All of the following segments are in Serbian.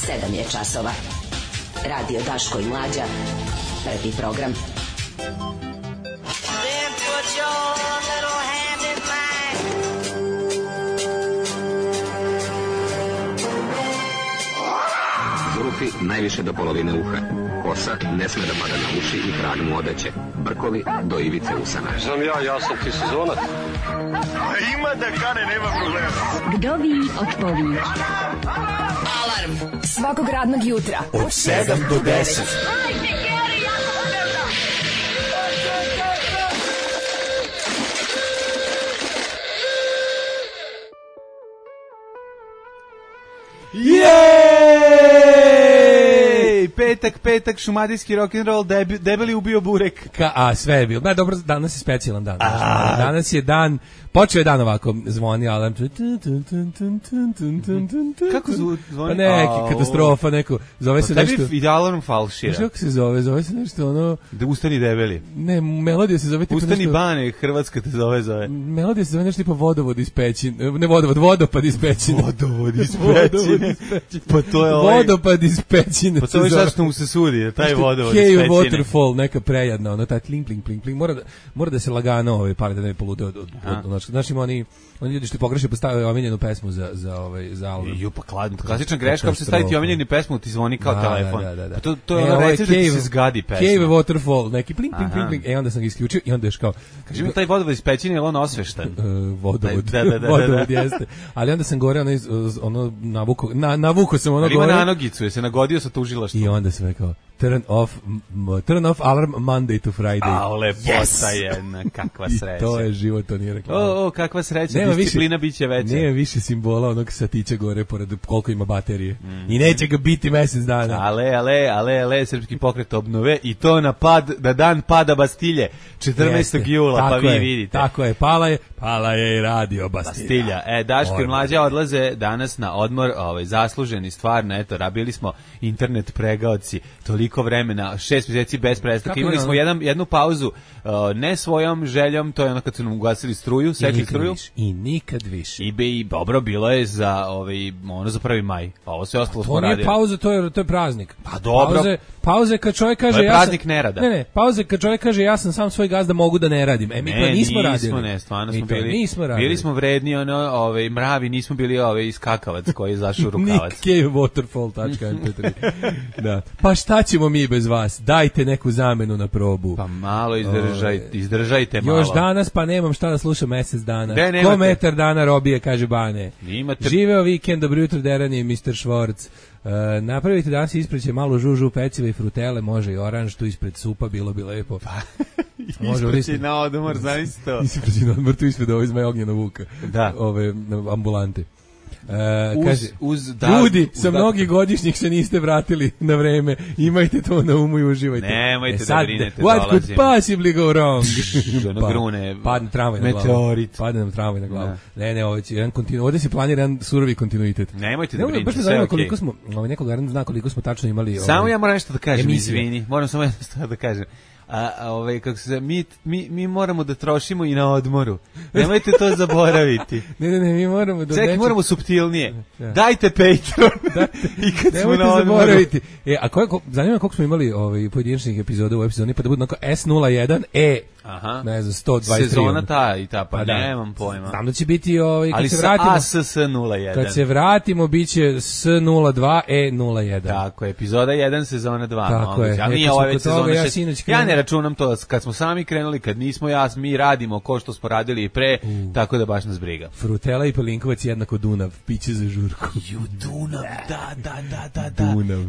7 je časova. Radio Daško i Mlađa. Prvi program. Zulufi najviše do polovine uha. Kosa ne sme da pada na uši i trag mu odeće. Brkovi do ivice usana. Znam ja sam ti sezonac. Ima da kane, nema problema. Vdovi otpovi. Alarm svakog radnog jutra od 7 do 10. Petak, šumadijski rock'n'roll, debeli ubio burek. A sve je bilo. Da, dobro, danas je specijalan dan. Danas je dan, počeo je dan ovako, zvoni alarm. Kako zvoni? Pa neki, katastrofa, neko, zove se nešto. Tebi ide alarm falšira. Kako se zove? Zove se nešto ono... Da ustani debeli. Ne, melodija se zove... Ustani Bane, Hrvatska te zove. Melodija se zove nešto tipa vodovod iz Pećine. Ne vodopad iz Pećine. Vodovod iz Pećine. Pa to je ovaj... Vodopad iz Pećine. Pa to je sad što mu se sudi, taj vodovod iz Pećine. Pećine. Waterfall, neka prejadna, ono, taj pling, pling, pling, pling. Mora da se lagano pali da ne polude od znači oni ljudi što pogreše postave omiljenu pesmu za album. Ju pa klasična greška, uopšte staviti omiljenu pesmu ti zvoni kao telefon. Da. To je ono recept da se zgadi pesma. Cave Waterfall, neki pling, pling, pling, pling. Onda sam ga isključio i onda još kao... Kaži mi taj vodovod iz Pećine, je li on osveštan? Vodovod jeste. Ali onda sam gore navuko sam ono gore. Ali ima nanogicu, je se nagodio sa tužilaštvom. I onda sam rekao, turn off alarm Monday to Friday. A, lepota jedna, kakva sreća. I to je život, to nije rekao. Kakva sreća, disciplina biće veća. Nije više simbola onog satića gore, pored koliko ima baterije. I neće ga biti mesec dana. Ale, srpski pokret obnove i to na dan pada Bastilje, 14. jula, pa vi vidite. Tako je, pala je i radio Bastilja. Daško i Mlađa odlaze danas na odmor, zasluženi stvarno, eto, rabili smo internet pregaoci, toliko vremena, 6 mjeseci bez prestanka. Imali smo jednu pauzu, ne svojom željom, to je ono kad su nam ugasili struju, sekli struju. I nikad više. I dobro, bilo je za za 1. maj. Ovo sve ostalo smo radili. To nije pauza, to je praznik. Pa dobro. Pauze kad čovjek kaže... To je praznik nerada. Ne, pauze kad čovjek kaže ja sam sam svoj gazda, mogu da ne radim. Mi to nismo radili. Stvarno smo bili. Bili smo vredni, mravi, nismo bili iskakavac koji je zašao u rukavac. Nick Cave Waterfall.mp3. Da. Pa šta ćemo mi bez vas? Dajte neku zamenu na probu. Pa malo izdržajte malo. Još danas pa nemam šta da slušam mesec dana. Ko metar dana robije, kaže Bane. Živeo vikend, dobro jutro Deran i Mr. Švorc. Napravite danas ispreće malo žužu, peciva i frutele, može i oranž, tu ispred supa, bilo bi lepo. Ispreći na odmor, znaš to. Ispreći na odmor, tu ispred ovo izmaje Ognjena Vuka. Da. Ove ambulante. Kaže, ljudi, sa mnogih godišnjih se niste vratili na vreme, imajte to na umu i uživajte. Nemojte da brinete, what could possibly go wrong? Padne tramvaj na glavu. Meteorit. Padne nam tramvaj na glavu. Ne, ovdje se planira jedan surovi kontinuitet. Nemojte da brinete, sve okej. Koliko smo, neko garant zna koliko smo tačno imali... Samo ja moram nešto da kažem, izvini. Moram samo nešto da kažem. Kako se mi moramo da trošimo i na odmoru. Nemojte to zaboraviti. Ne, mi moramo da... Čekaj, moramo suptilnije. Dajte Patreon. I kad smo na odmoru. Zaboraviti. Zanima koliko smo imali pojedinačnih epizoda u epizodi, pa da budu onako S01, ne znam, 123. Sezona ta, pa nemam pojma. Znam da će biti kad se vratimo... Ali sa ASS01. Kad se vratimo, bit će S02, E01. Tako, epizoda 1, sezona 2. Tako je. Ali nije ovo već sezona 6. Ja ne računam to kad smo sami krenuli, kad nismo mi radimo ko što smo radili i pre, tako da baš nas briga. Frutela i Pelinkovac jednako Dunav, piće za žurku. Dunav, da.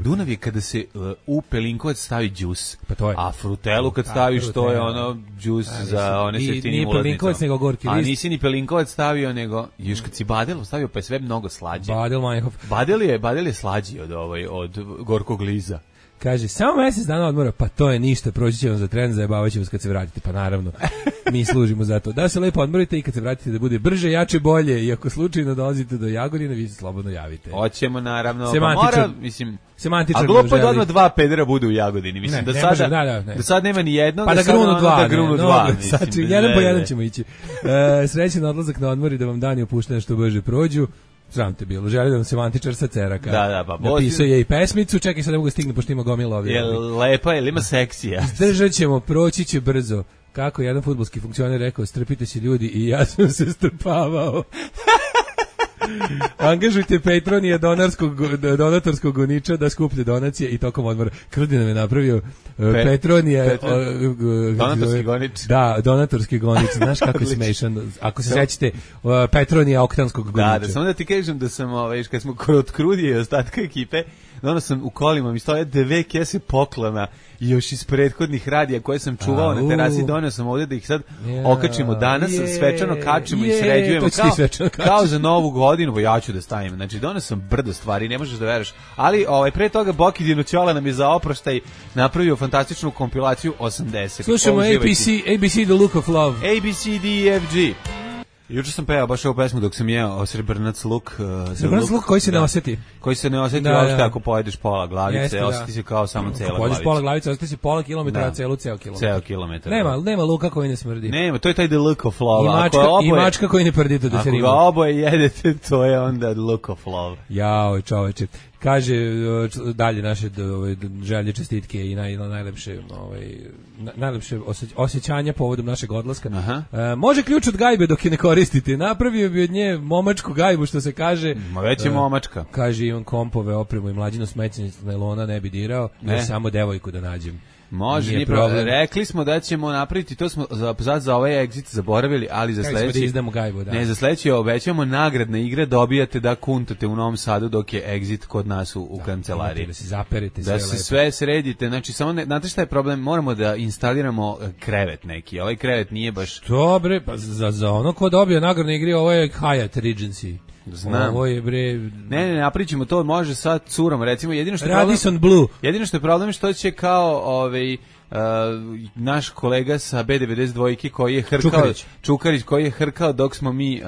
Dunav je kada se u Pelinkovac stavi džus, pa to je. A frutelu kad staviš, to je ono džus za one s jeftinim ulaznicom. Nije Pelinkovac nego gorki list. A nisi ni Pelinkovac stavio, nego još kad si Badel stavio, pa je sve mnogo slađe. Badel je slađi od gorkog liza. Kaže, samo mesec dana odmora, pa to je ništa, proći će vam za tren, zajebavat će vas kad se vratite, pa naravno, mi služimo za to. Da se lepo odmorite i kad se vratite da bude brže, jače, bolje, i ako slučajno dolazite do Jagodine, vi se slobodno javite. Hoćemo, naravno, semantičar. A glupo je da odmah 2 pedera bude u Jagodini, mislim, da sad nema ni jedno, pa da grunu dva. Mislim, jedan po jedan ćemo ići. Srećan odlazak na odmor i da vam dani opuštene što brže prođu. Sram te bilo. Želi da nam se Mantičar sa Ceraka. Da, pa napisao je i pesmicu, čekaj sad ne mogu stigne, pošto ima gomila ovdje. Je lepa, ili ima seksija? Izdržat ćemo, proći će brzo. Kako jedan fudbalski funkcioner rekao, strpite se ljudi i ja sam se strpavao. Angažujte Patronija donatorskog goniča da skuplje donacije i tokom odmora. Krudi nam je napravio Patronija donatorski gonič. Da, donatorski gonič. Znaš kako je smešan. Ako se sećate Patronija oktanskog goniča. Da, samo da ti kažem da sam, kad smo kod Krudije i ostatka ekipe, onda sam u kolima, mi stoje 2 kese poklona još iz prethodnih radija koje sam čuvao na terasi, donio sam ovdje da ih sad okačimo danas, svečano kačimo i sređujemo kao za novu godinu, ja ću da stavim. Znači, donio sam brdo stvari, ne možeš da veruješ. Ali pre toga Boki Dinoćola nam je za oproštaj napravio fantastičnu kompilaciju 80. Slušamo ABC The Look of Love. ABCDEFG. Juče sam pevao baš ovu pesmu dok sam jeo srebrnac luk. Srebrnac luk koji se ne osjeti. Koji se ne osjeti, uopšte ako pojedeš pola glavice, osjeti se kao samo cela glavica. Pojedeš pola glavice, osjeti se pola kilometra, ceo kilometar. Ceo kilometar. Nema luka koji ne smrdi. Nema, to je taj the look of love. I mačka koji ne prdite da se rima. Ako ga oboje jedete, to je onda the look of love. Jao, čoveče. Kaže dalje naše želje, čestitke i najlepše osjećanja povodom našeg odlaska. Može ključ od gajbe dok je ne koristite. Napravio bi od nje momačku gajbu, što se kaže. Već je momačka. Kaže Ivan Kompove, opremu i mlađino smećenje nailona ne bi dirao, još samo devojku da nađem. Može, nije problem. Rekli smo da ćemo napraviti, to smo za ovaj exit zaboravili, ali za sledeći... Da izdamo gajbu, da. Ne, za sledeći obećamo nagradne igre, dobijate da kuntate u Novom Sadu dok je exit kod nas u kancelariji. Da se zaperete sve lepo. Da se sve sredite, znači samo, znate šta je problem? Moramo da instaliramo krevet neki, ovaj krevet nije baš... Dobre, pa za ono ko dobije nagradne igre, ovo je Hyatt Regency. Znam. Ovo je bre... Ne, napričimo to, može sa curom, recimo, jedino što je Radisson Blue. Jedino što je problem što će kao naš kolega sa B92 koji je hrkao Čukarić koji je hrkao dok smo mi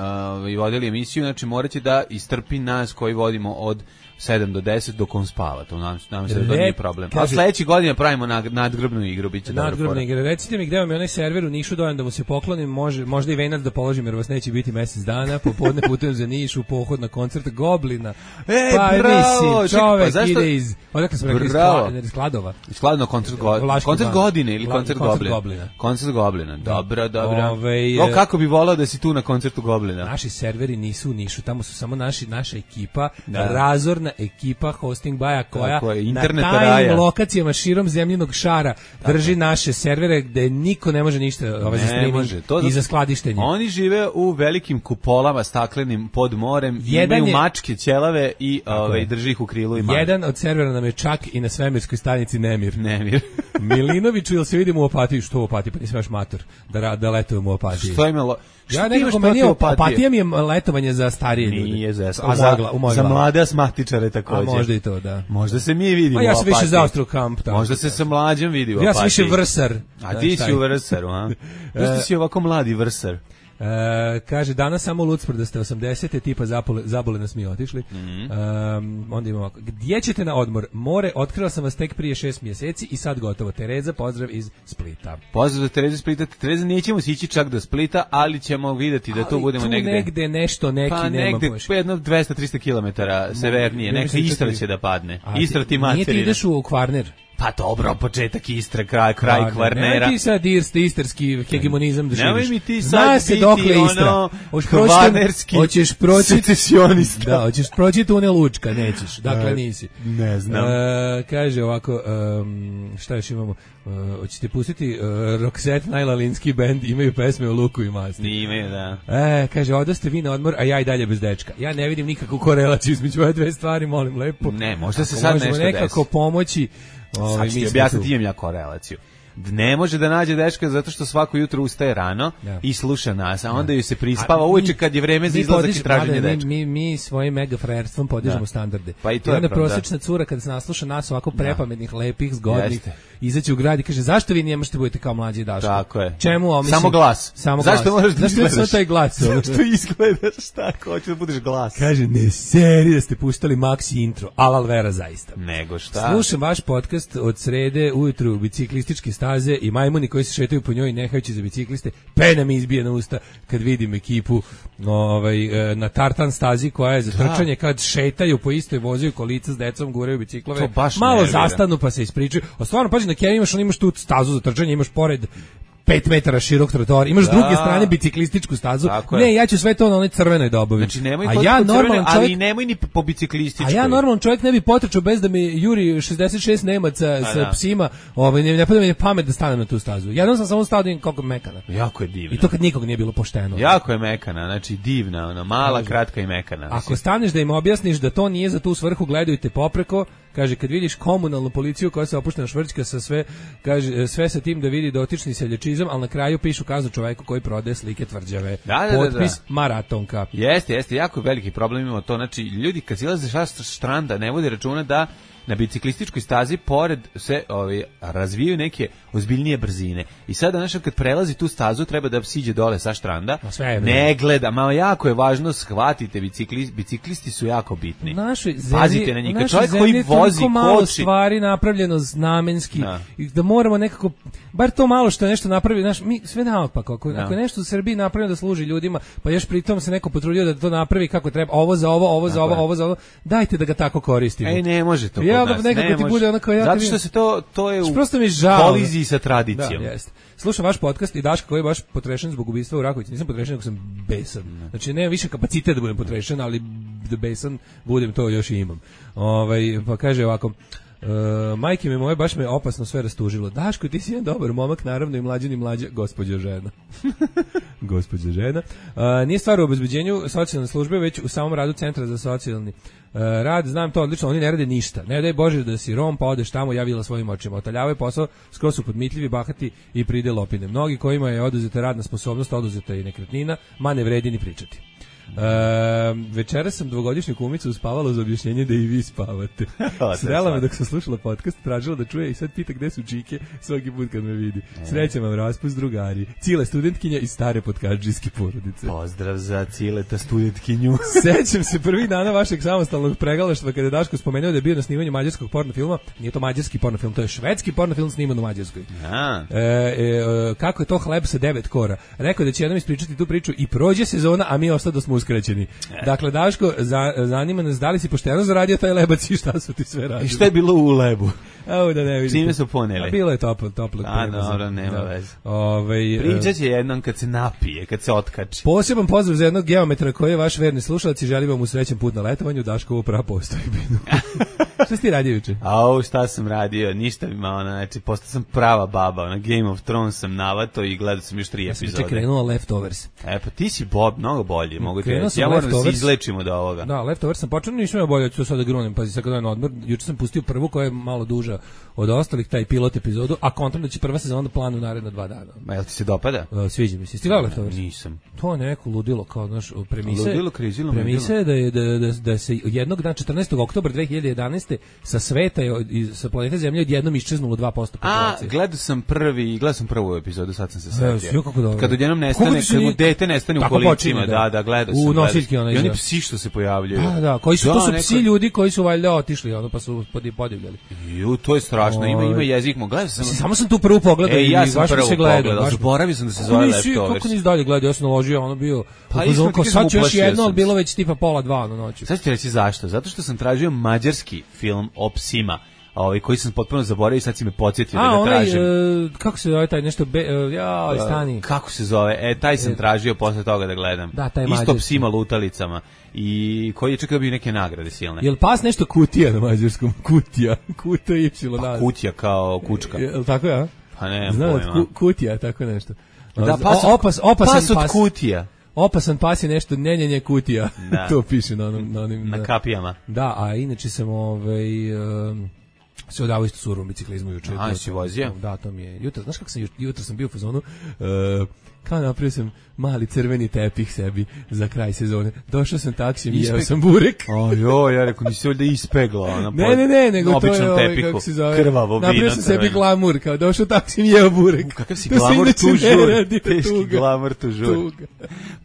vodili emisiju, znači moraće da istrpi nas koji vodimo od 7 do 10 dok on spava, to nam se da nije problem. A sledeće godine pravimo nadgrobnu igru, biće dobro. Nadgrobna igra. Recite mi gde vam je onaj server u Nišu, dojem da mu se poklonim, možda i venac da položim jer vas neće biti mesec dana, popodne putujem za Niš u pohod na koncert Goblina. Bravo! Mislim, čovek ide iz... Odakle sam rekao, iz Skladova. Skladno koncert godine ili koncert Goblina? Koncert Goblina, dobro. Kako bi volao da si tu na koncertu Goblina? Naši serveri nisu u Nišu, tamo su samo naša ekipa, razorna ekipa Hosting Baja koja na tajnim lokacijama širom zemljinog šara drži naše servere gde niko ne može ništa za streaming i za skladištenje. Oni žive u velikim kupolama staklenim pod morem, imaju mačke, ćelave i drži ih u krilu i manje. Jedan od servera nam je čak i na svemirskoj stanici Nemir. Milinoviću, ili se vidimo u Opatiji? Što u Opatiji? Pa nisam još mator da letujem u Opatiji. Što imalo? Ja nekako meni Opatija mi je letovanje za starije ljude. Nije za mlade asmatičare također. A možda i to, da. Možda se mi vidimo u Opatiji. Ja sam više za Austro-kamp. Možda se sa mlađom vidi u Opatiji. Ja sam više vrsar. A ti si u vrsaru, a? Zašto si ovako mladi vrsar? Kaže, danas samo Lucpor da ste 80. tipa zabole nas mi otišli. Onda imamo ovako. Gdje ćete na odmor? More, otkrila sam vas tek prije 6 mjeseci i sad gotovo. Tereza, pozdrav iz Splita. Pozdrav za Terezu iz Splita. Tereza, nećemo sići čak do Splita, ali ćemo vidjeti da tu budemo negde. Ali tu negde nešto, neki nema baš. Pa jedno 200-300 km severnije. Neka Istra će da padne. Istra ti materina. Nije ti ideš u Kvarner? Pa dobro, početak Istra, kraj Kvarnera. Nemoj ti sad istarski hegemonizam da živiš. Nemoj mi ti sad biti ono kvarnerski secesionista. Da, hoćeš proći tunel Lučka, nećeš. Dakle, nisi. Ne znam. Kaže ovako, šta još imamo? Hoćete pustiti Roxette, najlalinski band, imaju pesme o luku i masti. Imaju, da. Kaže, odaste vi na odmor, a ja i dalje bez dečka. Ja ne vidim nikakvu korelaciju između ove dve stvari, molim lepo. Ne, možda se sad nešto desi. Možemo nekako pomoći. Sad ću ti objasniti, imam ja korelaciju. Ne može da nađe dečka zato što svako jutro ustaje rano i sluša nas, a onda ju se prispava uveče kad je vreme za izlazak i traženje dečka. Mi svojim mega frajerstvom podižemo standarde. Pa i to je prosječna cura kada se nasluša nas ovako prepametnih, lepih, zgodnih, izaći u grad i kaže, zašto vi nije možete budete kao mlađi Daško? Tako je. Čemu? Samo glas. Zašto možeš da izgledaš? Zašto taj glas? Zašto izgledaš tako? Hoću da budeš glas. Kaže, ne seri da ste puštali Maxi intro, Alal Vera zaista. Nego šta? Slušam vaš podcast od srede ujutru, biciklistički stav staze i majmuni koji se šetaju po njoj nehajući za bicikliste, pena mi izbije na usta kad vidim ekipu na tartan stazi koja je za trčanje, kad šetaju po istoj, voziju kolica s decom, guraju biciklove, malo zastanu pa se ispričaju. A stvarno, pazi, na Keniji imaš tu stazu za trčanje, imaš pored 5 metara širok trotoar, imaš s druge strane biciklističku stazu. Ne, ja ću sve to na onoj crvenoj dobavi. Znači nemoj ali nemoj ni po biciklističkoj. A ja normalan čovjek ne bi potrčao bez da mi juri 66 Nemaca sa psima, ne pada mi pamet da stanem na tu stazu. Jednom sam samo stao da vidim koliko je mekana. Jako je divna. I to kad nikog nije bilo pošteno. Jako je mekana, znači divna, ona mala, kratka i mekana. Ako staneš da im objasniš da to nije za tu svrhu, gledajte popreko. Kaže, kad vidiš komunalnu policiju koja se opuštena švrćka sa sve sa tim da vidi dotični seljačizam, ali na kraju pišu kaznu čoveku koji prodaje slike tvrđave. Potpis maratonka. Jeste, jako veliki problem imamo to. Znači, ljudi kad silaze sa štranda ne vode računa da na biciklističkoj stazi pored se razvijaju neke ozbiljnije brzine. I sada znači kad prelazi tu stazu treba da siđe dole sa štranda. Ne gleda, malo jako je važno shvatite, biciklisti su jako bitni. Pazite na njih. Čovjek koji vozi malo stvari napravljeno namenski. Da moramo nekako bar to malo što je nešto napravio, mi sve naopak. Ako je nešto u Srbiji napravljeno da služi ljudima, pa još pritom se neko potrudio da to napravi kako treba, ovo za ovo, dajte da ga tako koristimo. Ne može to. Nekako ti bude onako zato što se to je u koliziji sa tradicijom. Slušam vaš podcast i Daška koji je baš potrešen zbog ubistva u Rakovici. Nisam potrešen, nego sam besan. Znači, nemam više kapacitet da budem potrešen, ali da besan budem, to još i imam. Pa kaže ovako, majke mi moje, baš me opasno sve rastužilo. Daško, ti si jedan dobar momak, naravno i mlađa, gospođo žena. Gospođo žena. Nije stvar u obezbeđenju socijalne službe, već u samom radu Centra za socijalni rad. Znam to odlično, oni ne rade ništa. Ne daj Bože da si Rom, pa odeš tamo, ja videla svojim očima. Otaljavaju posao, skoro su podmitljivi, bahati i pride lopine. Mnogi kojima je oduzeta radna sposobnost, oduzeta i nekretnina, ma ne vredi ni pričati. Večera sam dvogodišnju kumicu uspavala uz objašnjenje da i vi spavate. Srela me dok sam slušala podcast, tražila da čuje i sad pita gde su čike svaki put kad me vidi. Srećam vam raspust, drugari. Cile studentkinja iz stare podkadžijske porodice. Pozdrav za Cileta studentkinju. Sećam se prvih dana vašeg samostalnog pregalaštva kada je Daško spomenuo da je bio na snimanju mađarskog pornofilma. Nije to mađarski pornofilm, to je švedski pornofilm sniman u Mađarskoj. Kako je to hleb sa 9 kora. Rekao da će jednom ispričati tu priču i prođe sezona, a mi ostado smo uskraćeni. Dakle, Daško, zanima nas da li si pošteno zaradio taj lebac i šta su ti sve radili. I šta je bilo u lebu? Evo da ne vidite. Čime su poneli? Bilo je toplo. Dobro, nema veze. Pričat će jednom kad se napije, kad se otkači. Poseban pozdrav za jednog geometra koji je vaš verni slušalac i želim vam u srećan put na letovanju, Daškovu prapostojbinu. Šta si ti radio juče? Šta sam radio? Ništa mi malo, znači, postao sam prava baba, na Game of Thrones sam navato i gledao sam još 3 epizode. Ja sam krenuo Leftovers. Pa ti si Bob, mnogo bolji, mogu ti reći. Ja moram da se izlečim od ovoga. Da, Leftovers sam počeo, nisam imao bolje, ću to sada grunem, pazi, sad kad dan odmor, juče sam pustio prvu koja je malo duža od ostalih, taj pilot epizodu, a kontram da će prva sezona planu naredna 2 dana. Ma jel ti se dopada? Sviđa mi se. Ti gledao Leftovers? Nisam. To je neko ludilo, kao, znaš, premise je da se jednog dana, 14. oktobra 2011. sa sveta i sa planete Zemlje odjednom iščeznulo 2% populacije. Gledao sam prvu epizodu, sad sam se setio. Kad odjednom nestane, kad mu dete nestane u kolicima, da, gledao sam. U nosiljki ona. I oni psi što se pojavljuju. Da, koji su, to su psi ljudi koji su valjda otišli, pa su podivljali. To je strašno, ima jezik, gledao sam. Samo sam tu prvu pogledao i ja sam baš prvu se gledao. Zaboravio sam da se zove Leftovers. Kako nisi dalje gledao, ja sam naložio, ono bio, sad ću još jedno, ali bilo već tipa 1:30 na noću. Sad ću ti reći zašto, zato što sam tražio mađarski film o psima, koji sam potpuno zaboravio i sad si me podsjetio da ga tražim. Kako se zove taj nešto, stani. Kako se zove, taj sam tražio posle toga da gledam. Da, taj isto psima lutalicama. I koji je čekao bio neke nagrade silne. Jel pas nešto kutija na mađarskom? Kutija y. Pa kutija kao kučka. Jel tako ja? Pa ne, pojma. Kutija, tako nešto. Da, pas od kutija. Opasan pas je nešto, njenjenje kutija. To piše na onim... Na kapijama. Da, a inače sam se odavao isto surovom biciklizmu juče. Si vozio? Da, to mi je. Jutro sam bio u fazonu, kao napravio sam mali crveni tepih sebi za kraj sezone. Došao sam taksijem i jeo sam burek. Ojoj, ja rekao, nisi ovdje ispegla. Ne, nego to je kako se zove. Krvavo vino. Napravio sam sebi glamur, kao došao taksijem i jeo burek. Kakav si glamur tužur. Teški glamur tužur.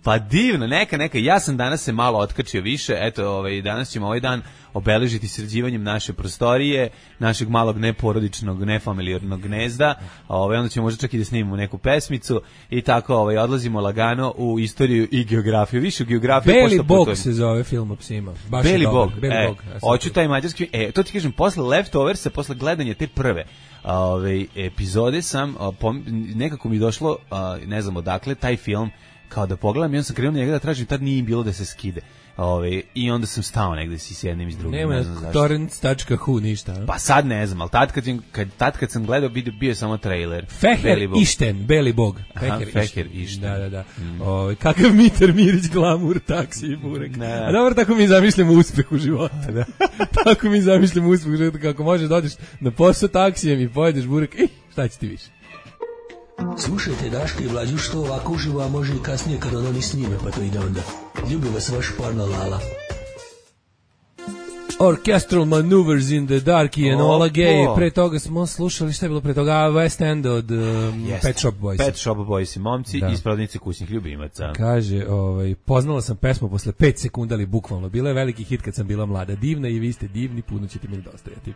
Pa divno, neka. Ja sam danas se malo otkačio više. Eto, danas ćemo ovaj dan obeležiti sređivanjem naše prostorije, našeg malog neporodičnog, nefamilijarnog gnezda. Onda ćemo možda čak i da snimimo neku pesmicu i tako odlazimo lagano u istoriju i geografiju. Više u geografiju. Beli Bog se zove film o psima. Baš Beli Bog. Ja hoću taj mađarski. To ti kažem, posle Leftoversa, posle gledanja te prve epizode sam, nekako mi došlo, ne znam odakle, taj film, kao da pogledam i on sam krenuo njega da tražim, tad nije bilo da se skide. I onda sam stao negde s jednim i s drugim. Nema torrents.hu ništa. Pa sad ne znam, ali tad kad sam gledao bio je samo trailer. Feher Išten, Beli Bog. Feher Išten. Da. Kakav Mitar Mirić, glamur, taksi i burek. A dobro, tako mi zamišljamo uspeh u životu. Tako mi zamišljamo uspeh u životu, kako možeš da odeš na posao taksijem i pojedeš burek. Šta će ti više? Slušajte Daška i Mlađu što ovako uživo, a može i kasnije kad oni snime, pa to ide onda. Ljubi vas vaš porno Lala. Orchestral Maneuvers in the Dark i Enola Gay. Pre toga smo slušali, šta je bilo pre toga? West End od Pet Shop Boys. Pet Shop Boys i momci iz prodavnice kućnih ljubimaca. Kaže, poznala sam pesmu posle 5 sekunda, ali bukvalno. Bila je veliki hit kad sam bila mlada. Divna i vi ste divni, puno ćete mi dostajati.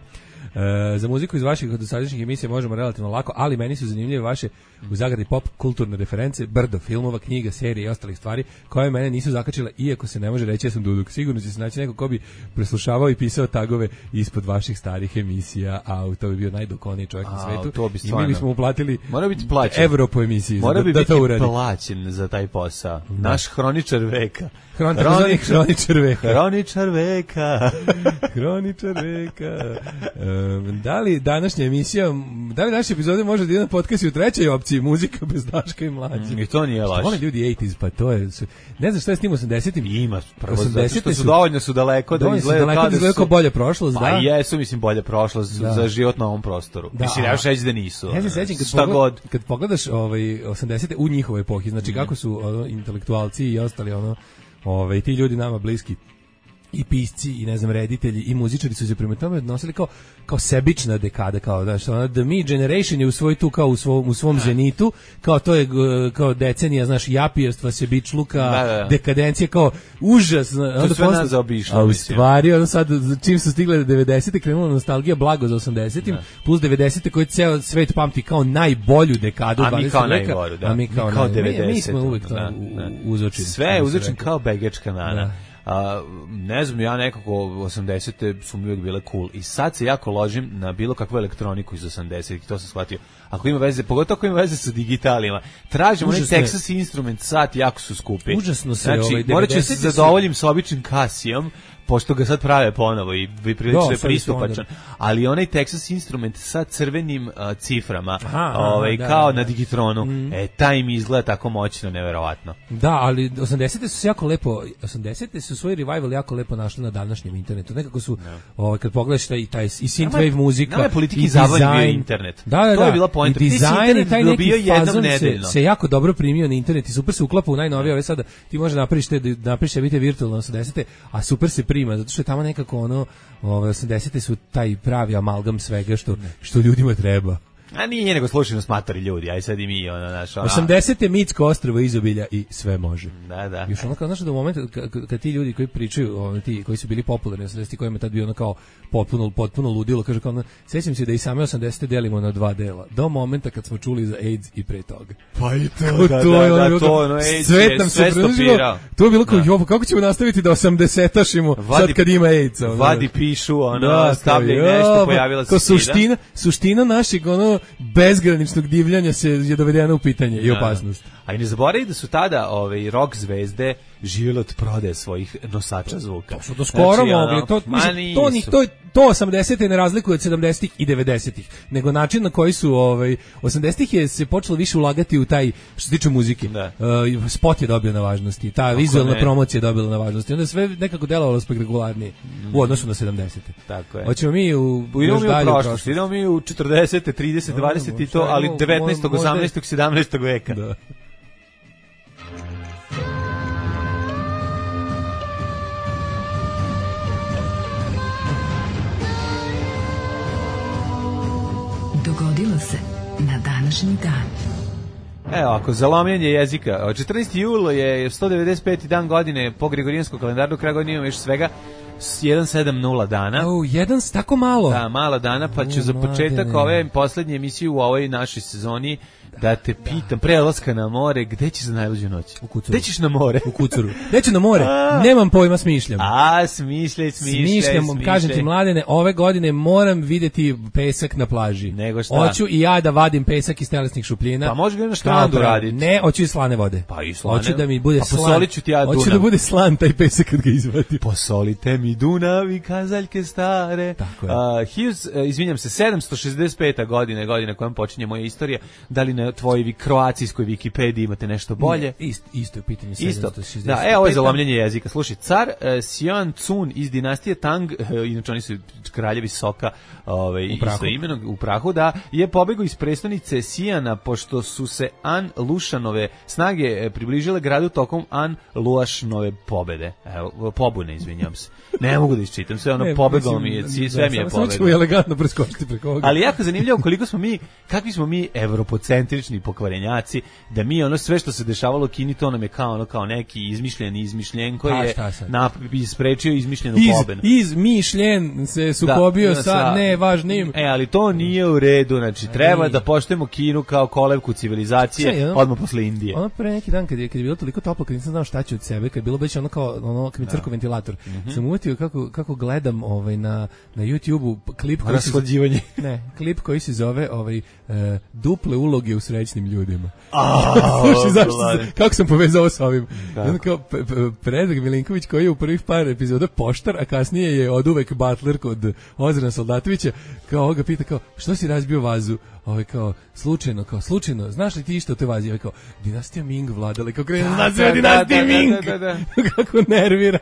Za muziku iz vaših dosadašnjih emisija možemo relativno lako, ali meni su zanimljive vaše u zagradi pop kulturne reference, brdo filmova, knjiga, serije i ostalih stvari koje mene nisu zakačile, iako se ne može reći ja sam duduk. Sigurno će se naći neko ko bi preslušavao i pisao tagove ispod vaših starih emisija, a to bi bio najdokoniji čovjek na svetu. I mi bismo uplatili evro po emisiji. Mora bi biti uradi. Plaćen za taj posao. Naš hroničar veka. Hroničar veka. Da li današnja epizode može da ide na podcast u trećoj opciji, muzika bez Daška i Mlađe? I to nije laž. Oni ljudi 80s, pa to je... Ne znam šta je s tim 80-im. Ima, prvo zato što su dovoljno daleko da izgleda kao bolja prošlost, pa jesu, mislim, bolja prošlost za život na ovom prostoru. Mislim, ja šeć da nisu. Ja se sećam kad pogledaš 80-te u njihovoj epohi, znači kako su intelektualci i ostali ti ljudi nama bliski i pisci i ne znam reditelji i muzičari su se prema tome odnosili kao sebična dekada, kao da što The Me Generation je u svoj tu kao u svom zenitu, kao to je kao decenija, znaš, japijerstva, sebičluka, dekadencija, kao užas, to sve nas zaobišlo. A u stvari sad čim su stigle 90-te krenula nostalgija blago za 80-im plus 90-te koji ceo svet pamti kao najbolju dekadu 20. veka, a mi kao 90-te. Mi smo uvek uzočili. Sve je uzočen kao begečka nana. Ne znam, ja nekako 80-te su mi uvijek bile cool i sad se jako ložim na bilo kakvu elektroniku iz 80-ih, to sam shvatio. Ako ima veze, pogotovo ako ima veze sa digitalima, tražimo onaj Texas Instrument sat, jako su skupi. Užasno se znači, morat ću se zadovoljim sa običnim Casijom, pošto ga sad prave ponovo i prilično je pristupačan, ali onaj Texas Instrument sa crvenim ciframa, kao na Digitronu, taj mi izgleda tako moćno, neverovatno. Da, ali 80-te su jako lepo, 80-te su svoj revival jako lepo našli na današnjem internetu. Nekako su, kad pogledaš i taj i synthwave muzika, nama je politiki zabavljen bio internet. Da. To je bila poenta. I dizajn i taj neki fazon se jako dobro primio na internet i super se uklapa u najnovije. Ove sada ti može napriš vidite virtualno 80-te, a super se prima, zato što je tamo nekako 80-te su taj pravi amalgam svega što ljudima treba. A nije nego slušajno smatori ljudi, aj sad i mi 80-te mitsko ostrvo izobilja i sve može. Da. Još ono kao, znaš, do momenta kad ti ljudi koji pričaju, ti koji su bili popularni 80-ti, kojima je tad bio kao potpuno ludilo, kaže kao, sećam se da i same 80-te delimo na dva dela, do momenta kad smo čuli za AIDS i pre toga. Pa i to, AIDS je sve stopirao. To je bilo kao, kako ćemo nastaviti da 80-tašimo sad kad ima AIDS? Vadi pišu, stavljaj nešto, pojavila se suština našeg, bezgraničnog divljanja je dovedena u pitanje i opasnost. A i ne zaboravi da su tada rock zvezde živjeli od prodaje svojih nosača zvuka. To su do skoro mogli. To 80-te ne razlikuje od 70-ih i 90-ih, nego način na koji su 80-ih je se počelo više ulagati u taj, što se tiče muzike. Spot je dobio na važnosti, ta vizualna promocija je dobila na važnosti. Onda sve nekako delovalo spektakularnije u odnosu na 70-te. Tako je. Hoćemo mi još dalje u prošlost. Idemo mi u 40-te, 30, 20 i to, ali 19. 18. 17. veka. Da. Dogodilo se na današnji dan. Evo, ako za lomljenje jezika, 14. jula je 195. dan godine po Gregorijanskom kalendaru, kraj godine imamo još svega 170 dana. Jedan tako malo. Da, malo dana, pa ću za početak ove poslednje emisije u ovoj našoj sezoni da te pitam, pre odlaska na more, gde ćeš za najluđu noć? U Kucuru. Gde ćeš na more? U Kucuru. Gde ću na more? Nemam pojma, smišljam. Smišljaj. Kažem ti, Mladene, ove godine moram vidjeti pesak na plaži. Nego šta? Hoću i ja da vadim pesak iz telesnih šupljina. Pa može ga na štrandu raditi. Ne, hoću i slane vode. Pa i slane. Hoću da mi bude slan. Posolit ću ti ja Dunav. Hoću da bude slan taj pesak kad ga izvadim. Posolite mi Dunav i kazaljke stare. Tako je. Izvinjam se, 765. godina kojom počinje moja istorija. Da li na tvojoj kroacijskoj Wikipediji imate nešto bolje? Isto je pitanje 765. Da, ovo je za lomljenje jezika. Slušaj, car Sion Cun iz dinastije Tang, inače oni su kraljevi Soka, istoimenog u prahu, da je pobegao iz prestonice Sijana pošto su se An Lušanove snage približile gradu tokom An Luašnove pobune, izvinjam se. Ne mogu da isčitam sve, pobegao mi je, sve mi je pobegao. Samo ćemo elegantno preskočiti preko ovoga. Ali jako zanimljivo koliko smo mi, kakvi smo mi evropocentrični pokvarenjaci, da mi sve što se dešavalo u Kini, to nam je kao neki izmišljen koji je isprečio izmišljenu pobenu. Izmišljen se sukobio sa nevažnim. Ali to nije u redu, znači treba da poštujemo Kinu kao kolevku civilizacije odmah posle Indije. Ono pre neki dan kad je bilo toliko toplo, kad nisam znao šta ću od sebe, kad je bilo već kad mi crko ventilator, sam uvetio kako gledam na YouTube-u klip koji se zove duple uloge u srećnim ljudima. Slušaj, kako sam povezao s ovim? Predrag Milinković koji je u prvih par epizoda poštar, a kasnije je oduvek butler kod Ozrana Soldatovića, kao ga pita što si razbio vazu? Slučajno, znaš li ti išto o te vazi? Dinastija Ming vladala, kako krenu naziva dinastija Ming, kako nervira.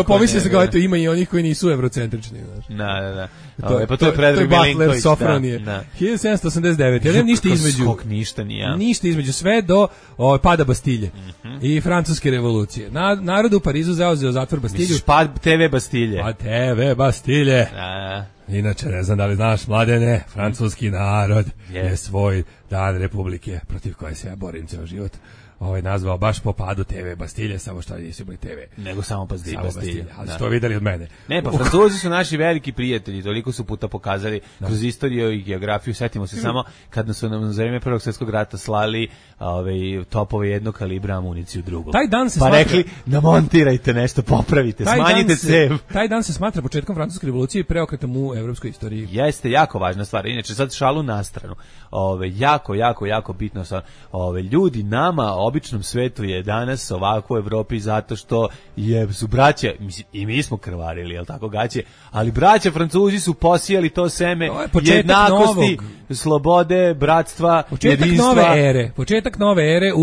Pomisli se kao, ima i onih koji nisu evrocentrični. Da. To je Predrag Milinković. Sofronije. 1789. Ja nemam ništa između. Ništa između, sve do pada Bastilje i francuske revolucije. Narod u Parizu zauzeo zatvor Bastilju. Misliš TV Bastilje? TV Bastilje. Inače, ne znam da li znaš, Mladene, francuski narod je svoj dan republike, protiv koje se ja borim ceo život, nazvao baš po padu TV Bastilje, samo što nisu bili TV. Nego samo Bastilje. Ali što videli od mene. Ne, pa Francuzi su naši veliki prijatelji, toliko su puta pokazali kroz istoriju i geografiju. Setimo se samo kad su nam za vreme Prvog svjetskog rata slali topove jednog kalibra, amuniciju drugog. Pa rekli, namontirajte nešto, popravite, smanjite cev. Taj dan se smatra početkom francuske revolucije i preokretom u evropskoj istoriji. Jeste, jako važna stvar. Inače, sad šalu na stranu. Jako bitno stvar. Ljudi nama, običnom svetu je danas ovako u Evropi zato što su braća, i mi smo krvarili, jel tako gaće, ali braća Francuzi su posijali to seme jednakosti, slobode, bratstva, jedinstva. Početak nove ere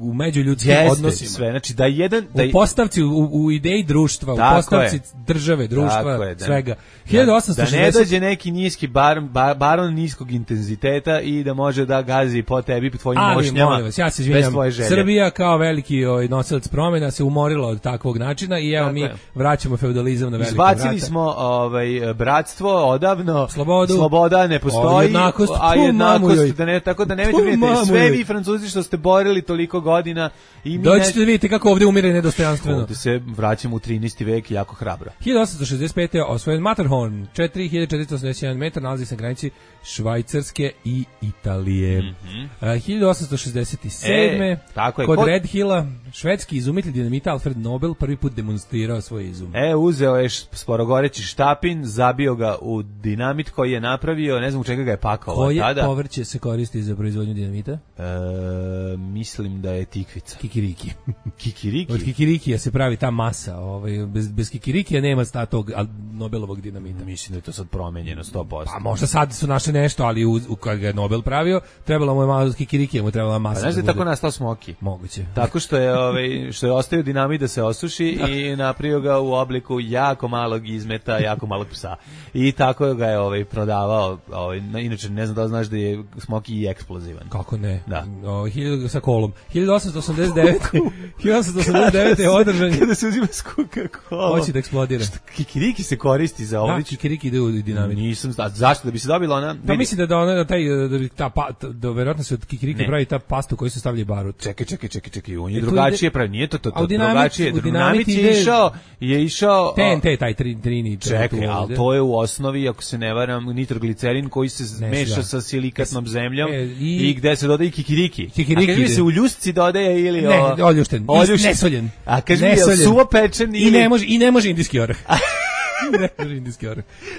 u međuljudskim odnosima. Sve, znači da u postavci, u ideji društva, u postavci države, društva, svega. 1860. Da ne dođe neki niski baron niskog intenziteta i da može da gazi po tebi, po tvojim mošnjama. Ja se izvinjam, Srbija kao veliki nosilac promjena se umorila od takvog načina i evo mi vraćamo feudalizam na velika vrata. Izbacili smo bratstvo odavno, sloboda ne postoji, a jednakost, tako da nemojte vidjeti, sve vi Francuzi što ste borili toliko godina. Dođite da vidite kako ovdje umire nedostojanstveno. Ovdje se vraćamo u 13. vek jako hrabro. 1865. je osvojen Matterhorn, 4481 metar, nalazi se na granici Švajcarske i Italije. 1867. Kod Red Hilla, švedski izumitelj dinamita Alfred Nobel prvi put demonstrirao svoj izum. Uzeo je sporogoreći štapin, zabio ga u dinamit koji je napravio, ne znam u čega ga je pakao. Koje povrće se koristi za proizvodnju dinamita? Mislim da je tikvica. Kikiriki. Kikiriki? Od kikirikija se pravi ta masa. Bez kikirikija nema tog Nobelovog dinamita. Mislim da je to sad promenjeno 100%. Pa možda sad su našli nešto, ali kad ga je Nobel pravio, trebalo mu je malo kikirikija, mu trebala masa. Znaš da je tako nastao smoki? Moguće. Tako što je ostavio dinamit da se osuši i napravio ga u obliku jako malog izmeta, jako malog psa. I tako ga je prodavao. Inače, ne znam da znaš da je smoki i eksplozivan. Kako ne? Da. Sa kolom. 1889. je održan. Kada se uzima skuka kola. Hoće da eksplodira. Kikiriki se koristi za ovo. Da, kikiriki ide u dinamit. Nisam, zašto? Da bi se dobila ona... Pa mislim da verovatno se od kikiriki pravi ta pasta koju se stavlja barut. Čekaj, on je drugačije pravi, nije to drugačije. Dinamit je išao... TNT, taj trini. Čekaj, ali to je u osnovi, ako se ne varam, nitroglicerin koji se meša sa silikatnom zemljom i gde se dodaje kikiriki. A kaži mi se u ljusci dodaje ili... Ne, oljušten, nesoljen. A kaži mi je suvo pečen ili... I ne može indijski orah.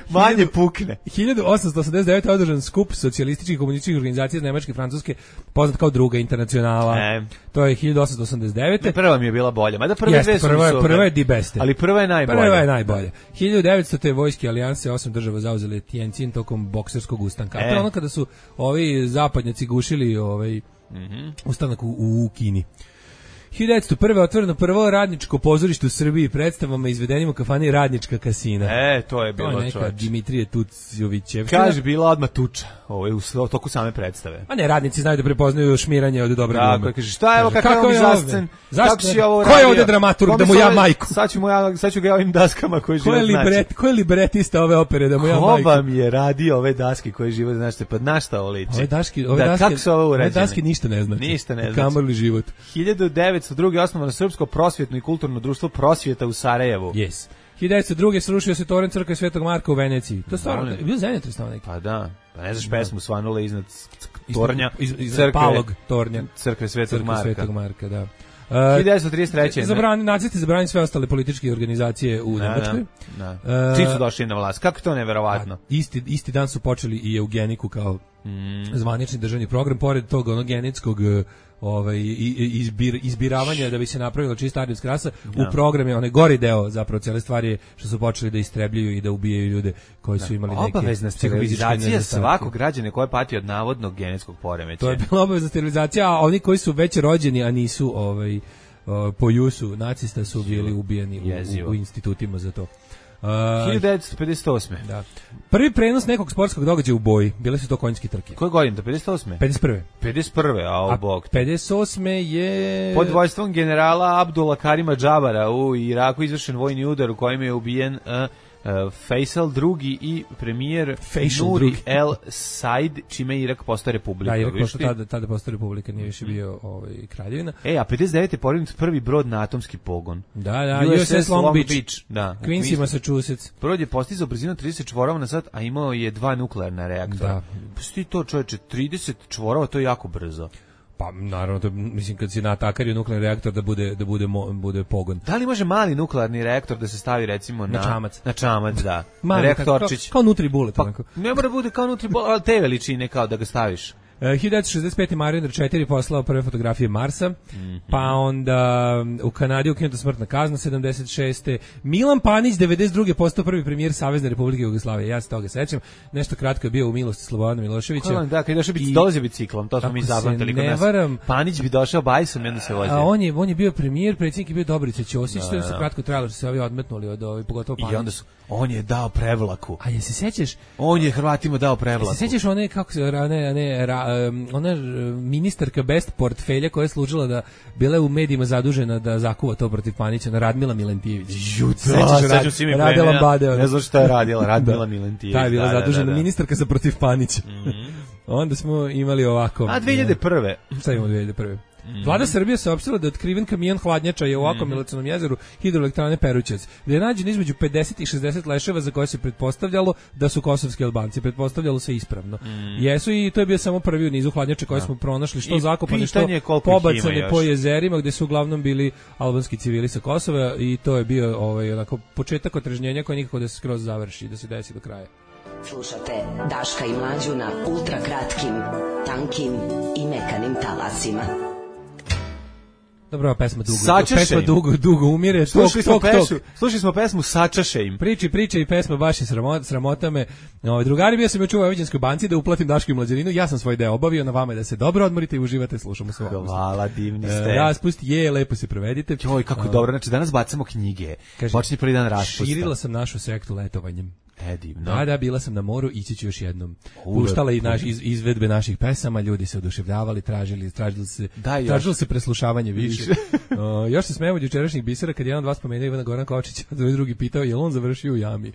Manje pukne. 1889. održan skup socijalističkih i komunističkih organizacija iz Nemačke i Francuske, poznat kao Druga internacionala. To je 1889. Prva mi je bila bolja. Mada prve dve su prva je di beste. Ali prva je najbolja. Prva je najbolja. 1900. te vojske alijanse 8 država zauzele Tientsin tokom bokserskog ustanka. To je ono kada su ovi zapadnjaci gušili ustanak u Kini. 1901. otvoreno prvo radničko pozorište u Srbiji predstavama izvedenim u kafani Radnička kasina. To je bilo čovječ. To je neka Dimitrije Tucovićev. Kaže, bila odmah tuča u toku same predstave. A ne, radnici znaju da prepoznaju šmiranje od dobre glume. Tako, kaže, šta je ovo, kakav je zascen? Kako si ovo radio? Ko je ovde dramaturg da mu ja majku? Sad ću ga ovim daskama koji život znači. Ko je libretista ove opere da mu ja majku? Ko vam je radio ove daske koji život znači? Pa na šta ovo liči? Kako su ovo urađene? Ove daske ništa ne znači. Ništa ne znači. Kamoli život. 1902. osnovano Srpsko prosvjetno i kulturno društvo Prosvjeta u Sarajevu. Yes. 1902. srušio se toren crkve Svetog Marka u Veneciji. To je stvarno, bio zemljotres tamo neki. Pa da, pa ne znaš pesmu svanula iznad tornja, palog tornja. Crkve Svetog Marka, da. 1933. Nacisti zabranili sve ostale političke organizacije u Nemačkoj. Čim su došli na vlast? Kako to neverovatno? Isti dan su počeli i eugeniku kao zvanični državni program, pored tog genetskog izbiravanja da bi se napravila čista arijevska rasa. U program je onaj gori deo zapravo cijele stvari je što su počeli da istrebljuju i da ubijaju ljude koji su imali neke obavezna sterilizacija svakog građana koji pati od navodnog genetskog poremećaja. To je bila obavezna sterilizacija, a oni koji su već rođeni a nisu po jusu nacista su bili ubijeni u institutima za to. 1958. Da. Prvi prenos nekog sportskog događaja u boji, bile su to konjske trke. Koje godine? 58. 51. A u bok. 58. je pod vojstvom generala Abdula Karima Džabara u Iraku izvršen vojni udar u kojem je ubijen Faisal II i premijer Nuri El Said, čime je Irak postao republika. Da, Irak tada postao republika, nije više bio kraljevina. A 59. je porinut prvi brod na atomski pogon. Da, USS Long Beach. Da. Quincy, Massachusetts. Brod je postizao brzinu 30 čvorova na sat, a imao je 2 nuklearna reaktora. Pusti to, čoveče, 30 čvorova, to je jako brzo. Pa naravno, to, mislim kad si natakario nuklearni reaktor da bude pogon. Da li može mali nuklearni reaktor da se stavi recimo na čamac? Na čamac, da. Reaktorčić. Kao Nutribullet. Pa, ne mora bude kao Nutribullet, ali te veličine kao da ga staviš. 1965. Mariner 4 poslao prve fotografije Marsa, pa onda u Kanadi ukinuta smrtna kazna 76. Milan Panić 92. postao prvi premijer Savezne Republike Jugoslavije. Ja se toga sećam. Nešto kratko je bio u milosti Slobodana Miloševića. Da, kad je došao dolazi biciklom, to smo mi zapamtili kod nas. Panić bi došao bajsom i onda se vozio. A on je bio premijer, predsjednik je bio Dobrica Ćosić, to je kratko trajalo što se ovi odmetnuli od pogotovo Panić. I onda on je dao prevlaku. A jesi sećaš? On je Hrvatima dao prevlaku. Jesi sećaš one kako se ona ministarka best portfelja koja je služila da bila je u medijima zadužena da zakuva to protiv Panića, na Radmila Milentijević. Sećam se mi premija, ne znam šta je radila Radmila Milentijević. Ta je bila zadužena ministarka za protiv Panića. Onda smo imali ovako. A 2001. Šta imamo 2001? Vlada Srbije saopštila da je otkriven kamion hladnjača je u Akomilacionom jezeru hidroelektrane Perućac, gdje je nađen između 50 i 60 leševa za koje se pretpostavljalo da su kosovski Albanci. Pretpostavljalo se ispravno. Jesu i to je bio samo prvi u nizu hladnjača koje smo pronašli, što zakopane, što pobacane po jezerima, gdje su uglavnom bili albanski civili sa Kosova i to je bio onako početak otrežnjenja koji nikako da se skroz završi, da se desi do kraja. Slušate Daška i Mlađu na ultra kratkim, tankim i mekanim talasima. Dobro, pesma dugo umire. Slušali smo pesmu Sačaše im. Priče i pesma baš je sramota me. Drugari, bio sam juče u Vojvođanskoj banci da uplatim Daško i Mlađaninu. Ja sam svoj deo obavio, na vama je da se dobro odmorite i uživate, slušamo se. Hvala, divni ste. Raspust je, lepo se provedite. Joj, kako dobro, znači danas bacamo knjige. Počinje prvi dan raspusta. Širila sam našu sektu letovanjem. Divno. Da, bila sam na moru, ići ću još jednom. Puštala i izvedbe naših pesama, ljudi se oduševljavali, tražili se preslušavanje više. Još se smemo od jučerašnjih bisera kad jedan od vas spomenuo Ivana Goran Kočića, a drugi pitao je li on završio u jami.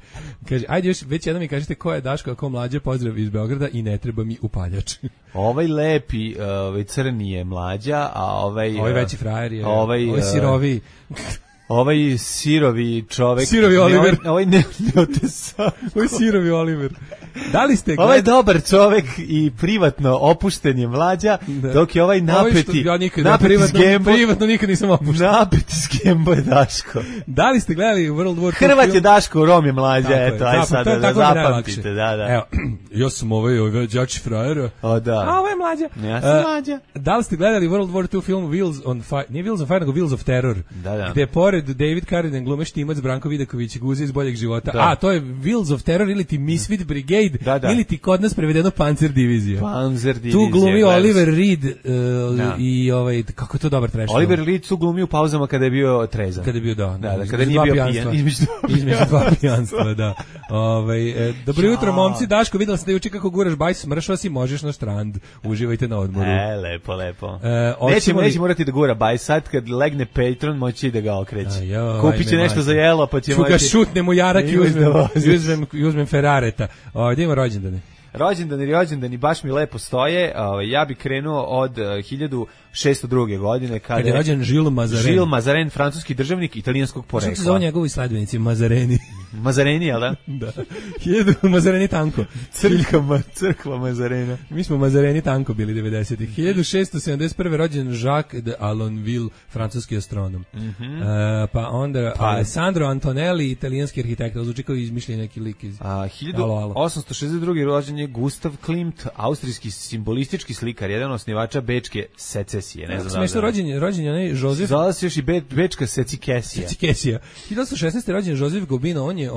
Kaže, ajde još već jednom mi kažete ko je Daško, a ko Mlađa, pozdrav iz Beograda i ne treba mi upaljač. Ovaj lepi, crni je Mlađa, a ovaj veći frajer je, ovaj sirovi. Ovaj sirovi čovek. Sirovi Oliver. Ovaj neotesan. Ovaj sirovi Oliver. Da li ste ovaj dobar čovek i privatno opušten je Mlađa, dok je ovaj napeti. Privatno nikad nisam opušten. Napeti s Gembo je Daško. Da li ste gledali World War II? Hrvat je Daško, Rom je Mlađa, eto, aj sad da zapamtite, da. Evo, ja sam ovaj đači frajera. O da. A ovo je Mlađa. Ja sam Mlađa. Da li ste gledali World War II film Wheels on Fire, nije Wheels on Fire, nego Wheels of Terror? Da. Gde pored David Carradine glume Štimac, Branko Vidaković, Guzi iz Boljeg života. A, to je Wheels of Terror ili ti Misfit Brigade, ili ti kod nas prevedeno Panzer divizija. Tu glumi Oliver Reed i kako je to dobar trash. Oliver Reed su glumi u pauzama kada je bio trezan. Kada je bio, kada nije bio pijan. Između dva pijanstva, da. Dobro jutro, momci. Daško, videla sam da juče kako guraš bajs, smršao si, možeš na štrand. Uživajte na odmoru. Lepo. Neće morati da gura bajs, sad kad legne Patreon, moći da ga okreće. Kupit će nešto za jelo, pa će moći... šutnem u jarak i uzmem Ferrareta. Gdje ima rođendane? Rođendani baš mi lepo stoje. Ja bih krenuo od 1602. godine kad je rođen Jules Mazarin. Jules Mazarin, francuski državnik italijanskog porekla. Što se zove njegovi sledbenici? Mazareni. Mazareni, jel da? Da. 1000 Mazareni tanko. Crkva Mazarena. Mi smo Mazareni tanko bili 90-ih. 1671. rođen Jacques de Alonville, francuski astronom. Pa onda Alessandro Antonelli, italijanski arhitekta. Zvuči kao izmišljen neki lik iz... 1862. rođen je Gustav Klimt, austrijski simbolistički slikar, jedan osnivača bečke secesije. Ne znam da. Smešno rođen je onaj Josef. Zvala se još i bečka secikesija. 1916. rođen Josef Gobino, on je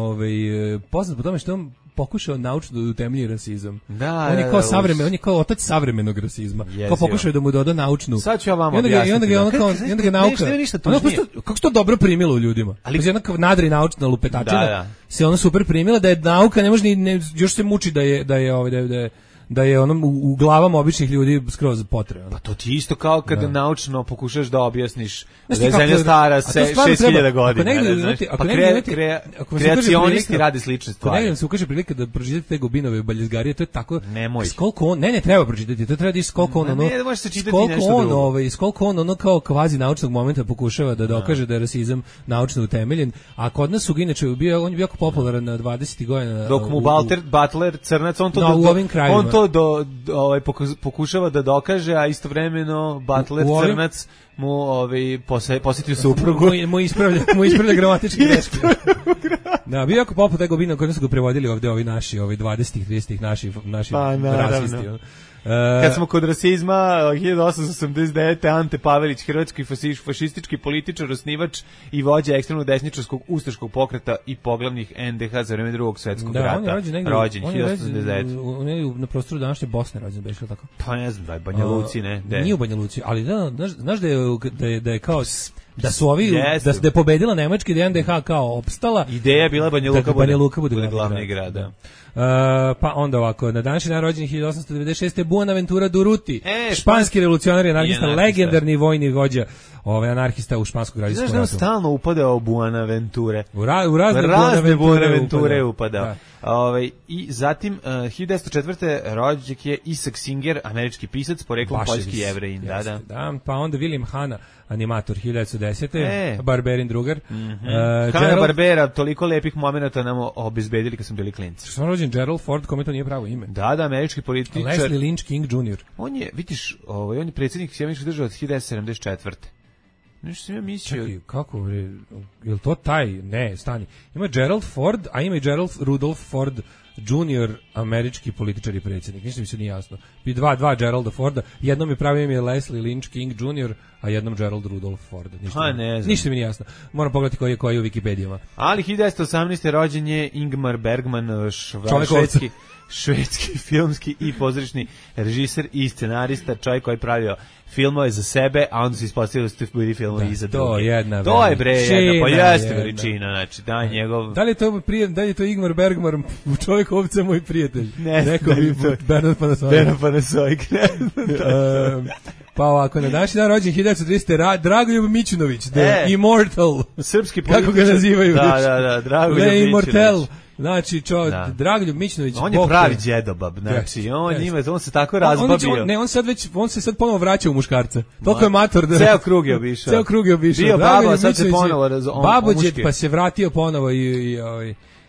poznat po tome što on pokušao naučno da utemelji rasizam. On je kao on je kao otac savremenog rasizma. Kao pokušao da mu doda naučnu. Sad ću ja vam objasniti. I onda ga nauka. Kako se to dobro primilo u ljudima. Ali jedna nadri naučna lupetačina se ona super primila da je nauka ne može još se muči da je onom u glavama običnih ljudi skroz potrebno. Pa to ti isto kao kada naučno pokušaš da objasniš da je zemlja stara 6000 godina. Kreacionisti rade slične stvari. Negdje se ukaže prilika da pročitate te Gobinove baljezgarije, to je tako... Skoliko on... Ne, treba pročitati, to treba da skoliko on ono... Ne, možeš se čitati nešto drugo. Skoliko on ono kao kvazi naučnog momenta pokušava da dokaže da je rasizam naučno utemeljen, a kod nas su inače on je bio jako popularan na 20. godina. Dok mu Butler crnac, on to pokušava da dokaže, a istovremeno Butler crnac mu posjetio suprugu. Mu ispravlja gramatički greške. Da, bio jako poput tego Gobina, koji su ga prevodili ovde ovi naši, 20-ih, 30-ih naši rasisti. Kad smo kod rasizma, 1889. Ante Pavelić, hrvatski fašistički političar, osnivač i vođa ekstremno desničarskog ustaškog pokreta i poglavnih NDH za vreme Drugog svjetskog rata. On je rođen 1889. On je na prostoru današnje Bosne rođen, beš li tako? Pa ne znam, da je Banja Luci, ne? Nije u Banja Luci, ali znaš da je kao... Da su ovi, da je pobedila Nemačka i da je NDH kao opstala. Ideja je bila Banja Luka bude glavni grad. Pa onda ovako, na današnji dan rođen 1896. Buenaventura Durruti, španski revolucionar i anarhista, legendarni vojni vođa, anarhista u španskom građanskom ratu. Znaš da on stalno upadao u Buenaventure. U razne Buenaventure upadao. I zatim 1904. rođen je Isaac Singer, američki pisac, poreklom poljski Jevrejin. Pa onda William Hanna, animator 1910. Barberin drugar. Barbera, toliko lepih momenata nam obezbedili kad smo bili klinci. Što sam rođen Gerald Ford, kome to nije pravo ime. Da, američki političar. Leslie Lynch King Jr. On je, vidiš, on je predsjednik Sjedinjenih država od 1974. Nešto sam ja mislio... Čekaj, kako, je li to taj? Ne, stani. Ima Gerald Ford, a ima i Gerald Rudolph Ford junior američki političar i predsjednik. Ništa mi se nije jasno. I dva Geralda Forda. Jednom je pravio ime Leslie Lynch King Jr., a jednom Gerald Rudolph Ford. Ništa mi nije jasno. Moram pogledati koji je u Wikipedijama. Ali 1918. rođen je Ingmar Bergman, švedski filmski i pozorišni režiser i scenarista, čovjek koji je pravio filmove za sebe, a onda se ispostavilo da su bili filmovi i za druge. To je bre jedna, pa jeste veličina, znači da njegov... Da li je to Ingmar Bergman, čovjek ovce moj prijatelj? Ne, rekao bi Bernard Panasonic. Pa ovako, na današnji dan rođen 1930. Dragoljub Mićunović, The Immortal. Srpski političar. Kako ga nazivaju? Da, Dragoljub The Immortal. Znači, Dragoljub Mićunović. On je pravi djedobab, znači, on se tako razbabio. On se sad ponovo vraća u muškarca. Toliko je mator da... Ceo krug je obišao. Bio baba, sad se ponovo babođed, pa se vratio ponovo i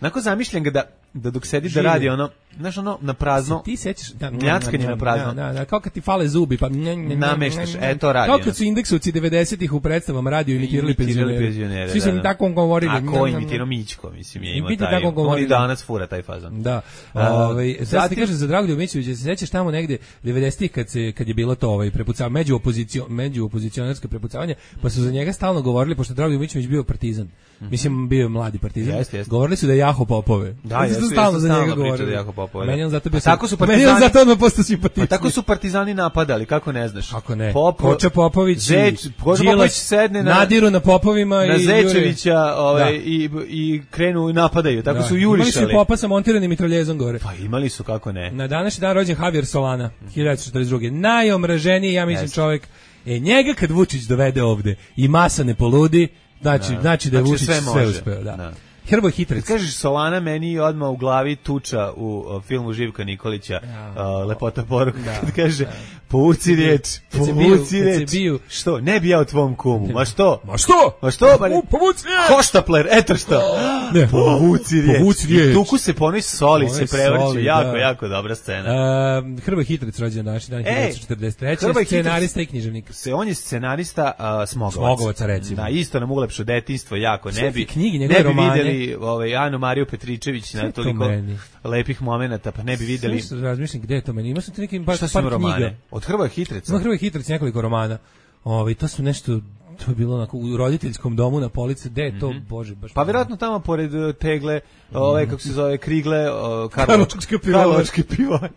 Onako zamišljam ga da dok sedi da radi znaš na prazno. Ti sećaš mljackanje na prazno. Da, kao kad ti fale zubi pa nameštaš, to radi. Kao kad su indeksovci 90-ih u predstavama radio imitirali penzionere. Svi su mi tako govorili. A ko imitirao Mićko, mislim je imao taj. On i danas fura taj fazon. Da. Sad ti kažem za Dragoljuba Mićunovića, se sećaš tamo negde 90-ih kad je bilo to prepucavanje među opozicionarsko prepucavanje, pa su za njega stalno govorili pošto Dragoljub Mićunović bio partizan. Mislim bio je mladi partizan. Govorili su da je Jaho Popove. Da, stalno za njega govorili. Meni on zato bio tako su partizani napadali, kako ne znaš? Kako ne? Koča Popović, Đilas sedne nadiru na Popovima na Zečevića, i krenu i napadaju. Tako su jurišali. Imali su Popa sa montiranim mitraljezom gore. Pa imali su, kako ne. Na današnji dan rođen Javier Solana, 1942. Najomraženiji, ja mislim, čovjek. Njega kad Vučić dovede ovde i masa ne poludi, znači da je Vučić sve uspeo, da. Hrvoj Hitrec. Kad kažeš Solana, meni odmah u glavi tuča u filmu Živka Nikolića, Lepota poruka, kad kaže povuci riječ. Što? Ne bi ja o tvom kumu. Ma što? Povuci riječ. Hoštapler, eto što. Povuci riječ. I tuku se ponoj soli, se prevrće. Jako dobra scena. Hrvoj Hitrec rođen naš dan 1943. Scenarista i književnik. On je scenarista Smogovaca, recimo. Da, isto nam ulepšo detinjstvo jako. Ne bi vidjeli Anu Mariju Petričević na toliko lepih momenata, pa ne bi vidjeli. Sve razmišljam gde je to meni. Ima sam neki par knjiga. Od Hrvoja Hitreca. Hrvoja Hitrec nekoliko romana. To su nešto, to je bilo onako u roditeljskom domu na polici, gde je to, bože, baš. Pa vjerojatno tamo pored tegle, kako se zove, krigle, Karlovačke pivoje.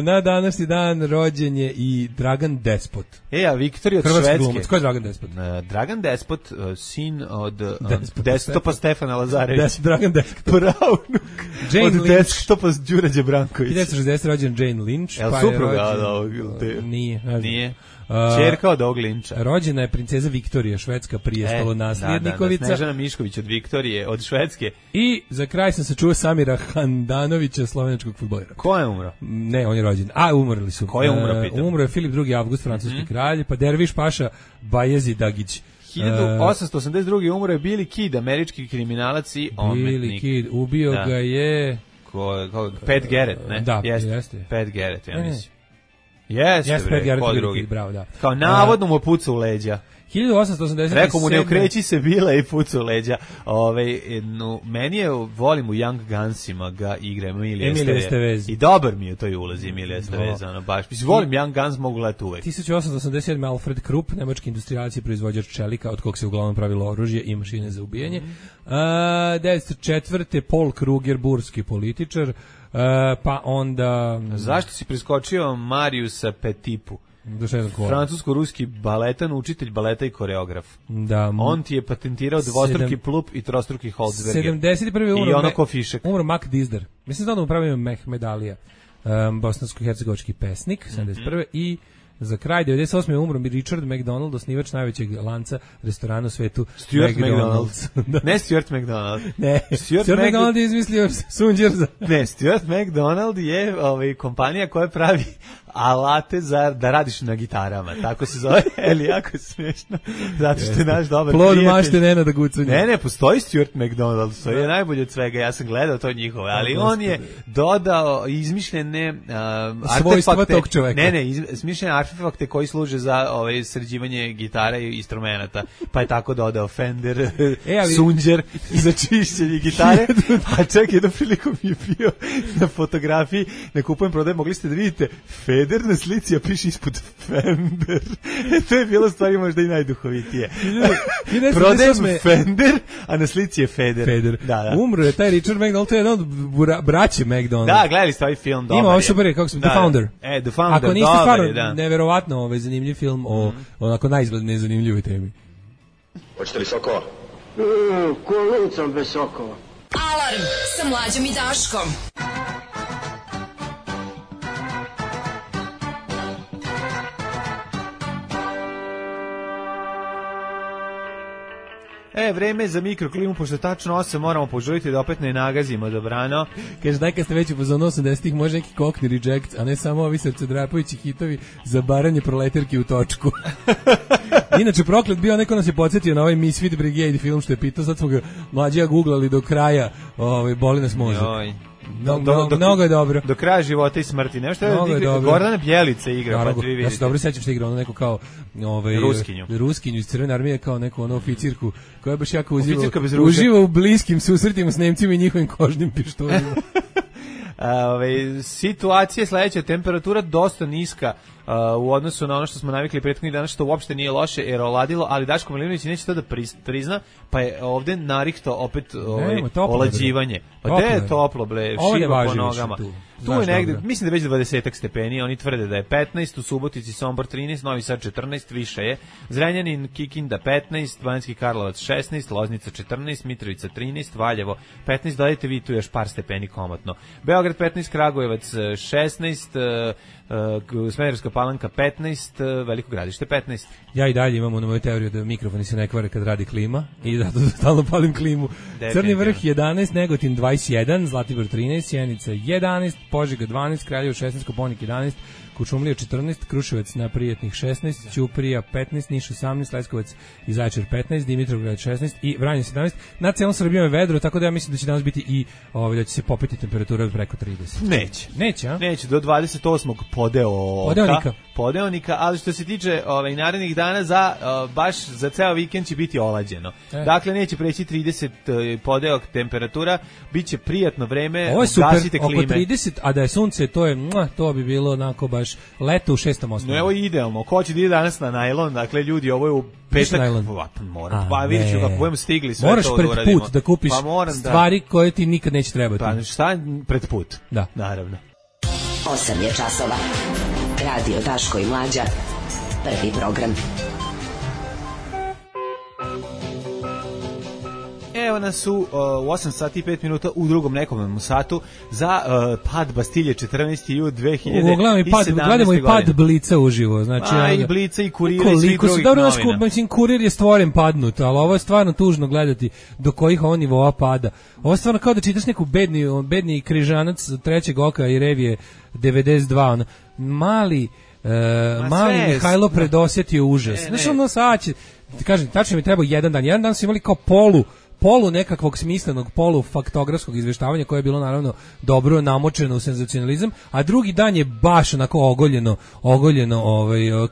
Na današnji dan rođen je i Dragan Despot. A Viktorija od Švedske. Glumac. Ko je Dragan Despot? Dragan Despot, sin od desktopa Stefana Lazarevića. Dragan Despot. Pravnuk. Od desktopa Đura Đebranković. 1960 rođen Jane Lynch. Je li supruga? Nije. Čerka od ovog Linča. Rođena je princeza Viktorija, švedska prijestolonaslednikovica. Snežana Mišković od Viktorije, od Švedske. I za kraj sam se čuo Samira Handanovića, slovenačkog fudbalera. Ko je umro? Ne, on je rođen. Umrli su. Ko je umro, pitam? Umro je Filip II. Avgust, francuski kralj, pa Derviš Paša Bajezi Dagić. 1882. umro je Billy Kidd, američki kriminalac i umetnik. Billy Kidd, ubio ga je... Pat Garrett, ne? Da, jeste. Pat Garrett, ja mislim. Jeste, ko drugi. Bravo, da. Kao navodno mu puca u leđa. 1887. Rekao mu ne okreći se bila i puca u leđa. Meni volim u Young Gunsima ga igra Emilija Estevez. I dobar mi je to i ulazi Emilija Estevez. Volim Young Guns, mogu gledati uvek. 1887. Alfred Krupp, nemački industrijalac i proizvođač čelika, od kog se uglavnom pravilo oružje i mašine za ubijanje. 1904. Paul Kruger, burski političar. Pa onda... Zašto si preskočio Mariusa Petipu? Francusko-ruski baletan, učitelj baleta i koreograf. Da. On ti je patentirao dvostruki plup i trostruki Holzberger. 71. I ono ko fišek. Umro Mac Dizdar. Mislim da on upravio Mehmed Alija, bosansko-hercegovački pesnik, 71. I za kraj 98. umro Richard McDonald, osnivač najvećeg lanca restorana u svetu, Stuart McDonald's. Ne Stuart McDonald. Ne, Stuart McDonald je izmislio sunđer za... Ne, Stuart McDonald je kompanija koja pravi alate da radiš na gitarama. Tako se zove, ali jako smiješno. Zato što je naš dobar plod prijatelj. mašte Nenada Gucanja. Ne, postoji Stuart McDonald, to je najbolje od svega, ja sam gledao to njihove, ali on je dodao izmišljene svojstva tog čoveka. Ne, izmišljene artefakte koji služe za sređivanje gitara i instrumenata, pa je tako dodao Fender, sunđer za čišćenje gitare, a čak jednom prilikom je bio na fotografiji, ne kupujem, prodajem, mogli ste da vidite Feder na slici, a piše ispod Fender. To je bilo stvari možda i najduhovitije. Prodajem Fender, a na slici je Feder. Da. Umro je taj Richard McDonald, to je jedan od braće McDonald. Da, gledali ste ovaj film, dobar je. Ima ovo super, kako se, The Founder. The Founder, ako niste stvarno, neverovatno zanimljiv film o onako najizgled nezanimljivoj temi. Hoćete li sokova? Ko lucam bez sokova. Alarm sa Mlađom i Daškom. Vreme za mikroklimu, pošto tačno 8 moramo požuriti da opet ne nagazimo dobrano. Kaže, daj kad ste već u fazonu 80-ih, može neki Cockney Reject, a ne samo ovi srcedrapajući hitovi za baranje proleterki u točku. Inače, proklet bio, neko nas je podsjetio na ovaj Misfit Brigade film što je pitao, sad smo ga mlađi googlali do kraja, boli nas može. Mnogo je dobro. Do kraja života i smrti. Nešto je Gordana Bjelica igra, naravno, pa vi vidite. Ja se dobro sećam što je igrao neko kao Ruskinju iz Crvene armije, kao neku oficirku koja je baš jako uživa u bliskim susretima s Nemcima i njihovim kožnim pištoljima. Situacija je sledeća, temperatura dosta niska u odnosu na ono što smo navikli prethodnih dana, što uopšte nije loše jer oladilo, ali Daško Milinović neće to da prizna, pa je ovde narihto opet olađivanje. Pa gde je toplo, ble, šiva po nogama. Tu je negde, mislim da je već 20 stepeni, oni tvrde da je 15, u Subotici Sombor 13, Novi Sad 14, više je, Zrenjanin, Kikinda 15, Banjski Karlovac 16, Loznica 14, Mitrovica 13, Valjevo 15, dodajte vi tu još par stepeni komotno. Beograd 15, Kragujevac 16, Smederevska Palanka 15, Veliko Gradište 15. Ja i dalje imam na moju teoriju da mikrofoni se ne kvare kad radi klima i zato stalno palim klimu. Crni vrh 11, Negotin 21, Zlatibor 13, Sjenica 11, Požega 12, Kraljevo 16, Koponik 11, Kuršumlija 14, Kruševac na Prijetnih 16, Ćuprija 15, Niš 18, Leskovac i Zaječar 15, Dimitrovgrad 16 i Vranje 17. Na celom Srbijom je vedro, tako da ja mislim da će danas biti i da će se popeti temperatura od preko 30. Neće, a? Neće, do 28. podeonika, ali što se tiče narednih dana baš za ceo vikend će biti olađeno. Dakle, neće preći 30 podeok temperatura, biće prijatno vreme, ovo je super, oko 30, a da je sunce, to bi bilo onako baš leto u 6. osnovu. No, evo je idealno, ko će da ide danas na najlon, dakle ljudi, ovo je u petak, pa vidjet ću kako budemo stigli sve moraš to da uradimo. Moraš pred put da kupiš stvari koje ti nikad neće trebati. Pa šta pred put? Da. Naravno. 8 je časova. Radio Daško i Mlađa. Prvi program. Evo nas u 8 sati i 5 minuta u drugom nekom satu za pad Bastilje 14. jul 2017. Gledamo i pad Blica uživo. Znači, i Blica i Kurira i svih drugih novina. Mislim, Kurir je stvoren padnut, ali ovo je stvarno tužno gledati do kojih on nivoa pada. Ovo je stvarno kao da čitaš neku bedni križanac trećeg oka i revije 92. Mali Mihajlo predosjetio užas. Znači, ono sad će, kažem, tačno mi treba jedan dan su imali kao polu nekakvog smislenog, polu faktografskog izveštavanja koje je bilo naravno dobro namočeno u senzacionalizam, a drugi dan je baš onako ogoljeno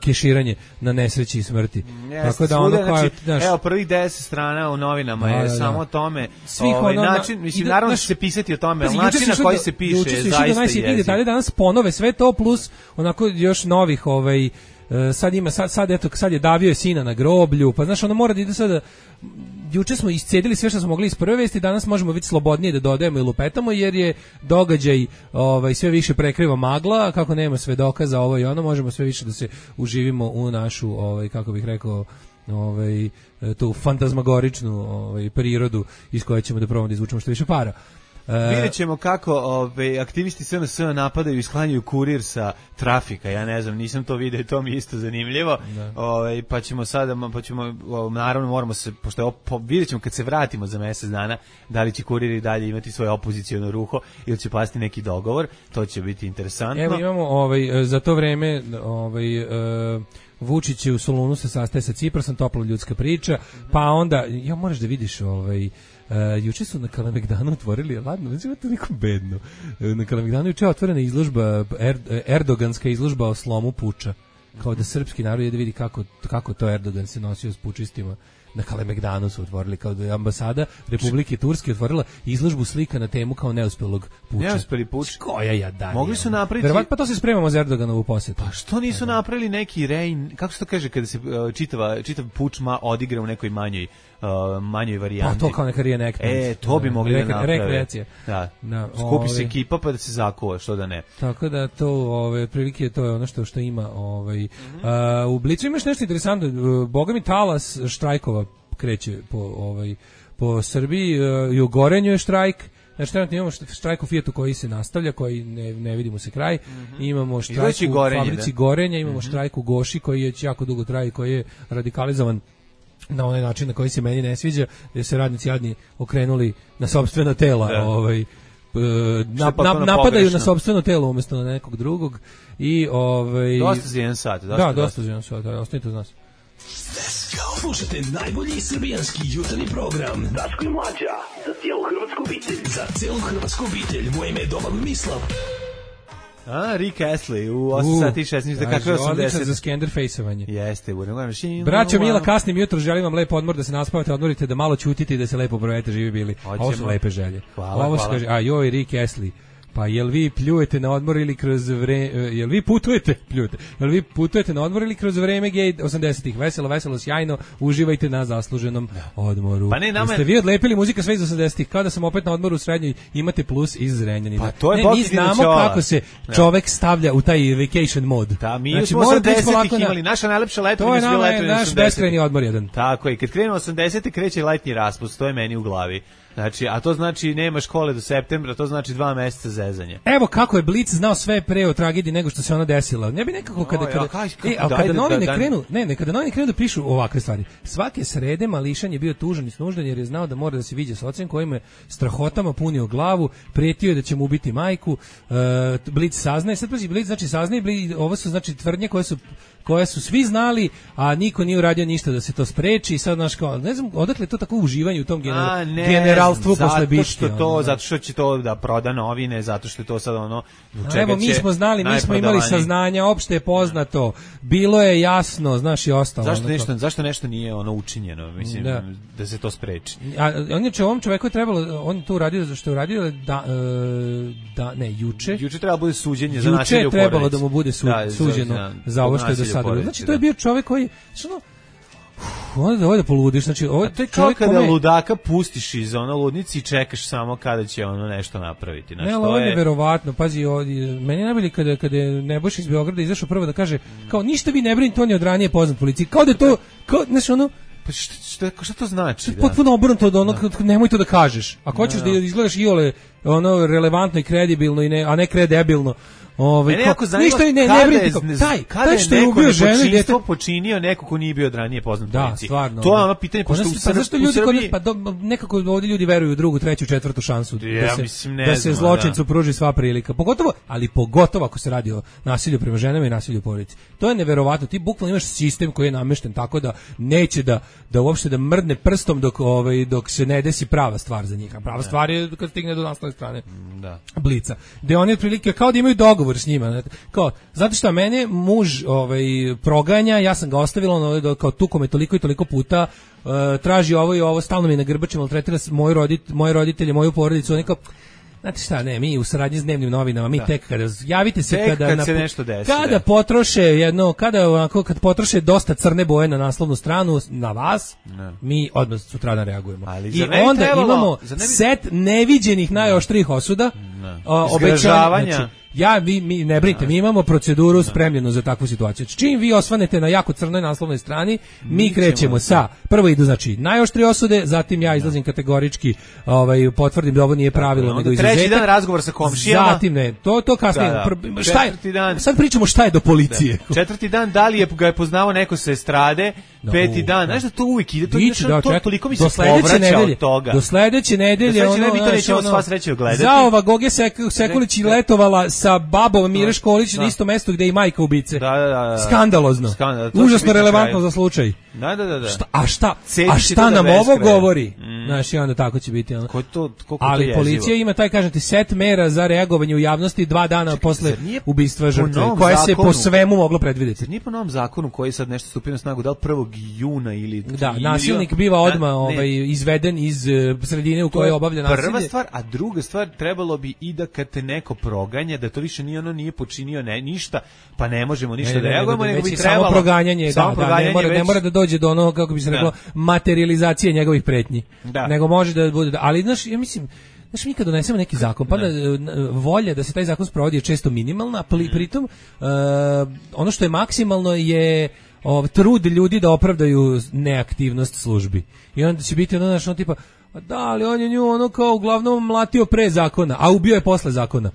keširanje na nesreći i smrti. Tako da ono kao, evo prvih 10 strana u novinama je samo o tome, način, mislim naravno će se pisati o tome, ali način na koji se piše je zaista jezik. Danas ponove sve to plus onako još novih sad je davio sina na groblju, pa znaš, ono mora da ide sada. Juče smo iscedili sve što smo mogli iz prve vesti, danas možemo biti slobodnije da dodajemo i lupetamo, jer je događaj sve više prekriva magla, kako nema svedoka za ovo i ono, možemo sve više da se uživimo u našu, kako bih rekao, tu fantazmagoričnu prirodu iz koje ćemo da probamo da izvučemo što više para. Vidjet ćemo kako aktivisti SNS napadaju i sklanjaju kurir sa trafika. Ja ne znam, nisam to vidio, to mi je isto zanimljivo. Pa ćemo sada, naravno moramo se, pošto je vidjet ćemo kad se vratimo za mjesec dana, da li će kurir i dalje imati svoje opoziciono ruho ili će pasti neki dogovor. To će biti interesantno. Evo imamo za to vreme Vučić je u Solunu se sastaje sa Ciprasom, topla ljudska priča, pa onda, moraš da vidiš juče su na Kalemegdanu otvorili, ladno, znači je toliko bedno. Na Kalemegdanu juče je otvorena izložba, erdoganska izložba o slomu puča. Kao da srpski narod je da vidi kako to Erdogan se nosio s pučistima. Na Kalemegdanu su otvorili, kao da je ambasada Republike Turske otvorila izložbu slika na temu kao neuspelog puča. Neuspeli puč. Koja jadanija. Mogli su napraviti... Verovatno pa to se spremamo za Erdoganovu posjetu. Pa što nisu napravili neki kako se to kaže kada se čitav puč odigra u nekoj manjoj varijanti. Pa to kao neka reenactment. To bi mogli da naprave. Rekreacija. Da. Skupi se ekipa pa da se zakuva, što da ne. Tako da to, otprilike to je ono što ima. U Blicu imaš nešto interesantno. Boga mi talas štrajkova kreće po Srbiji. I u Gorenju je štrajk. Znači, trenutno imamo štrajk u Fijatu koji se nastavlja, koji ne vidimo se kraj. Imamo štrajk u fabrici Gorenja, imamo štrajk u Goši koji je jako dugo traje, koji je radikalizovan na onaj način na koji se meni ne sviđa, gdje se radnici jadni okrenuli na sopstvena tela, napadaju na sopstveno telo umjesto na nekog drugog i dosta za jedan sat. Dosta za jedan sat, ostanite uz nas. Slušajte najbolji srbijanski jutarnji program Daško i Mlađa za cijelu hrvatsku obitelj. Za cijelu hrvatsku obitelj. Moje ime je Domagoj Mislav. Rick Astley u 8 sati 16, kakve 80. Odličan za Skenderfejsovanje. Jeste, braćo mila, kasnim jutro, želim vam lepo odmor, da se naspavate, odmorite, da malo ćutite i da se lepo provedete, živi bili. Ovo su lepe želje. Ovo se kaže, Rick Astley. Pa jel vi pljujete na odmor ili kroz jel vi putujete na odmor ili kroz vreme gej 80-ih? Veselo, sjajno, uživajte na zasluženom odmoru. Pa ne, ste vi odlepili muzika sve iz 80-ih, kao da sam opet na odmoru u srednjoj, imate plus iz Zrenjanina. Pa to je mi znamo kako se čovek stavlja u taj vacation mod. Da, mi smo 80-ih imali, naša najlepša letovina je bila letovina 80-ih. Naš beskrajni odmor jedan. Tako je, kad krenemo 80-ih kreće letnji raspust, to je meni u glavi. Znači, a to znači nema škole do septembra, to znači 2 meseca zezanja. Evo kako je Blic znao sve pre o tragediji nego što se ona desila. Ne bi nekako kada novine krenu da pišu ovakve stvari. Svake srede Mališan je bio tužan i snuždan jer je znao da mora da se viđe s ocem kojim je strahotama punio glavu, prijetio je da će mu ubiti majku. Blic saznaje, sad pazi, Blic znači saznaje, ovo su znači tvrdnje koje su svi znali, a niko nije uradio ništa da se to spreči i sad, ne znam, odakle je to tako uživanje u tom generalstvu posle biške. Zato što će to da proda novine, zato što je to sad ono... Evo, mi smo znali, mi smo imali saznanja, opšte je poznato, bilo je jasno, znaš i ostalo. Zašto nešto nije ono učinjeno, mislim, da se to spreči? Ovom čoveku je trebalo, on to uradio, što je uradio juče. Juče trebalo bude suđenje za nasilje u porodici. Juče je trebalo da mu bude suđeno za ovo što je do sada. Znači, to je bio čovek koji... Ovo da poludiš, znači ovo to je kao kada ludaka pustiš iz ludnici i čekaš samo kada će ono nešto napraviti. Znači, ovo je verovatno, pazi, meni je najbolje kada je Nebojša iz Beograda izašao prvo da kaže, kao ništa vi ne brinite, on je od ranije poznat policiji, kao da je to, znači ono, pa šta to znači? Potpuno obrnuto od onog, nemoj to da kažeš. Ako hoćeš da izgledaš iole ono relevantno i kredibilno, a ne kredebilno, mene jako zanima kada je neko nepočinstvo počinio neko ko nije bio od ranije poznat policiji. To je ono pitanje, pošto zašto ljudi nekako ovdje ljudi veruju u drugu, treću, četvrtu šansu da se zločincu pruži sva prilika. Pogotovo ako se radi o nasilju prema ženama i nasilju u porodici. To je neverovatno. Ti bukvalno imaš sistem koji je namešten tako da neće da uopšte da mrdne prstom dok se ne desi prava stvar za njih. Prava stvar je kad stigne do naslovne strane Blica. Gde oni otprilike kao da imaju dogovor s njima. Kao, znate šta, mene muž proganja, ja sam ga ostavila, kao tuko me toliko i toliko puta, traži ovo i ovo, stalno mi na grbači maltretira moje roditelje, moju porodicu, oni kao, znate šta, mi u saradnji s dnevnim novinama, mi tek kada, javite se kad se nešto desi. Kada potroše kad potroše dosta crne boje na naslovnu stranu, na vas, mi odmah sutradan reagujemo. I onda imamo set neviđenih najoštrijih osuda, izgražavanja. mi ne brinite, mi imamo proceduru spremljenu za takvu situaciju. Čim vi osvanete na jako crnoj naslovnoj strani, mi krećemo sa, prvo idu znači najoštrije osude, zatim ja izlazim kategorički, potvrdim da ovo nije pravilo, nego izuzetak. Treći dan razgovor sa komšijama. Zatim ne, to kasnije. Šta je? Sad pričamo šta je do policije. Četvrti dan, da li ga je poznavao neko sa estrade, peti dan, znaš da to uvijek ide, to toliko mi se povraća od toga. Do sledeće nedelje, mi to nećemo sva sreće gledati. Zaova Goge Sekulić letovala sa babom Mire Školić na isto mesto gde je i majka ubice. Da. Skandalozno. Užasno relevantno za slučaj. Da. A šta nam ovo govori? Znaš, i onda tako će biti. Ali policija ima taj, kažete, set mera za reagovanje u javnosti 2 dana posle ubistva žrtve, koje se po svemu moglo predvideti. Nije po novom zakonu koji sad nešto stupio na snagu, da li 1. juna ili... Da, nasilnik biva odmah izveden iz sredine u kojoj obavlja nasilje. Prva stvar, a druga stvar, trebalo bi i da kad te neko proganja, da to više nije počinio ništa, pa ne možemo ništa da reagujemo, nego bi trebalo... Samo proganjanje, ne mora da dođe do onog, kako bi se reklo, materializacije njegovih pretnji. Nego može da bude... Ali, znaš, ja mislim... Znaš, mi kad donesemo neki zakon, pa da volja da se taj zakon sprovodi je često minimalna, pritom ono što je maksimalno je trud ljudi da opravdaju neaktivnost službi. I onda će biti ono tipa, da, ali on je nju kao uglavnom mlatio pre zakona, a ubio je posle zakona.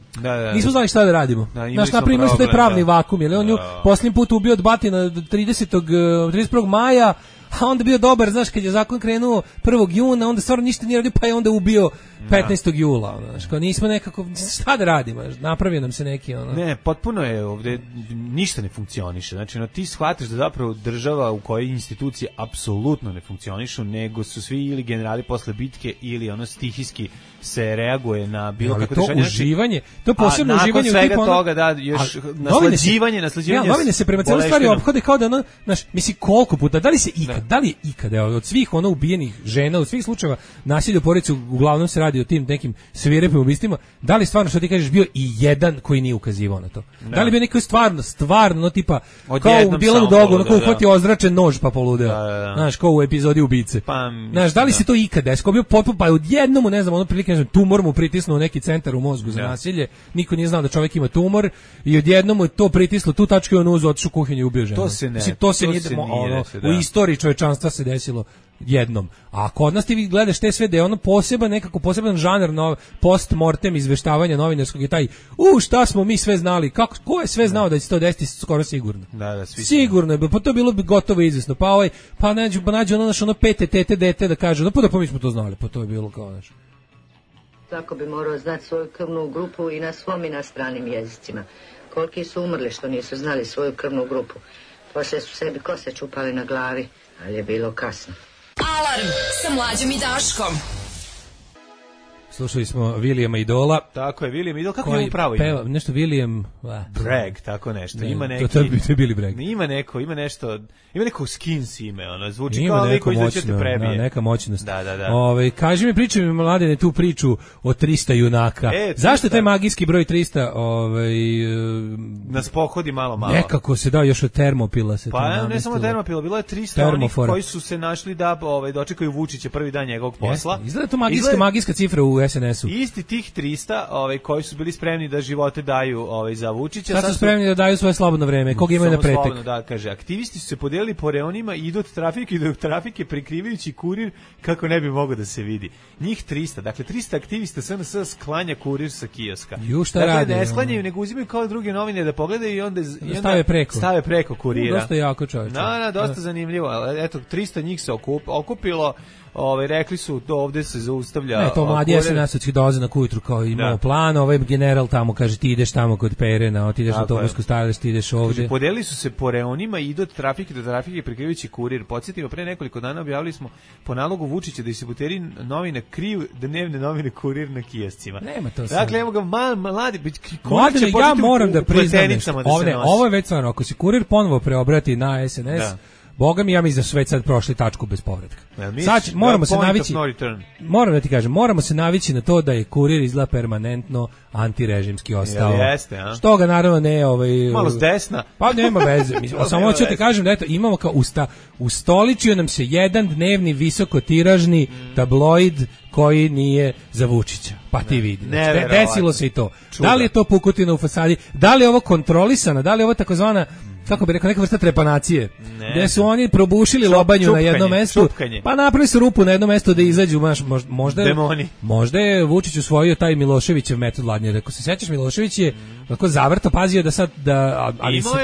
Nismo znali šta da radimo. Znaš, naprimjer su taj pravni vakum, jer on nju posljednji put ubio od batina 31. maja, a onda bio dobar, znaš, kad je zakon krenuo 1. juna, onda stvarno ništa nije radio, pa je onda ubio 15. jula, znaš, kao nismo nekako, šta da radimo, napravio nam se neki, Ne, potpuno je ovdje, ništa ne funkcioniše, znači, ti shvatiš da zapravo država u kojoj institucije apsolutno ne funkcionišu, nego su svi ili generali posle bitke ili stihijski se reaguje na bilo kako to uživanje, to posebno uživanje u tipu toga, da, još naslađivanje. Novine se prema celoj stvari ophode kao da znaš, misli koliko puta, da li je ikada od svih ubijenih žena, od svih slučajeva nasilja u porodici, uglavnom se radi o tim nekim svirepim ubistvima, da li stvarno, što ti kažeš, bio i jedan koji nije ukazivao na to? Da li bio neko stvarno, tipa, kao u Dilanu Dogu, kao uhvati ozračen nož pa poludeo, znaš, kao u epizodi Ubice. Znaš, da li se to ikada desilo? Bio potpuno, pa odjednom, ne znam, prilike, tumor mu pritisnuo neki centar u mozgu za nasilje, niko nije znao da čovjek ima tumor i odjednom mu je to pritislo tu tačku i on uzeo, otišao u kuhinju i ubio ženu. To se nije u istoriji čovečanstva se desilo jednom. A kod nas ti vi gledaš te sve da je ono poseban žanr post-mortem izveštavanja novinarskog je taj, šta smo mi sve znali, ko je sve znao da će to desiti, skoro sigurno. Sigurno je, pa to je bilo bi gotovo izvesno. Pa nađu ono pete tete dete da kaže, pa mi smo to znali, pa to je bilo kao nešto. Svako bi morao znati svoju krvnu grupu i na svom i na stranim jezicima. Koliki su umrli što nisu znali svoju krvnu grupu. Poslije su sebi kose čupali na glavi, ali je bilo kasno. Alarm sa Mlađom i Daškom. Slušali smo Williama Idola. Tako je, William Idol, kako je upravo ima? Nešto William... Bragg, tako nešto. Ima neki... To je Billy Bragg. Ima neko Skins ime, zvuči kao liko izveće te prebije. Neka moćnost. Da. Kaži mi, pričaj mi, Mladene, tu priču o 300 junaka. Zašto je taj magijski broj 300? Nas pohodi malo. Nekako se još od Termopila se pa ne samo Termopila, bilo je 300 onih koji su se našli da dočekaju Vučića prvi dan njegovog posla. Izgleda to magijska cifra u SNS-u. Isti tih 300 koji su bili spremni da živote daju za Vučića. Sad su spremni da daju svoje slobodno vreme. Koga imaju na pretek? Slobodno, da, kaže. Aktivisti su se podijelili po reonima i idu od trafike prikrivajući kurir kako ne bi mogao da se vidi. Njih 300, dakle 300 aktivista SNS sklanja kurir sa kioska. Dakle, ne sklanjaju, nego uzimaju kao druge novine da pogledaju i onda stave preko kurira. Dosta jako čovječe. Dosta zanimljivo. Eto, 300 njih se okupilo. Rekli su to ovdje se zaustavlja. Ne, to mladi SNS-ovci dolaze na kujutru kao imao plan, general tamo kaže ti ideš tamo kod Perena, ti ideš na Tovarsko stajalište, ti ideš ovdje. Podelili su se po reonima i idu od trafike do trafike prikrivajući kurir. Podsjetimo, pre nekoliko dana objavili smo po nalogu Vučića da distributeri novine kriju dnevne novine kurir na kioscima. Nema to sad. Dakle, evo ga mladi ja moram da priznam nešto. Ovo je već stvarno, ako se kurir ponovo preobrati na SNS, Boga mi, ja mislim da su već sad prošli tačku bez povratka. Sad moramo se navići. Moram da ti kažem, moramo se navići na to da je kurir izgleda permanentno antirežimski ostao. Što ga naravno ne malo s desna. Pa nema veze. Samo ću ti kažem da eto imamo kao ustoličio nam se jedan dnevni visokotiražni tabloid koji nije za Vučića. Pa ti vidi. Znači, desilo se i to. Čuda. Da li je to pukotina u fasadi? Da li je ovo kontrolisana? Da li je ovo takozvana, kako bi rekao, neka vrsta trepanacije? Gde su oni probušili lobanju na jednom mestu, pa napravili su rupu na jednom mestu da izađu, možda je Vučić usvojio taj Miloševićev metod vladanja. Ako se sećaš, Milošević je tako zavrto pazio da sad,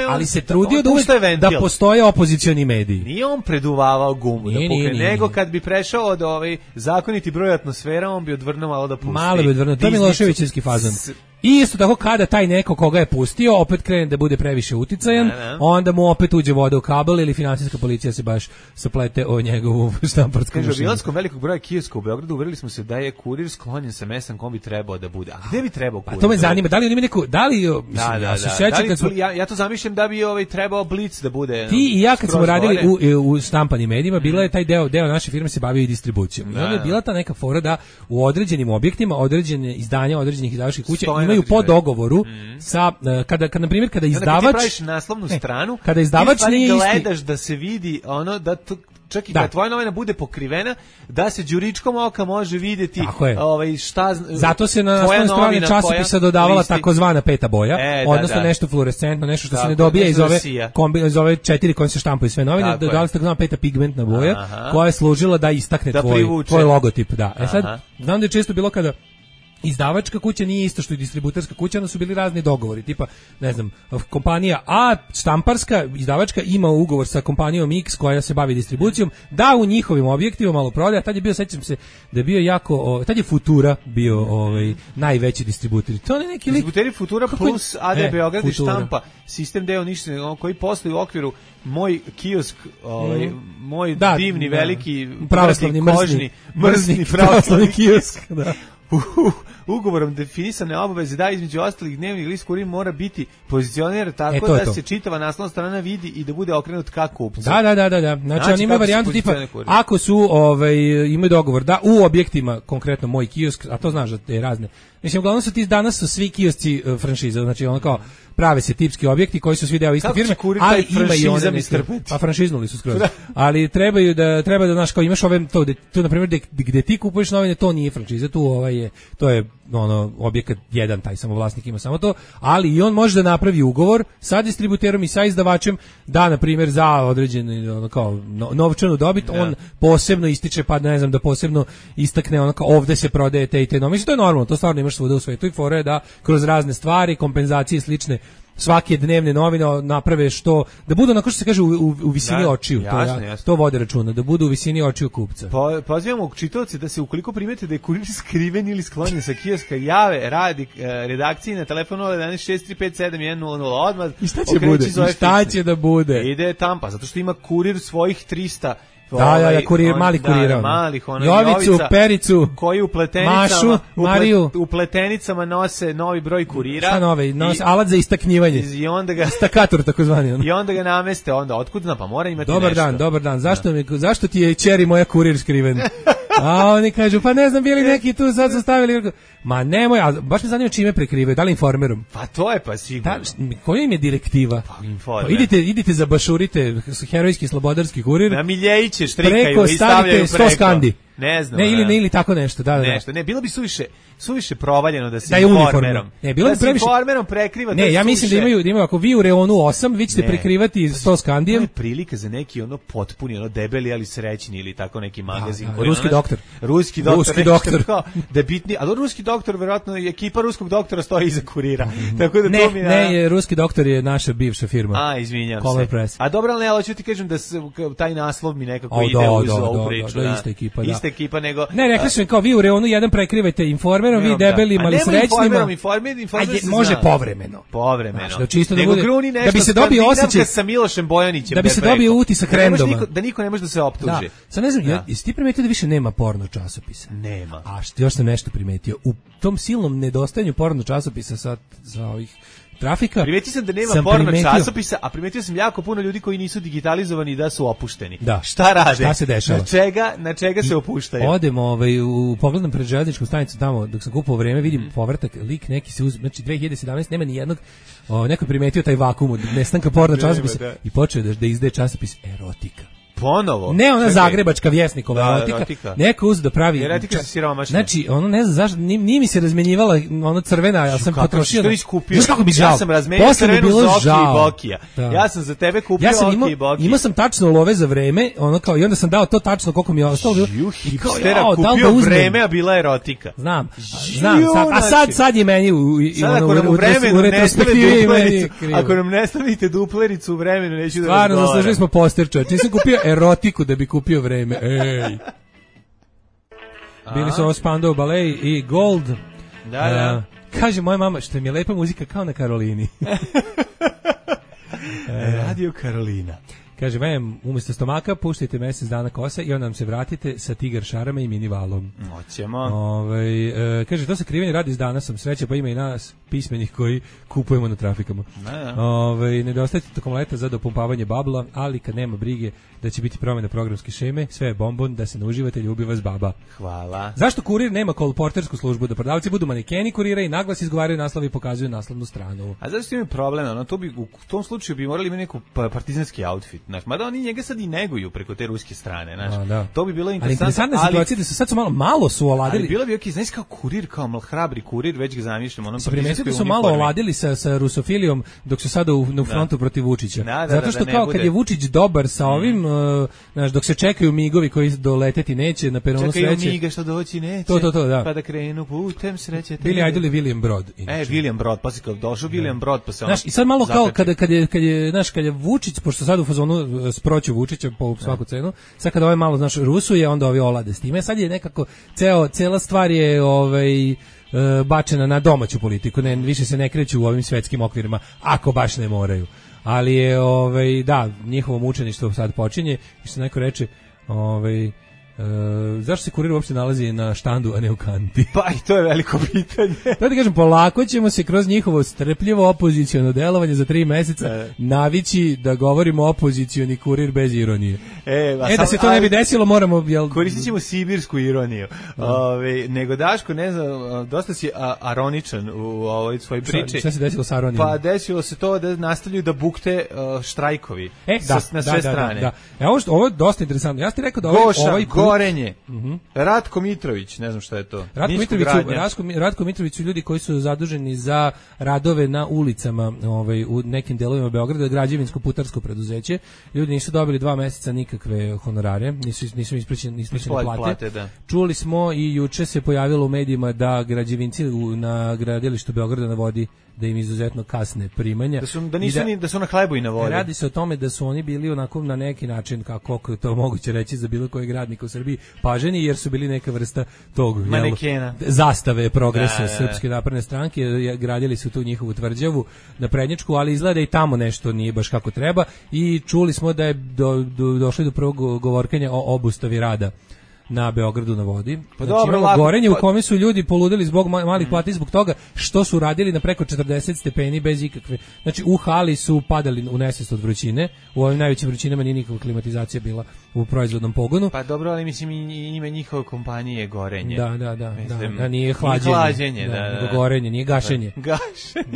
ali se trudio da uvek da postoje opozicioni mediji. Nije on preduvavao gumu da pukne, nego kad bi prešao od zakoniti broj atmosfera, on bi odvrnuo malo da pusti. Malo bi odvrnuo, to je Miloševićevski fazon. I isto tako kada taj neko koga je pustio opet krene da bude previše uticajan, onda mu opet uđe voda u kabel ili finansijska policija se baš saplete o njegovu štamparsku mašinu. Obilaskom velikog broja kioska u Beogradu uverili smo se da je kurir sklonjen sa mestom kom bi trebao da bude. A gde bi trebao kurir? Pa to me zanima, da li on ima neku, ja to zamišljam da bi trebao Blic da bude. Ti i ja kad smo radili u štampanim medijima, bila je taj deo naše firme se bavio i distribucijom. I onda je bila ta neka fora da u određenim objektima, određene izdanja određenih izdavačkih kuća imaju po dogovoru sa kada na primjer kada izdavač ti praviš naslovnu stranu, kada izdavač nije gledaš da se vidi ono da čak i kada tvoja novina bude pokrivena, da se đuričkom oka može videti šta. Zato se na naslovnoj strani časopisa dodavala takozvana peta boja, odnosno nešto fluorescentno, nešto što se ne dobija iz ove 4 koje se štampaju sve novine, dodala se takozvana peta pigmentna boja, koja je služila da istakne tvoj logotip. Sad, znam da je često bilo kada izdavačka kuća nije isto što i distributerska kuća, onda su bili razni dogovori, tipa, ne znam, kompanija A, štamparska, izdavačka, ima ugovor sa kompanijom X koja se bavi distribucijom, da u njihovim objektivima malo prodaja, tad je bio, sećam se, da je bio jako, tad je Futura bio najveći distributer. To je neki distributeri Futura plus AD Beograd i štampa, sistem deo ništa, koji posluju u okviru moj kiosk, moj divni, veliki, pravoslavni, mrzni pravoslavni kiosk, da. Ugovorom definisane obaveze da između ostalih dnevnih list kurir mora biti pozicioniran tako da se čitava naslovna strana vidi i da bude okrenut ka kupcu. Da. Znači on ima varijantu tipa ako su imaju dogovor da u objektima, konkretno moj kiosk, a to znaš da te razne. Mislim, uglavnom su danas su svi kiosci franšiza, znači ono kao prave se tipski objekti koji su svi deo iste firme, ali ima i one pa franšiznuli su skroz. Ali treba da znaš kao imaš ove to na primjer gde ti kupuješ novine, to nije franšiza, to je ono objekat jedan, taj samo vlasnik ima samo to, ali i on može da napravi ugovor sa distributerom i sa izdavačem da na primjer za određenu kao novčanu dobit on posebno ističe, pa ne znam, da posebno istakne ono kao ovde se prodaje te i te novine. To je normalno, to stvarno imaš svuda u svetu i fora je da kroz razne stvari, kompenzacije slične svake dnevne novine naprave što da budu onako što se kaže u visini očiju, to vode računa, da budu u visini očiju kupca. Pozivamo čitaoce da se ukoliko primete da je kurir skriven ili sklonjen sa kioska, jave radi redakciji na telefonu 011-635-7100 odmah. I šta će bude? I šta će da bude? Ide Tampa, zato što ima kurir svojih 300 kurir, mali kuriran. Jovicu, Pericu, koji Mašu, Mariju. U pletenicama nose novi broj kurira. Šta novi? Nose alat za istaknjivanje. I onda ga stakator takozvani. I onda ga nameste, onda otkud zna, pa mora imati Dobar dan. Zašto ti je ćeri moja kurir skriven? A oni kažu, pa ne znam, bili neki tu sad su stavili. Ma nemoj, a baš me zanima čime prekrivaju, da li Informerom? Pa to je pa sigurno. Koja im je direktiva? Pa Informer. Idite zabašurite herojski slobodarski kurir. Na miljejiće štrikaju i stavljaju preko. 100 skandi. Ne znam. Ili tako nešto, da. Nešto. Ne, bilo bi suviše provaljeno da se Informerom. Ne, bilo bi previše. Informerom prekriva. Ne, ja mislim da imaju ako vi u reonu 8, vi ćete prekrivati 100 skandijem. To je prilika za neki potpuni, debeli ali srećni ili tako neki magazin. Ruski doktor. Da bitni, ali ruski doktor, verovatno ekipa ruskog doktora stoji iza kurira. Tako da to mi ne, ruski doktor je naša bivša firma. Izvinjavam se. Press. A dobro, ali hoću ti kažem da taj naslov mi nekako ide uz ovu priču. Da, ista ekipa, da. Ista ekipa, nego... Ne, rekli su kao vi u reonu jedan prekrivajte Informerom, vi debelima, ali srećnima. Informer može povremeno. Da bi se dobio osjećaj sa Milošem Bojanićem. Da bi se dobio utisak randoma. Da niko ne može da se optuži. Sad ne znam, jesi ti primetio da više nema porno časopisa? Nema. A još sam nešto primetio. U tom silnom nedostajanju porno časopisa za ovih trafika. Primetio sam da nema porno časopisa, a primetio sam jako puno ljudi koji nisu digitalizovani da su opušteni. Da. Šta rade? Šta se dešava? Na čega se opuštaju? Odem u pogledam pred železničku stanicu tamo dok sam kupovao vreme, vidim povratak, lik neki se znači 2017 nema ni jednog, neko je primetio taj vakum od nestanka porno časopisa i počeo da izdaje časopis erotika. Ponovo? Ne, ona zagrebačka Vjesnikova erotika. Neko uzeo da pravi... Erotika se siromašna. Znači, ono ne znam zašto, nije mi se razmenjivala ono crvena, ja sam potrošio... Znaš kako mi žao? Ja sam razmenio crvenu Zoki i Bokija. Ja sam za tebe kupio Oki i Bokija. Imao sam tačno love za vreme, ono kao, i onda sam dao to tačno koliko mi je ostalo. Hipstera, kupio vreme, a bila erotika. Znam, a sad je meni u retrospektivi. Ako nam ne stavite duplericu u vremenu, neću da razgovaram. Stvarno, zaslužili smo poster, čovječ. Nisam kupio erotiku da bi kupio vreme. Ej. Bili su ovo Spandau Ballet i Gold. Da. Kaže moja mama, što mi je lepa muzika kao na Karolini. Radio Karolina. Kaže, umjesto stomaka puštajte mjesec dana kosa i onda nam se vratite sa tigar šarama i mini valom. Hoćemo. Kaže, to se krivanje radi s danasom. Sreće, pa ima i nas pismenih koji kupujemo na trafikama. Nedostajte tokom leta za dopumpavanje babla, ali kad nema brige da će biti promjena programske šeme, sve je bombon, da se ne uživate, ljubi vas baba. Hvala. Zašto kurir nema kolportersku službu? Da prodavci budu manekeni kurira i naglas izgovaraju naslov i pokazuju naslovnu stranu. A zašto ima problem? U tom slučaju bi morali imati neku partizanski outfit. Mada oni njega sad i neguju preko te ruske strane. To bi bilo interesantno. Ali interesantna situacija da su sad malo su oladili. Ali bilo bi okej, znaš kao kurir, kao hrabri kurir, već ga zamišljam. Se primetio da su malo oladili sa rusofilijom dok su sada u frontu protiv Vučića. Zato što kao kad je Vučić dobar sa ovim, dok se čekaju migovi koji doleteti neće na peronu sreće. Čekaju miga što doći neće. To, da. Pa da krenu putem sreće. Bili Idol i William Brod. William Brod, pa si kao došao William Brod, pa se ono. I sad malo kao kad je Vučić, pošto sad u fazonu sproću Vučića po svaku cenu, sad kada ovaj malo, rusuje, onda ovi olade s time. Sad je nekako, cela stvar je bačena na domaću politiku, više se ne kreću u ovim svetskim okvirima, ako baš ne moraju. Ali je, njihovo mučeništvo sad počinje, i što neko reče, zašto se kurir uopšte nalazi na štandu, a ne u kanti? Pa i to je veliko pitanje. Da ti kažem, polako ćemo se kroz njihovo strpljivo opoziciono delovanje za 3 meseca navići da govorimo opozicioni kurir bez ironije. Da se to ne bi desilo, moramo... Koristit ćemo sibirsku ironiju. Nego Daško, ne znam, dosta si aroničan u ovoj svojoj priči. Šta se desilo sa aronijom? Pa desilo se to da nastavljaju da bukte štrajkovi na sve strane. Ovo je dosta interesantno. Ja ti rekao da ovaj Gorenje. Ratko Mitrović, ne znam šta je to. Ratko Mitrović su ljudi koji su zaduženi za radove na ulicama u nekim delovima Beograda, građevinsko putarsko preduzeće. Ljudi nisu dobili 2 meseca nikakve honorare, nisu isplaćene plate. Čuli smo i juče se pojavilo u medijima da građevinci na gradilištu Beograda na vodi da im izuzetno kasne primanja. Da su na hlebu i na vodi. Radi se o tome da su oni bili onako na neki način, kako je to moguće reći za bilo kojeg radnika u Srbiji, paženi, jer su bili neka vrsta tog zastave progresa Srpske napredne stranke, gradili su tu njihovu tvrđavu na Prednjačku, ali izgleda i tamo nešto nije baš kako treba i čuli smo da je došli do prvog govorkanja o obustavi rada na Beogradu na vodi. Pa dobro, Gorenje u kome su ljudi poludeli zbog malih plati, zbog toga što su radili na preko 40 stepeni bez ikakve. Znači u hali su padali u nesvest od vrućine. U ovim najvećim vrućinama nije nikakva klimatizacija bila u proizvodnom pogonu. Pa dobro, ali mislim ime njihove kompanije Gorenje. Da, nije hlađenje, nego Gorenje, nije gašenje.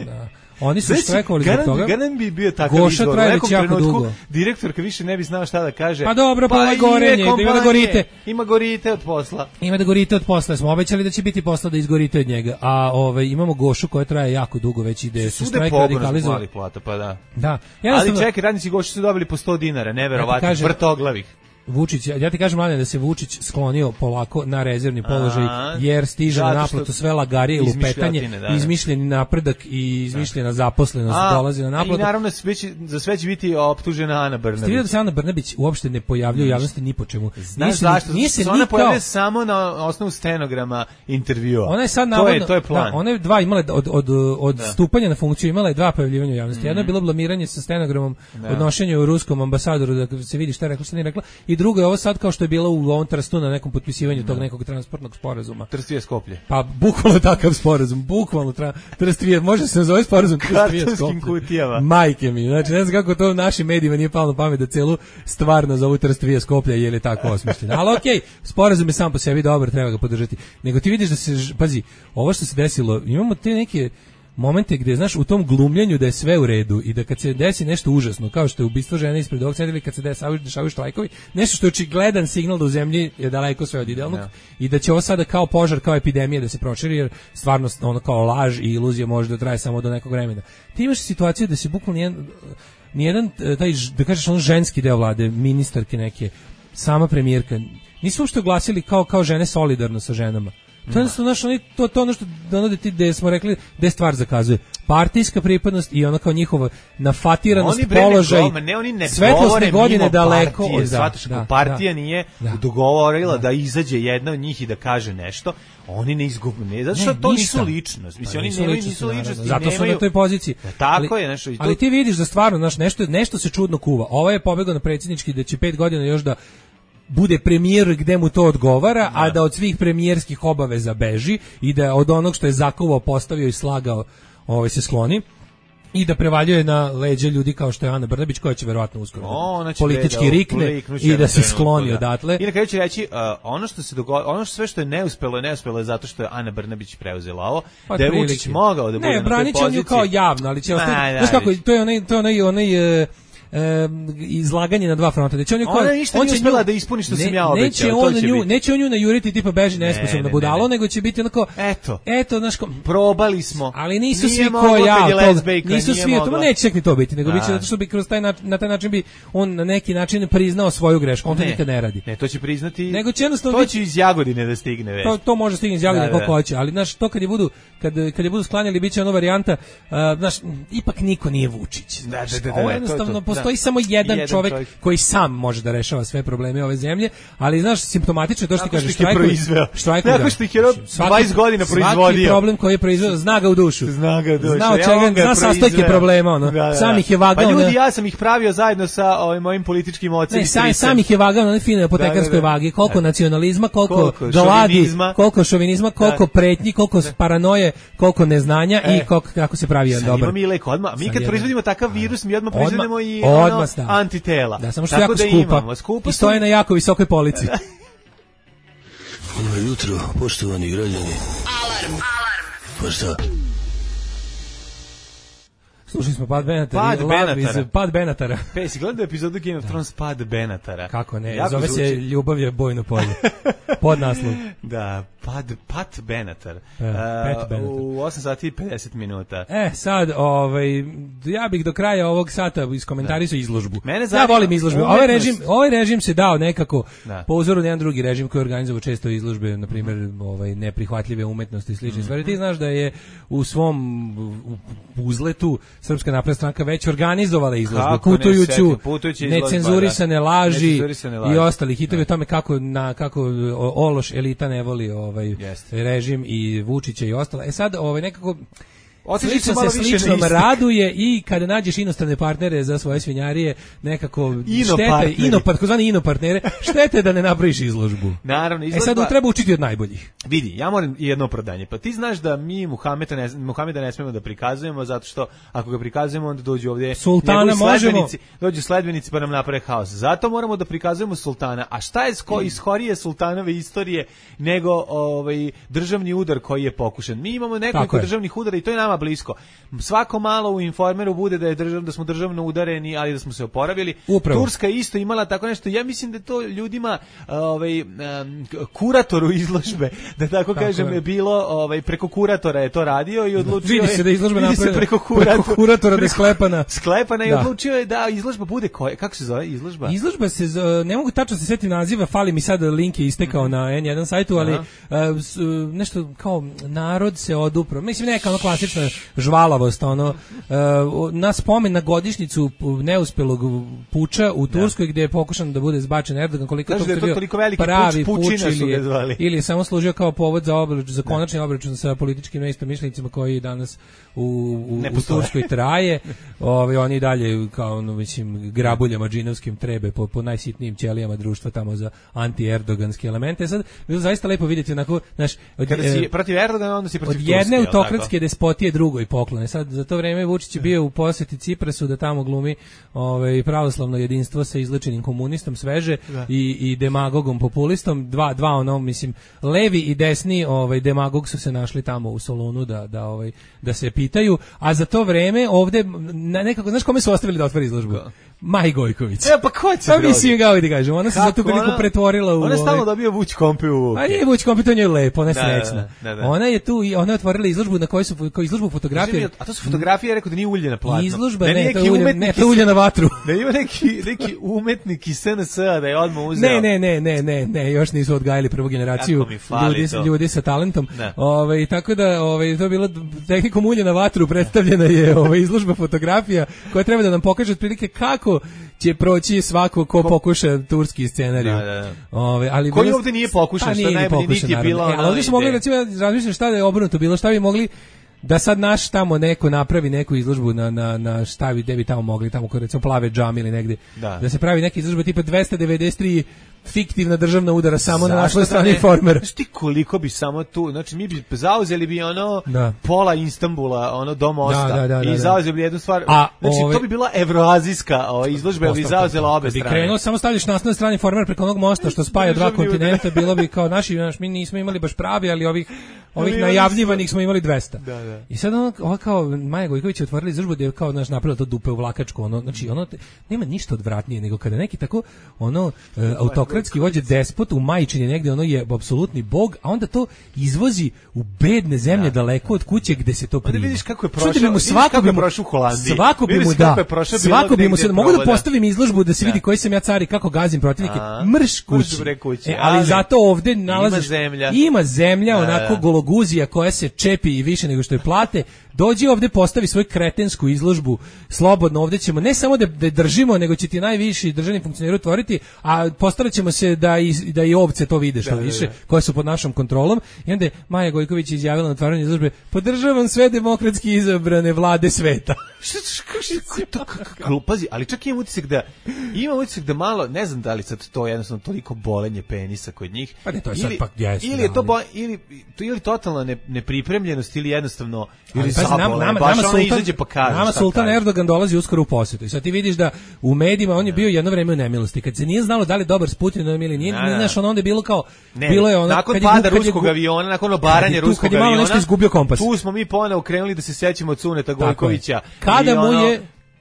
Da. Oni su štrajkovali zbog toga. Garan bi bio takav izbor. U nekom trenutku direktorka više ne bi znao šta da kaže. Pa dobro, pa ovo Gorenje, ima da gorite. Ima gorite od posla. Ima da gorite od posla. Smo obećali da će biti posla da izgorite od njega. A imamo Gošu koja traje jako dugo, već ide se štrajk radikalizuje. Da. Ali čekaj, radnici Goše su dobili po 100 dinara, neverovatno, vrtoglavih. Vučić, ja ti kažem, Mladen, da se Vučić sklonio polako na rezervni položaj, jer stiže na naplatu sve lagarije i lupetanje, izmišljeni napredak i izmišljena zaposlenost dolazi na naplatu. I naravno za sve će biti optužena Ana Brnabić. Stiže da se Ana Brnabić uopšte ne pojavljuje u javnosti ni po čemu. Znaš zašto? Ona pojavljuje samo na osnovu stenograma intervjua. Ona je sad navodno, to je plan. Ona je od stupanja na funkciju imala je 2 pojavljivanja u javnosti. Jedno je bilo blamiranje sa stenogramom odnošenja u ruskom ambasadoru, da se vidi šta je rekla, šta nije rekla. I drugo je ovo sad kao što je bilo u ovom Trstu na nekom potpisivanju tog nekog transportnog sporazuma. Trstvije Skoplje. Pa bukvalno takav sporazum, bukvalno Trstvije, može se nazove sporazum Trstvije Skoplje. Kutijama. Majke mi, znači ne znam kako to u našim medijima nije palo na pamet da celu stvar nazovu Trstvije Skoplje, jer je tako osmišljeno. Ali okej, sporazum je sam po sebi dobar, treba ga podržati. Nego ti vidiš da se, pazi, ovo što se desilo, imamo te neke momente gde, znaš, u tom glumljenju da je sve u redu i da kad se desi nešto užasno, kao što je ubistvo žene ispred ovog centra ili kad se dešavaju štrajkovi, nešto što je očigledan signal da u zemlji je daleko sve od idealnog i da će ovo sada kao požar, kao epidemija da se proširi, jer stvarno ono kao laž i iluzija može da traje samo do nekog vremena. Ti imaš situaciju da se bukvalno nijedan taj, da kažeš, on ženski deo vlade, ministarke neke, sama premijerka, nisu uopšte oglasili kao žene solidarno sa ženama. To je to ono što gde smo rekli da je stvar zakazuje. Partijska pripadnost i ona kao njihova nafatiranost, položaj, svetlosne godine daleko od partija nije dogovorila da izađe jedna od njih i da kaže nešto, oni ne izgubne, zato što to nisu ličnost. Mislim, oni nisu ličnost. Zato su na toj poziciji. Tako je, nešto. Ali ti vidiš da stvarno nešto se čudno kuva. Ovo je pobegao na predsjednički da će 5 godina još da bude premijer gde mu to odgovara, a da od svih premijerskih obaveza beži i da od onog što je zakovao, postavio i slagao se skloni i da prevaljuje na leđa ljudi kao što je Ana Brnabić, koja će verovatno uskoro politički rikne i da se skloni odatle. I na kraju ću reći, ono što sve što je neuspelo je zato što je Ana Brnabić preuzela ovo, da je Vučić mogao da bude na toj poziciji. Ne, branit će on ju kao javno, ali će ostati, znaš kako, to je onaj izlaganje na dva fronta. Znači ona ništa nije uspela da ispuni što sam ja obećao. Neće on nju najuriti tipa beži nesposobna budalo, nego će biti onako eto, znaš, probali smo. Ali nisu svi ko ja, nisu svi, to neće čak ni to biti, nego biće zato što bi kroz na taj način bi on na neki način priznao svoju grešku. On to nikad ne radi. Ne, to će priznati. Nego će jednostavno to će iz Jagodine da stigne već. To može stigne iz Jagodine koliko hoće, ali znaš, to kad je budu sklanjali biće ona varijanta, znaš, ipak niko nije Vučić. Ovo jednostavno postoji samo jedan čovjek koji sam može da rešava sve probleme ove zemlje, ali znaš, simptomatično je to što ti kažeš, štrajkuje. Tako što ih je 20 godina proizvodio. Svaki problem koji je proizvodio, zna ga u dušu. Zna od čega, zna sastojke problema. Sam ih je vagao. Pa ljudi, ja sam ih pravio zajedno sa mojim političkim ocem. Ne, sam ih je vagao na one fine apotekarskoj vagi. Koliko nacionalizma, koliko gladi, koliko šovinizma, koliko pretnji, koliko paranoje, koliko neznanja i kako se pravi jedan dobar. Mi kad proizvodimo takav virus, mi odmah proizvodimo i antitela. Da, samo što jako skupa i stoje na jako visokoj polici. Dobro jutro, poštovani građani. Alarm. Pa šta? Slušali smo Pad Benatara. Si gledao epizodu Game of Thrones Pad Benatara? Kako ne, zove se Ljubav je bojno polje. Pod naslov. Da, Pat Benatar. U 8 sati i 50 minuta. Sad, ja bih do kraja ovog sata iskomentarisao izložbu. Ja volim izložbe. Ovaj režim se dao nekako po uzoru na jedan drugi režim koji organizuje često izložbe, na primjer, neprihvatljive umetnosti i slične stvari. Ti znaš da je u svom uzletu Srpska napredna stranka već organizovala izložbe, putujuću necenzurisane laži i ostali hitovi o tome kako ološ elita ne voli režim i Vučića i ostalo. Sad nekako slično se sličnom raduje i kada nađeš inostrane partnere za svoje svinjarije, nekako takozvani inopartnere, štete da ne napraviš izložbu. Naravno, izložba. Sad treba učiti od najboljih. Vidi, ja moram jedno opravdanje. Pa ti znaš da mi Muhameda ne smemo da prikazujemo, zato što ako ga prikazujemo, onda dođu ovdje sultana, dođu sledbenici pa nam naprave haos. Zato moramo da prikazujemo sultana. A šta je iz horije sultanove istorije nego državni udar koji je pokušan? Mi imamo nekoliko državnih udara i to je nama blisko. Svako malo u Informeru bude da smo državno udareni, ali da smo se oporavili. Upravo. Turska isto imala tako nešto. Ja mislim da to ljudima kuratoru izložbe, da tako kažem, je bilo preko kuratora je to radio i odlučio vidi se da izložba napravila preko kuratora da je sklepana i odlučio je da izložba bude kako se zove izložba? Izložba se ne mogu tačno se setiti naziva, fali mi sad link je istekao na N1 sajtu, ali nešto kao narod se odupro. Mislim neka ono klasična žvalavost, na spomen na godišnjicu neuspelog puča u Turskoj gdje je pokušan da bude zbačen Erdogan, koliko to bio pravi puč ili samo služio kao povod za konačni obračun sa političkim neistomišljenicima koji danas u Turskoj traje. Oni dalje kao grabuljama džinovskim trebe po najsitnijim ćelijama društva tamo za anti-erdoganske elemente. Sad bilo zaista lepo vidjeti onako, znaš, kada si protiv Erdogana, onda si protiv od jedne autokratske despotije drugoj poklone. Sad za to vreme Vučić je bio u poseti Ciprasu da tamo glumi pravoslavno jedinstvo sa izlečenim komunistom sveže i demagogom populistom. Dva ono, mislim, levi i desni demagog su se našli tamo u Solunu da se pitaju, a za to vreme ovde nekako, znaš kome su ostavili da otvori izložbu? Maji Gojković. Pa ko će drugi? Mislim, kao da kažem, ona se za tu priliku pretvorila u... Ona je stalno dobio Vuć Kompi u uke. A nije Vuć Kompi, to njoj lepo, ona je srećna. Ona je tu, ona je otvorila izložbu na kojoj su izložbu fotografije. A to su fotografije, ja rekao da nije ulje na platno. Izložba, ne, to je ulje na vatru. Da ima neki umetnik iz SNS-a da je odmah uzeo. Ne, još nisu odgajali prvu generaciju ljudi sa talentom. Tako da to je bilo tehnikom ulje na vatru predstavljena je izložba fotografija koja treba da nam pokaže otprilike kako će proći svako ko pokuša turski scenarij. Ali koji ovde nije pokušan, što najbolje niti je bila ona. Ali ovdje smo mogli, recimo, razmišljati šta da je obrnuto bilo, šta bi mogli da sad naš tamo neko napravi neku izložbu na šta bi, gde bi tamo mogli, tamo kod recimo Plave džami ili negde, da se pravi neka izložba tipa 293 fiktivna državna udara samo na našoj strani Informera. Znaš ti koliko bi samo tu, znači mi bi zauzeli bi pola Istanbula, do mosta i zauzeli bi jednu stvar, znači to bi bila evroazijska izložba, bi zauzela obe strane. Bi krenuo, samo stavljaš naslovne strane Informera preko onog mosta što spaja dva kontinenta, bilo bi kao mi nismo imali baš pravi, ali ovih najavljivanih smo imali 200. I sad ono kao Maja Gojković je otvorila izložbu gdje je kao napravila to dupe u vlakačku, znači nema ništa odvratnije nego kada neki tako autokratski vođe despot u majčini negdje, je apsolutni bog, a onda to izvozi u bedne zemlje daleko od kuće gdje se to prima. Da vidiš kako je prošao u Holandiji. Svako bi mu se mogu da postavim izložbu da se vidi koji sam ja car i kako gazim protivnike. Mrš kući. Ali zato ovdje nalaziš ima zemlja onako gologuzija koja se čepi i više nego što je plate. Dođi ovdje, postavi svoju kretensku izložbu slobodno, ovdje ćemo ne samo da držimo, nego će ti najviši državni funkcioneri otvoriti, a postarat ćemo se da i ovce to vide što više, koje su pod našom kontrolom. I onda je Maja Gojković izjavila na otvaranju izložbe: podržavam sve demokratski izabrane vlade sveta. Pazi, ali čak imam utisak da malo, ne znam da li sad to jednostavno toliko bolenje penisa kod njih, pa ne, to je sad pak ili je to ili totalna nepripremljenost ili jednostavno nama Sultan Erdogan dolazi uskoro u posjetu i sad ti vidiš da u medijima on je bio jedno vreme u nemilosti, kad se nije znalo da li je dobar s Putinom ili nije, znaš, onda je bilo kao bilo je ono nakon pada ruskog aviona, nakon obaranja ruskog aviona, nešto izgubio kompas. Tu smo mi ponovo krenuli da se sećamo Cuneta Gojkovića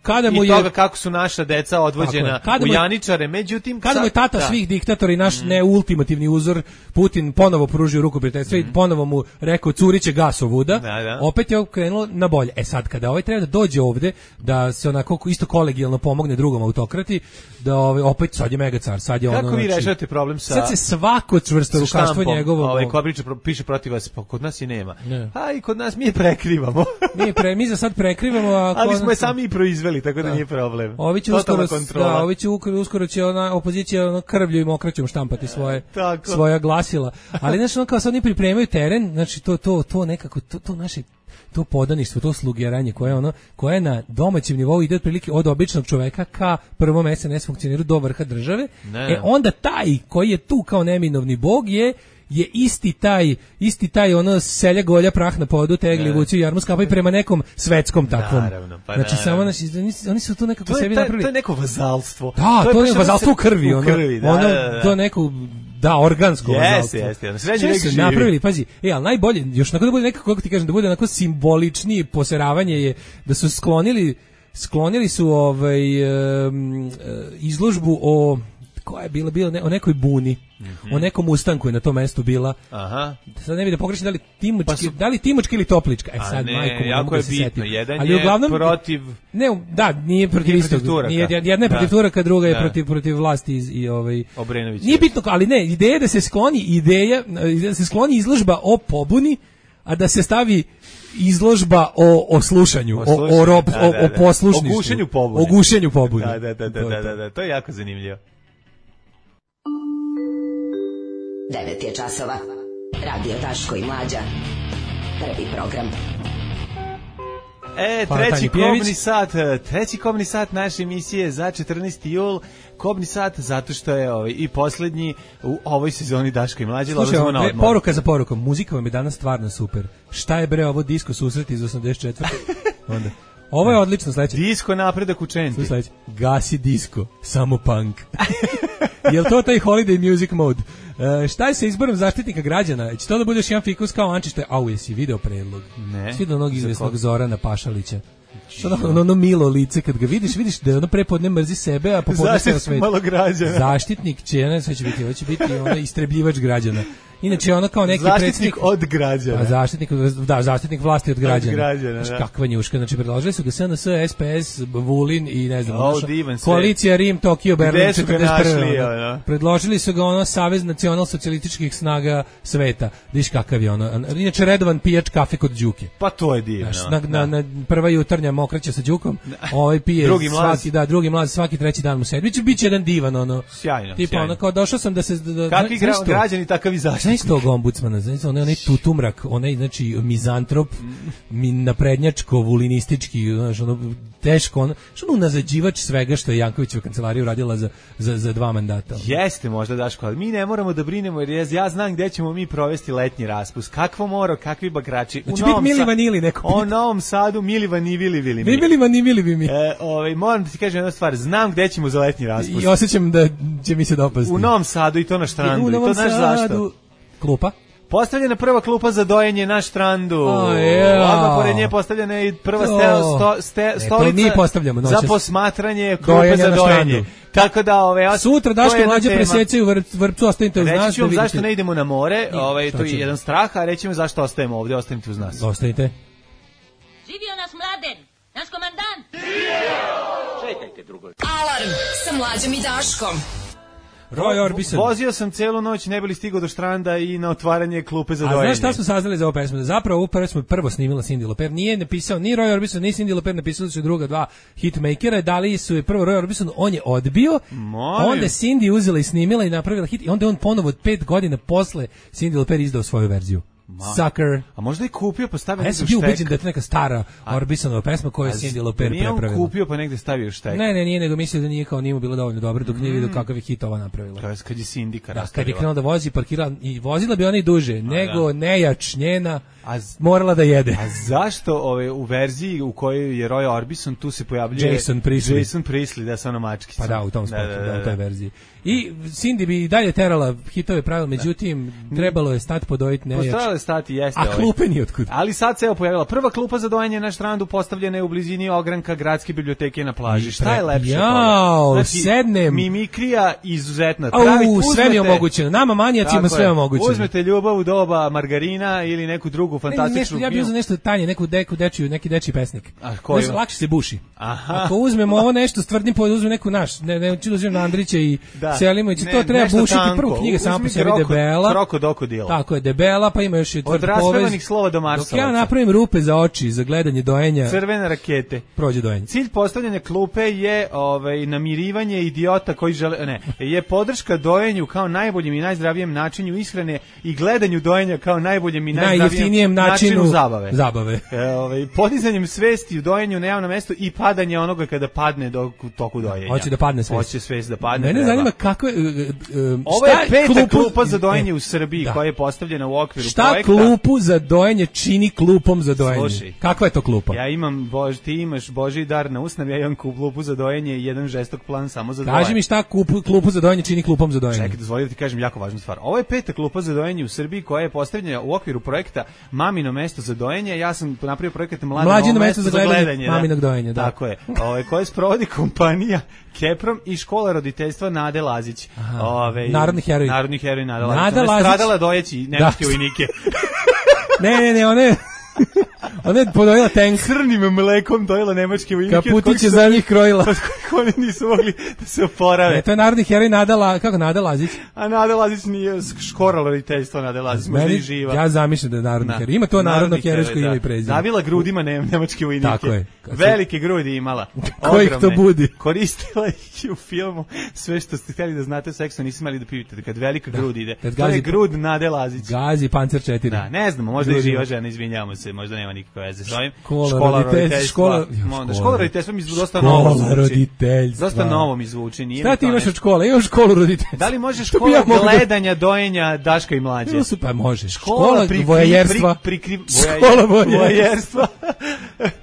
kada mu je toga kako su naša deca odvođena u Janičare, međutim kada mu je tata svih diktatora i naš neultimativni uzor Putin ponovo pružio ruku prijateljstva i ponovo mu rekao curiće gas ovuda, opet je krenulo na bolje. Sad kada treba da dođe ovde da se onako isto kolegijalno pomogne drugom autokrati, da opet sad je mega car, sad je ono. Kako vi rešavate problem sa sad se svako čvrsto rukaštvo njegovo ko piše protiv vas, pa kod nas i nema. A i kod nas mi je prekrivamo. Mi za sad prekrivamo, ali smo je sami i proizveli, tako da nije problem. Ovi će uskoro će opozicija krvlju i mokraćom štampati svoja glasila. Ali znači ono kao sad oni pripremaju teren, znači to nekako to naše to podaništvo, to slugiranje koje na domaćem nivou ide otprilike od običnog čoveka ka prvom SNS funkcioneru do vrha države. Onda taj koji je tu kao neminovni bog je isti taj ono selja golja prah na podu, tegli vuci jarmu skapaju prema nekom svetskom takvom. Znači samo oni su tu nekako sebi napravili. To je neko vazalstvo. Da, to je vazalstvo u krvi, to neko organsko vazalstvo. Jeste. Sređi nek živi. Napravili, pazi, ali najbolje, još nakon da bude nekako, kako ti kažem, da bude onako simboličnije poseravanje je da su sklonili su izložbu koja je bila o nekoj buni, o nekom ustanku je na tom mestu bila. Sad ne bi da pogrešim da li Timočka ili Toplička. Sad majko, jako je bitno. Jedan je protiv... nije protiv istog. Jedna je protiv Turaka, druga je protiv vlasti i Obrenovića. Nije bitno, ali ne, ideja da se skloni izložba o pobuni, a da se stavi izložba o slušanju, o poslušništvu. O gušenju pobune. Da, to je jako zanimljivo. 9 je časova. Radio Daško i Mlađa. Prvi program. treći kobni sat naše emisije za 14. jul. Kobni sat zato što je i poslednji u ovoj sezoni Daško i Mlađe. Slušaj, poruka za porukom. Muzika vam je danas stvarno super. Šta je bre ovo disko susret iz 84. Onda. Ovo je odlično, sledeće. Disko napredak u Čenti. Sledeće. Gasi disko, samo punk. Jel to taj holiday music mode? Šta je sa izborom zaštitnika građana? Će to da budeš jedan fikus kao Ančić? Jesi video predlog? Ne. Svi do onog izvesnog Zorana Pašalića. Ono milo lice, kad ga vidiš da je ono prepodne mrzi sebe, a popodne sve svet. Malo građana. Zaštitnik će biti ono istrebljivač građana. Inače ono kao neki zaštitnik od građana. Pa zaštitnik vlasti od građana. Od građana, da. Kakva njuška, znači predložili su ga SNS, SPS, Vulin i ne znam, koalicija Rim, Tokio, Berlin 41. Predložili su ga ono Savez nacional-socijalističkih snaga sveta. Viš kakav je ono. Inače redovan pijač kafe kod Đuke. Pa to je divno. Na prva jutarnja mokraća sa Đukom. Pije drugi mlaz svaki treći dan u sedmici. Biće jedan divan ono. Sjajno. Tipa ono kao došao sam da se kakvi građani takav i zaštitnik. Znaš tog ombudsmana, znači onaj tutumrak, onaj znači mizantrop, naprednjačko, vulinistički, znači ono teško, ono nazađivač svega što je Jankovićeva kancelarija uradila za 2 mandata. Jeste možda Daško, ali mi ne moramo da brinemo jer ja znam gde ćemo mi provesti letnji raspust. Kakvo mora, kakvi bakrači. Znači biti Mili Vanili neko. U Novom Sadu Mili Vanili. Mili Vanili mi. Moram da ti kažem jednu stvar, znam gde ćemo za letnji raspust. I osjećam da će mi se dopasti. U Novom Sadu i to na štrandu. I to znaš zašto? Klupa. Postavljena prva klupa za dojenje na štrandu. Odmah pored nje postavljena je prva stolica za posmatranje klupe za dojenje. Tako da sutra Daško i Mlađa presecaju Vrpcu, ostanite uz nas. Reći ću vam zašto ne idemo na more, to je jedan strah, a reći ću vam zašto ostajemo ovdje, ostanite uz nas. Ostanite. Živio nas Mladen, naš komandant. Čekajte drugo. Alarm sa Mlađom i Daškom. Vozio sam celu noć, ne bili stigao do štranda i na otvaranje klupe za dojenje. A znaš šta smo saznali za ovu pesmu? Zapravo ovu pesmu prvo snimila Cyndi Lauper. Nije napisao ni Roy Orbison, ni Cyndi Lauper, napisali su druga dva hitmakera, dali su je prvo Roy Orbison, on je odbio, onda Cyndi uzela i snimila i napravila hit i onda on ponovo od 5 godina posle Cyndi Lauper izdao svoju verziju. Sucker. A možda i kupio pa stavio negde u štek. Ja sam bio ubeđen da je to neka stara Orbisonova pesma koju je Cyndi Lauper prepravila. Nije on kupio pa negde stavio u štek. Ne, nije, nego mislio da nije kao nije bilo dovoljno dobro dok nije vidio kakav je hit ova napravila. Kad je Sindika rastavila. Kad je krenula da vozi, parkirala i vozila bi ona i duže, nego nejač njena morala da jede. A zašto u verziji u kojoj je Roy Orbison tu se pojavljuje Jason Priestley, da sa ono mački. Pa da, u tom spotu, da, u toj verziji. I Cyndi bi dalje terala hitove pravila, međutim, trebalo je stati podojiti nejač. Trebalo je stati, jeste. A klupe ni otkud. Ali sad se pojavila prva klupa za dojenje na štrandu, postavljena je u blizini ogranka Gradske biblioteke na plaži. Šta je lepše? Sednem. Mimikrija izuzetna. Sve mi je omogućeno. Nama manijacima sve je omogućeno. Uzmete Ljubav u doba margarina ili neku drugu fantastičnu. Ja bih uzeo nešto tanje, neki dečiji pesnik. A koji? Lakše se buši. Ako uzmemo ovo nešto s tvrdim povod, uzmem neku naš, ne ću da uzmem na Andrića i Selimović, to treba bušiti. Prvo knjiga sama po sebi debela. Krokodil. Tako je, debela, pa ima još i tvrd povez. Od raspevanih slova do Marsovaca. Dok ja napravim rupe za oči, za gledanje dojenja. Crvene rakete. Prođe dojenje. Cilj postavljanja klupe je namirivanje idiota koji žele, je podrška dojenju kao najboljem i najzdravijem načinu ishrane i gledanju dojenja kao najboljem i najzdravijem načinu zabave. Podizanjem svesti u dojenju na javnom mestu i padanje onoga kada padne u toku dojenja. Hoće da padne svest. Hoće svest da padne. Mene zanima kako je... Ovo je peta klupa za dojenje u Srbiji koja je postavljena u okviru projekta. Šta klupu za dojenje čini klupom za dojenje? Slušaj, kakva je to klupa? Ja imam, ti imaš Božji dar na usnav, ja imam klupu za dojenje i jedan žestok plan samo za dojenje. Kaži mi šta klupu za dojenje čini klupom za dojenje? Čekaj, dozvoli da ti kažem jako važnu stvar. Ovo je peta klupa za dojenje u Srbiji koja je postavljena u okviru projekta Mamino mesto za dojenje. Ja sam napravio projekat Mlađino mesto za gledanje maminog dojenja. Tako je. Koje sprovodi kompanija Keprom i škola roditeljstva Nade Lazić. Narodni heroj Nada Lazić. Stradala dojeći nemačke vojnike. Ne, ona je podojila tank. Crnim mlekom dojela nemačke vojnike. Kaputiće za njih krojila. Od kojih oni nisu mogli da se oporave. Ne, to je narodni heroj Nada Lazić. A Nada Lazić nije škola roditeljstva Nada Lazić, možda i živa. Ja zamišljam da je narodni heroj. Ima to narodno herojsko ime i prezime. Zavila grudima nemačke vojnike. Tako je. Velike grudi imala. Kojih to budi? Koristila ih u filmu. Sve što ste htjeli da znate o seksu, nisi imali da pitate. Kad velika grud ide. To je grud Nade Lazić. Gazi Pancer 4. Da, ne znamo, možda i živa žena, izvinjavamo se, možda nema nikakve nikakve veze s ovim. Škola roditeljstva mi dosta novo zvuči. Dosta novo mi zvuči. Šta ti imaš od škole? Imaš školu roditeljstva. Da li može škola gledanja, dojenja Daška i Mlađe? Pa može. Škola voajerstva. Škola voajerstva.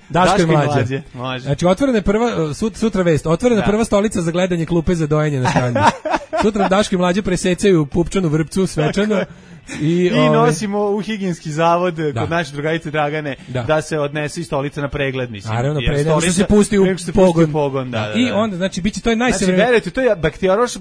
Daška i Mlađe. Znači, otvorena prva, sutra vest, otvorena prva stolica za gledanje klupe za dojenje na strani. Sutra Daška i Mlađe presecaju pupčanu vrpcu svečano. I nosimo u higijenski zavod kod naše drugarice Dragane da se odnese i stolica na pregled, mislim. Naravno, pregled, što se pusti u pogon. I onda, znači, biće to je najsavremenije. Znači, verujte, to je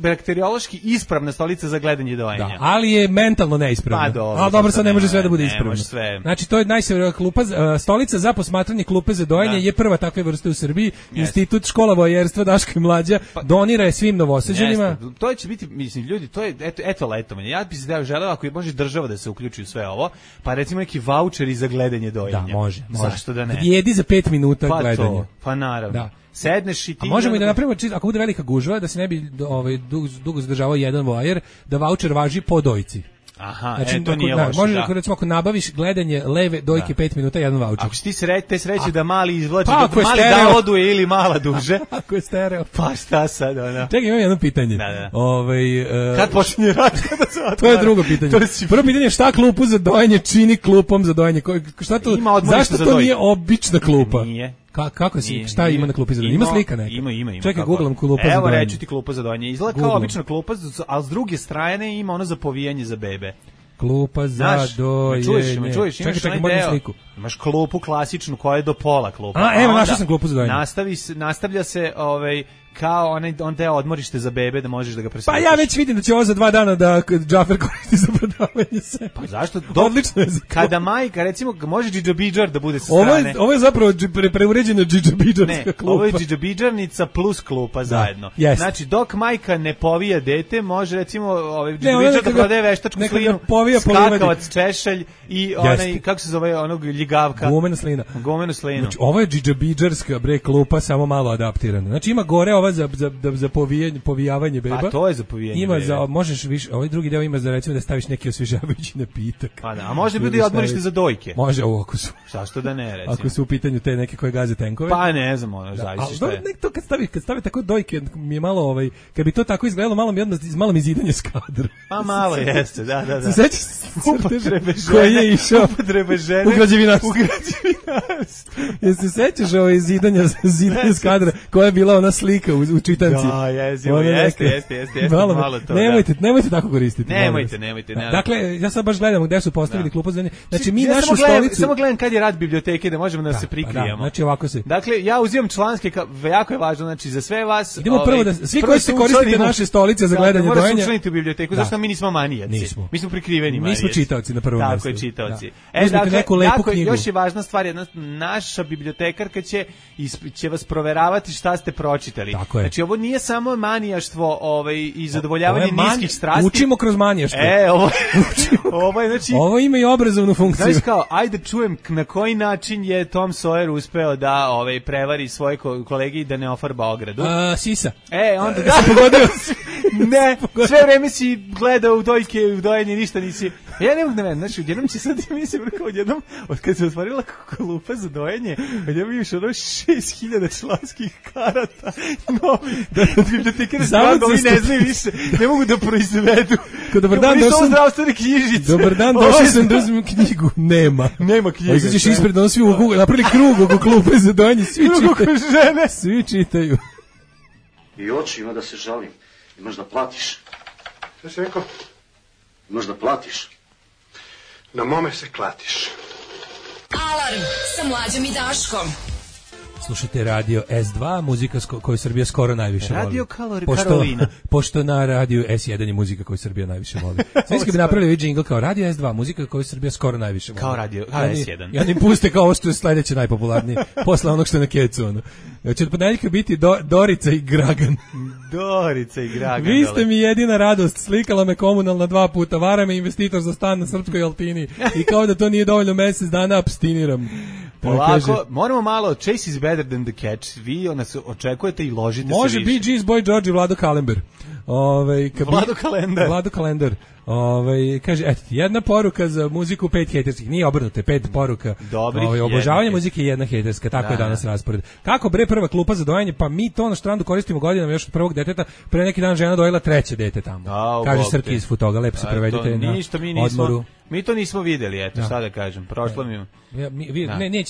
bakteriološki ispravna stolica za gledanje dojenja. Ali je mentalno neispravna. Dobro, sad ne može sve da bude ispravno. Znači, to je najsavremenija klupa, stolica za posmatranje klupe za dojenje je prva takve vrste u Srbiji. Institut škola voajerstva Daška i Mlađa donira je svim Novosađanima. To će biti, mislim, ljudi, to je eto letovanje. Ja bih se želeo ako može država da se uključi u sve ovo, pa recimo neki vaučeri za gledanje dojenja. Da, može. Zašto da ne? Jedi za 5 minuta gledanja. Pa naravno. Da. Sedneš i ti... A možemo i da napravimo, ako bude velika gužva, da se ne bi dugo zadržavao jedan voajer, da vaučer važi po dojci. Aha, znači, to nije loše. Može, recimo, ako nabaviš gledanje leve dojke 5 minuta, jedan vaučer. Ako si ti sreće da mali izvlači, da mali dovoduje ili mala duže. Ako je stereo. Pa šta sad, ona? Čekaj, imam jedno pitanje. Kad počinje rad? To je drugo pitanje. Prvo pitanje je šta klupu za dojenje čini klupom za dojenje? Zašto to nije obična klupa? Nije. Kako si? Šta ima na klupi za dojenje? Ima slika neka? Ima. Čekaj, googlam klupa za dojenje. Evo reći ti klupa za dojenje. Izgleda kao obična klupa, ali s druge strane ima ono za povijanje za bebe. Klupa za dojenje. Me čuješ, čekaj, moram sliku. Imaš klupu klasičnu koja je do pola klupa. Evo, našao sam klupu za dojenje. Nastavlja se kao on deo odmorište za bebe da možeš da ga presjetiš. Pa ja već vidim da će ovo za 2 dana da Džafer koristi za prodavanje se. Pa zašto? Odlično je. Kada majka, recimo, može džidžabidžar da bude sa strane. Ovo je zapravo preuređena džidžabidžarska klupa. Ovo je džidžabidžarnica plus klupa zajedno. Znači, dok majka ne povija dete, može, recimo, džidžabidžar da prodaje veštačku slinu, skakavac, češelj i onaj, kako se zove, onog ljigavka. Gumena slina. Znači, ovo je džidžabidžarska klupa, samo malo adaptirana. Znači, ima gore ova za povijavanje beba. A to je za povijanje ima bebe. Možeš više, ovaj drugi deo ima za recimo da staviš neki osvježavajući napitak. Pa da, a može biti odmorište za dojke. Može, ako su. Zašto da ne, recimo. Ako su u pitanju te neke koje gaze tenkove. Pa ne znam, zavisi šta je. To kad stavi tako dojke, mi je malo kad bi to tako izgledalo, malo mi zidanje s kadra. Pa malo jeste, da. Se sećaš upotrebe žene. Koji je išao upotrebe žene u građevinarstvu. Jesi se sećaš zidanja s kadra, koja je bila ona slika u čitanci. Da, jeste. Malo to. Nemojte tako koristiti. Nemojte. Dakle, ja sad baš gledam gde su postavili klupu za dojenje. Znači, mi našu stolicu... Samo gledam kad je rad biblioteke da možemo da se prikrijemo. Znači, ovako se... Dakle, ja uzimam članske, jako je važno, znači, za sve vas... Idemo prvo da... Svi koji se koristite naše stolice za gledanje dojenja... Morate se učlaniti u biblioteku, zašto mi nismo manijaci. Mi smo prikriveni manijaci. Mi smo čitaoci na prvom mjestu. Tako je, čitaoci. Dakle, još je važna stvar, naša bibliotekarka će vas proveravati šta ste pročitali. Znači, ovo nije samo manijaštvo i zadovoljavanje niskih strasti. Učimo kroz manijaštvo. Ovo ima i obrazovnu funkciju. Znaš kao, ajde čujem na koji način je Tom Sawyer uspeo da prevari svoje kolege i da ne ofarba ogradu. Sisa. Onda da. Pogodio si. Ne, sve vreme si gledao u dojke, u dojenje, ništa nisi. Ja ne mogu da velim, znači, odjednom će sad, mislim, odjednom, od kad se otvorila klupa za dojenje, odjednom imaš 6.000 članskih karata, novi, da bibliotekari stvarno, ovi ne znaju više, ne mogu da proizvedu. Dobar dan, došao sam da uzmem knjigu, nema knjiga. Izađeš ispred, ono svi napravili krug oko klupe za dojenje, svi čitaju. I oči ima da se žalim, imaš da platiš. Šta si rekao? Imaš da platiš. Na mome se klatiš. Alarm sa Mlađom i Daškom. Slušajte radio S2, muzika koju Srbija skoro najviše voli. Radio Karolina. Pošto na radio S1 je muzika koju Srbija najviše voli. Svi bi napravili džingl kao radio S2, muzika koju Srbija skoro najviše voli. Kao radio S1. I oni puste kao ovo što je sledeće najpopularnije, posle onog što je na kecu. Će od ponedeljka biti Dorica i Gragan. Dorica i Gragan. Vi ste mi jedina radost, slikala me komunalna 2 puta, vara me investitor za stan na Srpskoj Altini i kao da to nije dovoljno mesec dana abstiniram. Polako, moramo malo, chase is better than the catch, vi nas očekujete i ložite se više. Može Bee Gees, Boy George i Vlado Kalember. Vlado Kalendar. Kaže, eto, jedna poruka za muziku, 5 hejterskih. Nije obrnuto, 5 poruka. Obožavanje muzike je jedna hejterska, tako je danas raspored. Kako bre prva klupa za dojenje? Pa mi to na Štrandu koristimo godinama još od prvog deteta. Pre neki dan žena dojela 3. dete tamo. Kaže Srki iz Futoga, lepo se prevedite na odmoru. Mi to nismo videli, eto, šta da kažem. Prošlo mi... Nije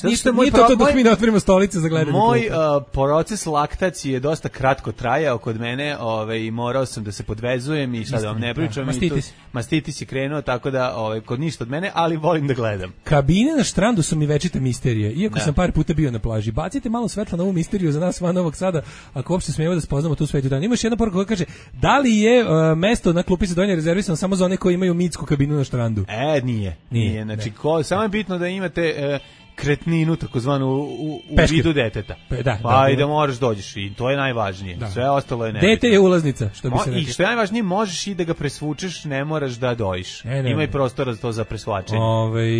to dok mi ne otvorimo stolice za gledanje. Moj proces laktacije je dosta kratko trajao kod mene, i morao sam da se podvezujem i sad vam ne pričam. Mastitis je krenuo, tako da kod ništa od mene, ali volim da gledam. Kabine na Štrandu su mi večite misterije, iako sam par puta bio na plaži. Bacite malo svetla na ovu misteriju za nas van Novog Sada, ako uopšte smijemo da spoznamo tu svetu dan. Imaš jedna poruka koja kaže, da li je mesto na klupi za dojenje rezervisano samo za one koji imaju mitsku kabinu na Štrandu? Nije. Znači, samo je bitno da imate kretninu, takozvanu u vidu deteta. I da moraš dođeš i to je najvažnije. Sve ostalo je nebitno. Dete je ulaznica, što bi se rekli. I što je najvažnije, možeš i da ga presvučeš, ne moraš da dojiš. Ima i prostora za to za presvačenje.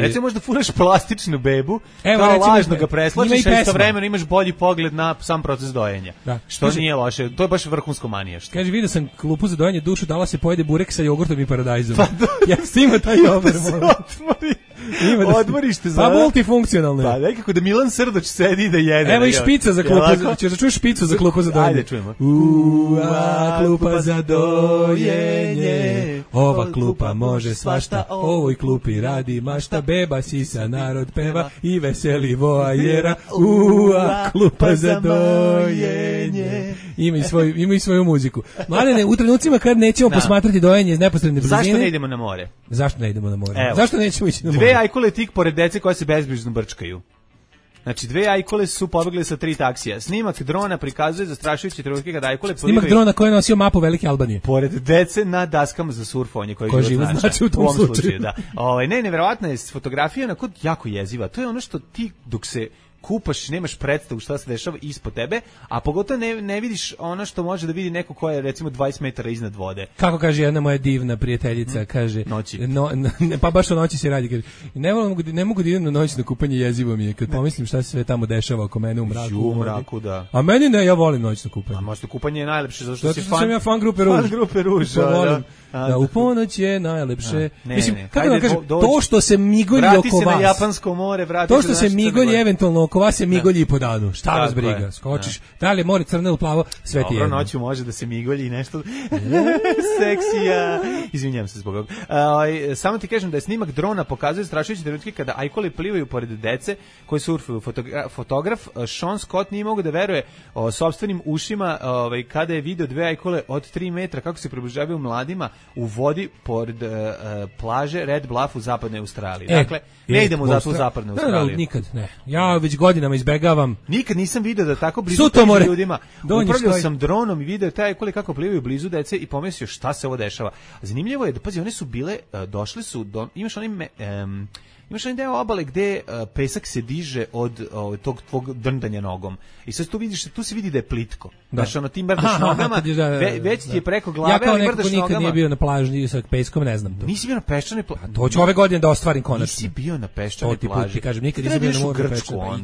Recimo možda furaš plastičnu bebu, kao lažno ga preslačiš, a istovremeno imaš bolji pogled na sam proces dojenja. Što nije loše, to je baš vrhunsko manijaštvo. Kaže, vidio sam klupu za dojenje, dušu dala se pojede burek sa jogurtom i paradajzom. Ja ima taj over. Odmorište za... Pa multifunkcionalno je. Pa nekako da Milan Srdoć sedi i da jede. Evo i špica za klupu. Ćeš da čuješ špicu za klupu za dojenje? Ajde, čujemo. Klupa za dojenje. Ova klupa može svašta. Ovoj klupi radi mašta. Beba sisa, narod peva i veseli voajera. Klupa za dojenje. Ima i svoju muziku. Mladene, u trenucima kad nećemo posmatrati dojenje iz neposredne blizine. Zašto ne idemo na more? Zašto nećemo ići na more? 2 ajkule tik pored dece koje se bezbrižno brčkaju. Znači, 2 ajkule su pobegli sa 3 taksija. Snimak drona prikazuje zastrašujuće trenutke kada ajkule plivaju. Snimak drona koji je nosio mapu Velike Albanije. Pored dece na daskama za surfovanje koje život znači u tom slučaju. Da. Neverovatna je fotografija, onako jako jeziva. To je ono što ti dok se kupaš, nemaš predstavu šta se dešava ispod tebe, a pogotovo ne vidiš ono što može da vidi neko ko je recimo 20 metara iznad vode. Kako kaže jedna moja divna prijateljica, kaže noći. Pa baš o noći se radi, kaže, ne mogu da idem na noć na kupanje, jezivo mi je kad pomislim šta se sve tamo dešava oko mene u mraku. U mraku, da. A meni ne, ja volim noćno kupanje. A možda kupanje je najlepše zato što si sam ja fan grupe Ruž. Fan grupe Ruž, da, u ponoć je najlepše. Mislim, kako da kažem, to što se migolji oko vas. Vrati se na Japansko more, vrati se. To što se migolji eventualno oko vas se migolji po danu. Šta vas briga? Skočiš. Da li je more crno ili plavo? Sve ti je. Dobro, noću može da se migolji i nešto seksija. Izvinjavam se zbog ovog. Samo ti kažem da je snimak drona pokazuje strašujuće trenutke kada ajkule plivaju pored dece koji surfuju. Fotograf Sean Scott nije mogao da veruje sopstvenim ušima kada je video 2 ajkule od 3 metra kako se približavaju mladima u vodi pored plaže Red Bluff u zapadnoj Australiji. Dakle, ne idemo zato u zapadnu Australiju. Nikad, ne. Ja već godinama izbegavam. Nikad nisam video da tako blizu među ljudima. Upravljao sam dronom i video taj ajkule kako plivaju blizu dece i pomislio šta se ovo dešava. Zanimljivo je da, pazi, one su bile, došli su, imaš onaj deo obale gde pesak se diže od tog tvog drndanja nogom. I sad tu se vidi da je plitko. Znaš, ti mrdaš nogama, već ti je preko glave, ja kao neko ko nikad nije bio na plaži sa peskom, ne znam to. Nisi bio na peščanoj plaži? To ću ove godine da ostvarim konačno. Nisi bio na peščanoj plaži. To ti kažem, nikad nisam bio na moru peščanoj.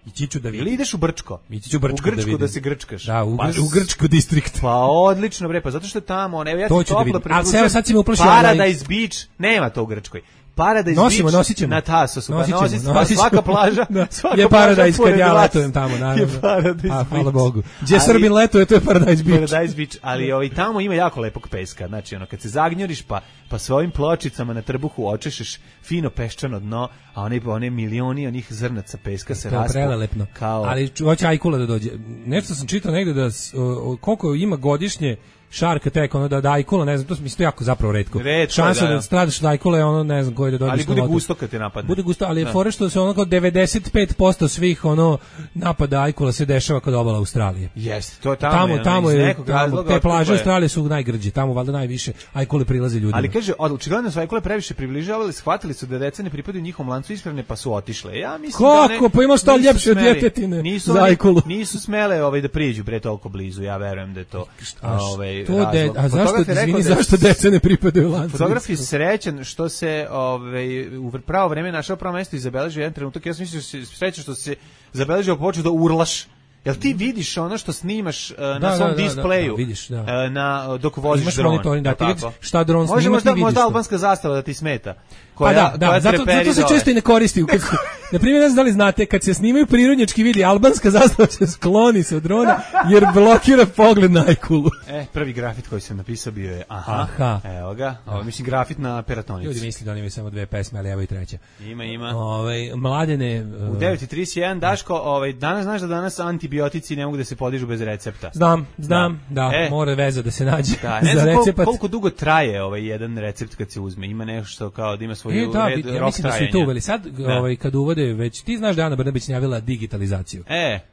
Ići ću da vidim. Ili ideš u Brčko? Ići ću u Grčku da se grčkaš. Da, u Grčku distrikt. Pa odlično bre, pa zato što je tamo, ja to ću da vidim. A sad si me uplašio. Paradise Beach, nema to u Grčkoj. Paradise Beach na Tasosu, pa svaka plaža je Paradise kad ja letujem tamo, naravno. Hvala Bogu. Gdje Srbin letuje, to je Paradise Beach. Ali tamo ima jako lepog peska, znači kad se zagnjuriš pa svojim pločicama na trbuhu očešeš fino peščano dno, a one milioni onih zrnaca peska se raspu. To je prelelepno. Ali hoće ajkula da dođe. Nešto sam čitao negde da koliko ima godišnje Shark Attack, da ajkula, ne znam, to mislim jako zapravo retko. Šansa da stradaš od ajkule, ne znam koji da dođeš. Ali bude gusto kad te napadne. Bude gusto, ali je fora što se kao 95% svih napada ajkula se dešava kod obala Australije. Jeste, to tamo te plaže Australije su najgrđe, tamo valjda najviše ajkule prilaze ljudima. Ali kaže, očigledno su ajkule previše približavali, shvatili su da deca ne pripadaju njihovom lancu ishrane, pa su otišle. Ja mislim kako, pa ima šta ljepše od djetetine za ajkulu. Nisu smele da priđu bre toliko blizu, ja verujem da je to. A zašto deca ne pripadaju lancu? Fotograf je srećan što se u pravo vreme našao pravo mesto i zabeležio jedan trenutak. Ja sam mislio srećan što se zabeležio počeo da urlaš Jel ti vidiš ono što snimaš na svom displeju? Vidiš, dok voziš imaš dron. Monitoring, da ti vidiš šta dron snima, ti vidiš. Možda albanska zastava da ti smeta. Zato se često i ne koristi. Na primjer, ne znam da li znate, kad se snimaju prirodnjački vidi, albanska zastava se skloni se od drona, jer blokira pogled na ajkulu. Prvi grafit koji sam napisao bio je aha. Evo ga, mislim grafit na peratonici. Ljudi misli da oni imaju samo 2 pesme, ali evo i treća. Ima. Mladene... U 9:31, Daško, danas znaš da danas antibiotici ne mogu da se podižu bez recepta. Znam, mora veza da se nađe za recept. Koliko dugo traje jedan recept kad se uzme? Ima nešto kao da ima svoju ja mislim da su i to uveli. Sad, kad uvode već, ti znaš da Ana Brnabić najavila digitalizaciju.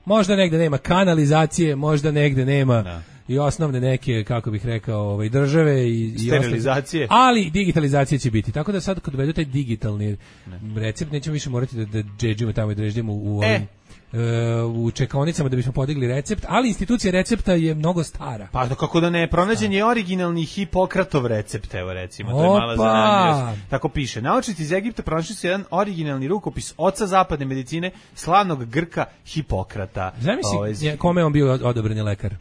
Možda negde nema kanalizacije, možda negde nema i osnovne neke, kako bih rekao, države i sterilizacije. Ali digitalizacija će biti. Tako da sad kad uvedu taj digitalni recept, nećemo više morati da džedžimo tamo i da reždimo u čekaonicama da bismo podigli recept, ali institucija recepta je mnogo stara. Pa kako da ne, pronađen je originalni Hipokratov recept, evo recimo, to je mala zanimljivost. Tako piše. Naučnici iz Egipta pronašli su jedan originalni rukopis oca zapadne medicine, slavnog Grka Hipokrata. Zamisli kome on bio odobreni lekar?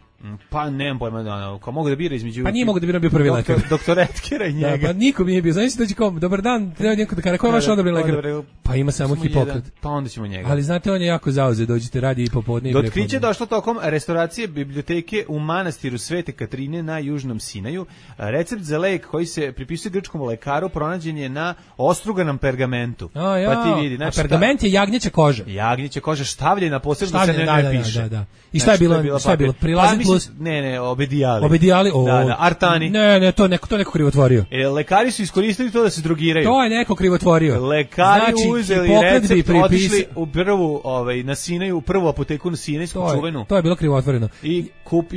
Pa nemam pojma, ko mogu da bira između... Pa nije mogu da bira, bio prvi lekar. Doktor Etkera i njega. Pa nikom nije bio. Znači da će kom, dobar dan, treba neko da kaže, ko je vaš odobreni lekar? Pa ima samo Hipokrat. Pa onda ćemo njega. Ali znate, on je jako zauzet, dođite radi i popodne i prepodne. Do otkrića došlo tokom restauracije biblioteke u manastiru Svete Katrine na Južnom Sinaju. Recept za lek koji se pripisuje grčkom lekaru pronađen je na ostruganom pergamentu. Pa ti vidi. A pergament je jagnjeća koža. Jagnjeća koža štavljena, posebno se ne piše. I šta je bilo? Prilazit plus? Ne, obedijali. Obedijali, artani. Ne, to neko krivotvorio. Lekari su iskoristili to da se drogiraju. To je neko krivotvorio. Lekari uzeli recept, otišli u prvu, na Sinaju, prvu apoteku na Sinajsku čuvenu. To je bilo krivotvoreno. I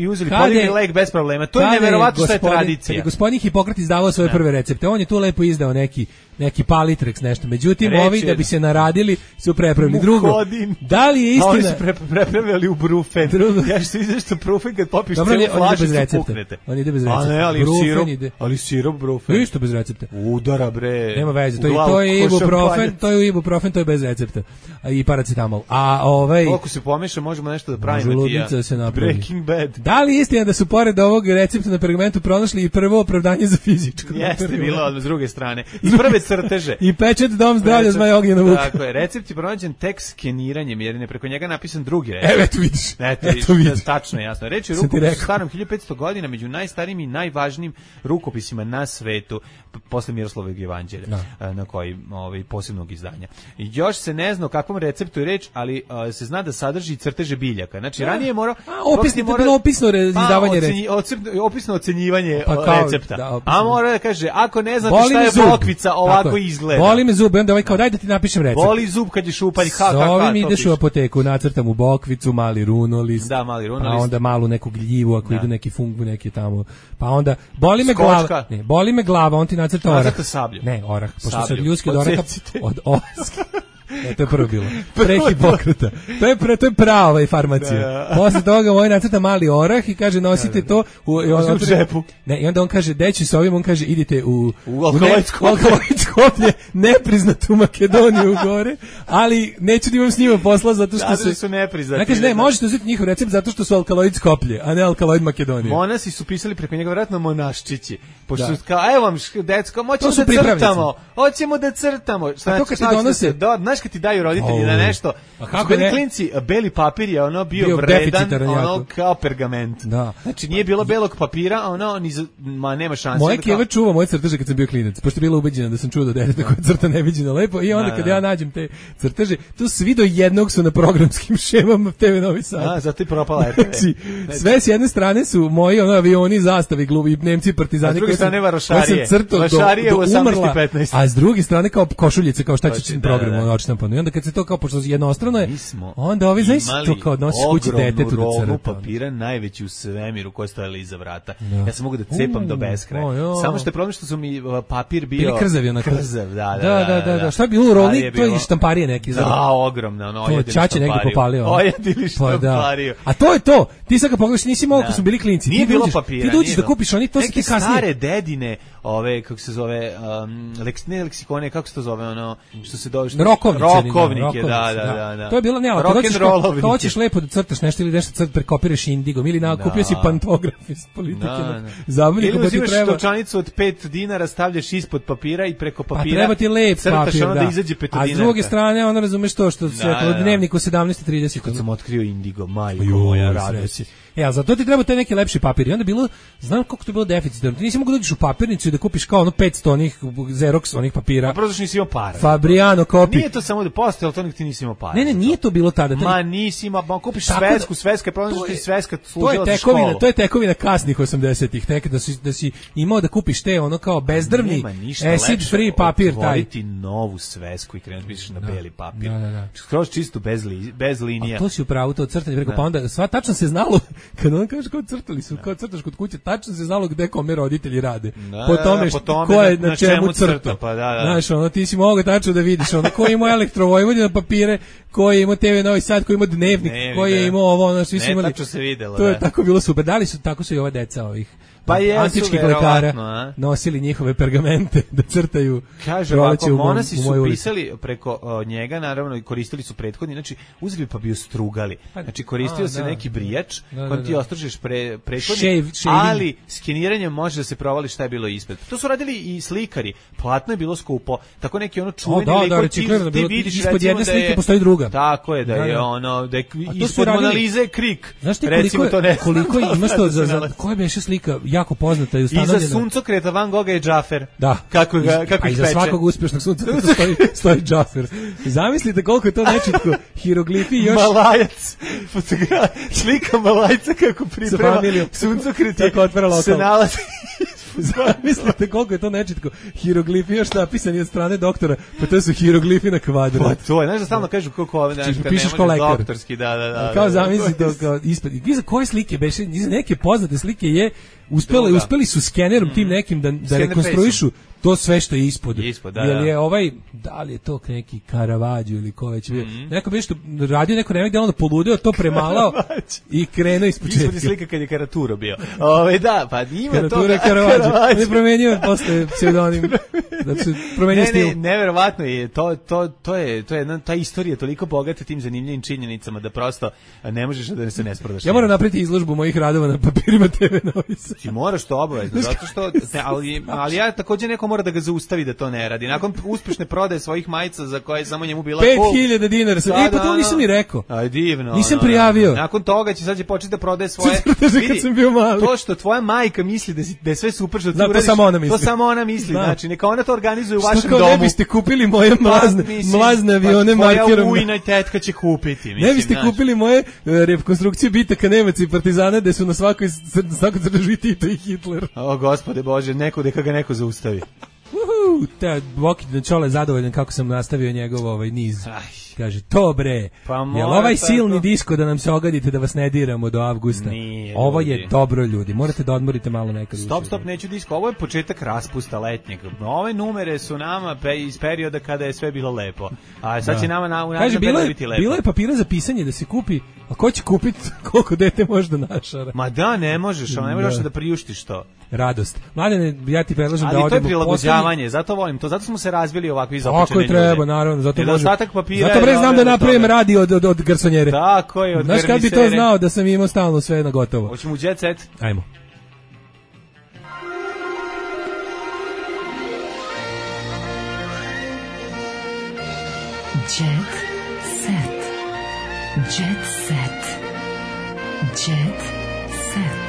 uzeli podigli lek bez problema. To je neverovatno šta je tradicija. Kad je gospodin Hipokrat izdavao svoje prve recepte, on je tu lepo izdao neki Palitreks nešto. Međutim, ovi da bi se naradili su prepravili. Drugo, da li je istina? Oni su prepravili u brufen. Ja što izveš što brufen kad popiš cijelu flašicu puknete. On ide bez recepta. Ali sirop brufen. Isto bez recepta. Udara bre. Nema veze, to je ibuprofen, to je bez recepta. I paracetamol. Koliko se pomeša možemo nešto da pravimo. Želudnica se napravi. Breaking Bad. Da li je istina da su pored ovog recepta na pergamentu pronašli i prvo opravdanje za fizičko? Jeste, bilo od druge strane. Iz prve crteže. I pečet Dom zdravlja Zmaj Ognjena Vuka. Tako je, recept je pronađen tek skeniranjem, jer je preko njega napisan drugi recept. Eto vidiš. Eto vidiš. Tačno, jasno. Reč je rukopis starom 1500 godina, među najstarijim i najvažnijim rukopisima na svetu, posle Miroslavovog evanđelja, na koji posebnog izdanja. I još se ne zna o kakvom receptu je reč, ali se zna da sadrži crteže biljaka. Znači, ranije je morao... Opisno izdavanje recepta. Opisno ocenjivanje recepta. A mora da kaže, ako ne znate šta je bokvica, ovako izgleda. Boli me zub, onda kao daj da ti napišem recept. Boli zub kad je šupalj, S ovim ideš u apoteku, nacrtam u bokvicu, mali runolist. Da, mali runolist. Pa onda malu neku gljivu, ako idu neki fungu, neki tamo. Pa onda, boli me glava. Ne, boli me glava, on ti nacrta orah. Nacrta sablju. Ne, orah. Pošto se od ljudski od oraha, od oraska. To je prvo bilo. Pre Hipokrata. To je prava farmacija. Posle toga moj nacrta mali orah i kaže nosite to u džepu. Ne, i onda on kaže deći s ovim, on kaže idite u Alkaloid-Skoplje, nepriznatu Makedoniju gore, ali neću da imam s njima posla zato što su nepriznati. Ne kaže ne, možete uzeti njihov recept zato što su Alkaloid-Skoplje, a ne Alkaloid Makedonija. Monasi su pisali preko njega vjerojatno monaščići. Pošto kao evo vam decko, hoćemo da crtamo. To kad ti donose, kad ti daju roditelji na nešto, bili klinci, beli papir je ono bio vredan, ono kao pergament. Da. Znači nije bilo belog papira, ono nema šanse. Moja keva čuva moje crteže kad sam bio klinac, pošto je bila ubeđena da sam čuo da deteta koje crta neviđeno lepo, i onda kad ja nađem te crteže, tu svi do jednog su na programskim šemama TV Novi Sad. Zato i propala RTV. Znači, sve s jedne strane su moji avioni, zastavi, glubi, Nemci, partizani, koje sam crtao do umrla, a s druge strane kao košuljice, kao šta će program, i onda kad se to kao pošto jednostrano je, onda ovi znaš to kao nosiš kući detetu da crta. Papira najveći u svemiru koji stojali iza vrata. Ja sam mogu da cepam do beskraja. Samo što je problem što su mi papir bio krzav, da. Šta je bilo u roli? To je štamparije neki. Da, ogromno, to Čače negdje popalio. Ojedili štampariju. A to je to. Ti sad kad pogledaš, nisi mogao kad su bili klinci. Nije bilo papira. Ti dođeš da kupiš oni, to se ti kasnije. Stare dedine, ove kako se zove, ne leksikone, kako se to zove, ono što se dođe Rokovnike, da. To je bilo, ne, ako hoćeš lepo da crtaš nešto ili nešto prekopiraš indigom, ili kupio si pantograf iz politike. Ili uzimaš novčanicu od 5 dinara, stavljaš ispod papira i preko papira treba ti lep papir, da izađe 5 dinara. A s druge strane, ona razumeš to što se dnevnik u 17:30. Kad sam otkrio indigo, majko moja radost. A za to ti treba taj neki lepši papir. I onda bilo, znam koliko to je bilo deficitarno. Ti nisi mogu da uđeš u papirnicu i da kupiš kao 500 onih Xerox onih papira. A prosto nisi imao para. Fabriano kopi. Nije to samo da postoje, ali to nek ti nisi imao para. Ne, nije to bilo tada. Ma nisi imao, kupiš sveska je pronađeš ti sveska služila za školu. To je tekovina kasnih 80-ih, nekada da si imao da kupiš te ono kao bezdrvni acid free papir taj. Otvoriti novu svesku i krenuti pišeš na beli papir. Skroz čisto bez linija. A to si upravo to crtanje preko, pa onda sva tačno se znalo kad on kaže kao crtali su, kao crtaš kod kuće, tačno se znalo gde kome roditelji rade. Po tome ko je na čemu crta. Pa da. Znaš, ono, ti si mogao tačno da vidiš, ono, ko je imao Elektrovojvodina papire, ko je imao TV Novi Sad, ko je imao Dnevnik, ko je imao ovo, ono, svi su imali. Tačno se videlo, to je tako bilo super. Da li su, tako su i ova deca ovih antičkih lekara nosili njihove pergamente da crtaju. Kaže ovako, monasi su pisali preko njega, naravno, i koristili su prethodni, znači uzeli pa bi ju strugali. Znači koristio se neki brijač kojim ti ostražiš prethodni, ali skeniranjem može da se provali šta je bilo ispred. To su radili i slikari, platno je bilo skupo, tako neki ono čuveni liko, ti vidiš ispod jedne slike postoji druga. Tako je, da je ono, da je ispod Monalize krik. Znaš ti koliko imaš to za koja beše slika jako poznata i ustanovljena. Iza suncokreta Van Gogha je Džafer. Da. Kako ih peče. A iza svakog uspješnog suncokreta stoji Džafer. Zamislite koliko je to nečitko hieroglifi još... Malajac. Slika Malajca kako priprema suncokret se nalazi... Zamislite koliko je to nečitko hieroglifi još napisani od strane doktora, pa to su hieroglifi na kvadrat. Pa to je, znaš da stalno kažu kako ove, znaš, kad pišeš kao lekar. Doktorski, da. Kao zamisli to, kao ispred. Iza koje slike beše, iza neke poznate slike je uspeli su skenerom tim nekim da rekonstruišu to sve što je ispod. Jel je da li je to neki Caravaggio ili ko već bio. Neko bi što radio neko vreme gde on poludeo, to premalao i krenuo ispočetka. Ispod je slika kad je Karaturo bio. Da, pa ima to. Karaturo je Caravaggio. On je promenio posle pseudonim. Znači, promenio stil. Ne, neverovatno je. To je ta istorija toliko bogata tim zanimljivim činjenicama da prosto ne možeš da se ne sprodaš. Ja moram napraviti izložbu mojih radova na papirima TV Novi Sad. Ti moraš to obavezno, zato što ali ja takođe neko mora da ga zaustavi da to ne radi. Nakon uspešne prodaje svojih majica za koje samo njemu bila 5.000 dinara. Pa to nisam ni rekao. Aj divno. Nisam prijavio. Nakon toga će sad početi da prodaje svoje. Kad sam bio mali. To što tvoja majka misli da je sve super što ti uradiš. To samo ona misli. Znači neka ona to organizuje u vašem domu. Ne biste kupili moje mlazne avione markerom. Tvoja ujna i tetka će kupiti. Ne biste kupili moje rekonstrukcije bitaka Nemaca i Partizana gde su na svakoj crtežu Tito i Hitler. O gospode Bože, neka ga neko zaustavi. Te Boki Čole zadovoljan kako sam nastavio njegov niz. Kaže, to bre, jel ovaj silni disko da nam se ogadite da vas ne diramo do avgusta? Nije, ovo je dobro, ljudi, morate da odmorite malo nekad. Stop, neću disko, ovo je početak raspusta letnjeg. Ove numere su nama iz perioda kada je sve bilo lepo. A sad će nama u našem periodu biti lepo. Bilo je papira za pisanje da se kupi, a ko će kupiti koliko dete može da našara? Ma da, ne možeš, ali ne možeš da priuštiš to. Radost. Mladene, ja ti predlažem da odemo. Ali to je prilagođavanje, zato volim to, zato smo se razvili ovakvi započeni ljudi. Tako je treba, naravno, zato može. Zato bre znam da napravim radio od garsonjere. Tako je, od Znaš kad bi to znao da sam imao stalno sve na gotovo. Hoćemo u Jet Set? Ajmo. Jet Set. Jet Set. Jet Set.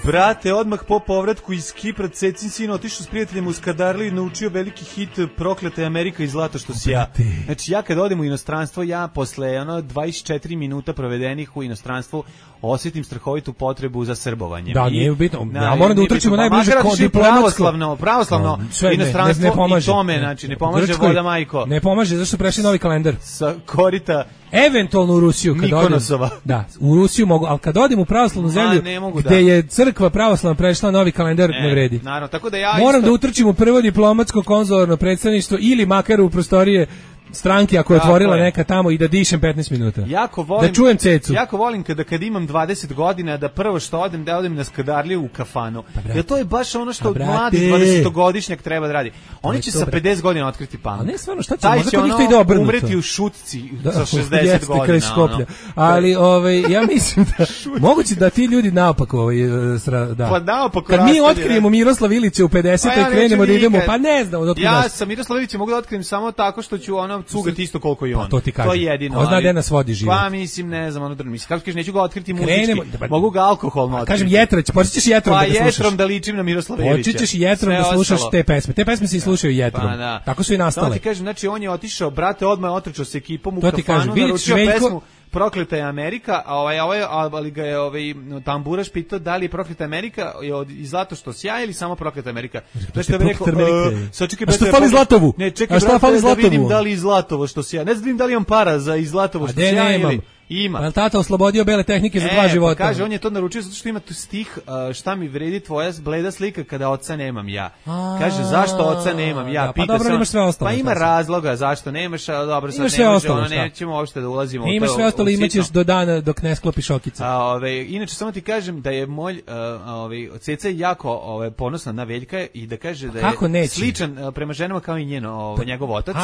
Brate, odmah po povratku iz Kipra, Cecin sin otišao s prijateljem u Skadarliju i naučio veliki hit Prokleta je Amerika i zlato što si ja. Znači ja kad odem u inostranstvo, ja posle 24 minuta provedenih u inostranstvu osjetim strahovitu potrebu za srbovanjem. Da, nije bitno. Ja moram da utrčimo najbliže kod diplomatsko. Pravoslavno inostranstvo i tome, znači ne pomaže voda majko. Ne pomaže, zašto prešli novi kalendar? Sa korita eventualno u Rusiju kad odem. Da, u Rusiju mogu, ali kad odem u pravoslavnu zemlju gde je crkva pravoslavna prešla novi kalendar, ne vredi. Naravno, tako da ja moram da utrčim u prvo diplomatsko konzularno predstavništvo ili makar u prostorije stranke ako je otvorila neka tamo i da dišem 15 minuta. Jako volim, da čujem cecu. Jako volim kad imam 20 godina da prvo što odem na Skadarliju u kafanu. Jer to je baš ono što mladi 20-godišnjak treba da radi. Oni će sa 50 godina otkriti punk. A ne stvarno, šta će? Taj će ono umreti u šutci sa 60 godina. Ali ja mislim da moguće da ti ljudi naopako da. Pa naopako. Kad mi otkrijemo Miroslav Ilića u 50 i krenemo da idemo, pa ne znam odakle. Ja sa Miroslav Ilića mogu da otkrijem samo tako što ću cugati isto koliko i on. To ti kažem. To je jedino. Ko zna gde nas vodi život. Pa mislim, ne znam, mislim kako kažeš, neću ga otkriti muzički. Mogu ga alkoholno otkriti. Kažem Jetrać, počećeš Jetrom da ga slušaš. Pa Jetrom da ličim na Miroslava Ilića. Počećeš Jetrom da slušaš te pesme. Te pesme se i slušaju Jetrom. Tako su i nastale. Da ti kažem, znači on je otišao, brate, odmah je otrčao sa ekipom u kafanu, naručio pesmu Prokleta je Amerika, ali ga je tamburaš pitao da li je Prokleta Amerika iz Zlato što sjaje ili samo Prokleta Amerika. Znači, bi rekao, a što fali Zlatovu? Ne, čekaj, brate, da vidim da li iz Zlatovo što sjaje. Ne znam da li imam para za iz Zlatovo što sjaje ili... Ima. Pa tata oslobodio bele tehnike za 2 života. Pa kaže, on je to naručio zato što ima tu stih šta mi vredi tvoja bleda slika kada oca nemam ja. Kaže, zašto oca nemam ja? Pa dobro, imaš sve ostalo. Pa ima razloga zašto nemaš, a dobro, sad nećemo uopšte da ulazimo u to. Imaš sve ostalo, imaćeš do dana dok ne sklopiš okice. Inače, samo ti kažem da je moj Ceca jako ponosna na Veljka i da kaže da je sličan prema ženama kao i njegov otac.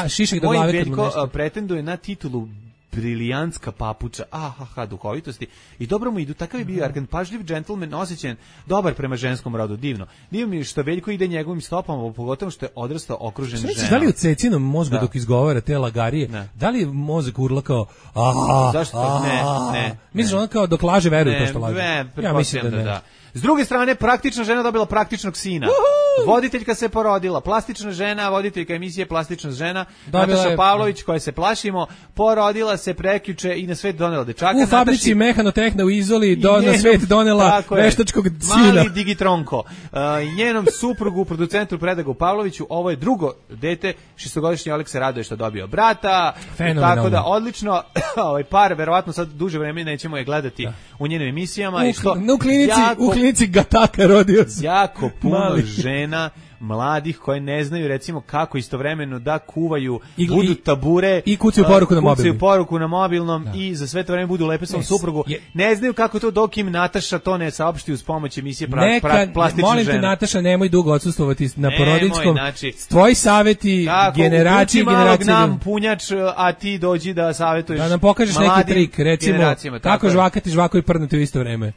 Moj Veljko pretenduje na titulu brilijantska papuča, duhovitosti i dobro mu idu, takav je bio argent, pažljiv džentlmen, osjećan, dobar prema ženskom rodu, divno. Divno mi je što Veljko ide njegovim stopama, pogotovo što je odrastao okružen ženama. Da li u Cecinom mozgu dok izgovara te lagarije, da li mozak urla kao zašto? Ne. Misliš ono kao dok laže veruje to što laže? Ja mislim da ne. S druge strane, praktična žena dobila praktičnog sina. Voditeljka se porodila, plastična žena, voditeljka emisije Plastična žena, Nataša Pavlović, koja se plašimo, porodila se prekjuče i na svet donela dečaka. U fabrici Mehanotehna u Izoli na svet donela veštačkog sina. Mali digitronko. Njenom suprugu, producentu Predragu Pavloviću, ovo je drugo dete, 6-godišnji Oleg se raduje što dobio brata. Tako da, odlično, ovaj par, verovatno sad duže vremena nećemo je gledati u njenim emisijama. U klinici Gataka rodio se. Jako puno žena mladih koje ne znaju recimo kako istovremeno da kuvaju, budu tabure i kucaju poruku na mobilnom i za sve to vreme budu lepe svom suprugu. Ne znaju kako to dok im Nataša to ne saopšti uz pomoć emisije Plastična žena. Molim te Nataša, nemoj dugo odsustvovati na porodiljskom. Tvoji saveti generacije nam punjač, a ti dođi da savetuješ. Da nam pokažeš neki trik, recimo kako žvakati žvako i prdnuti u isto vreme.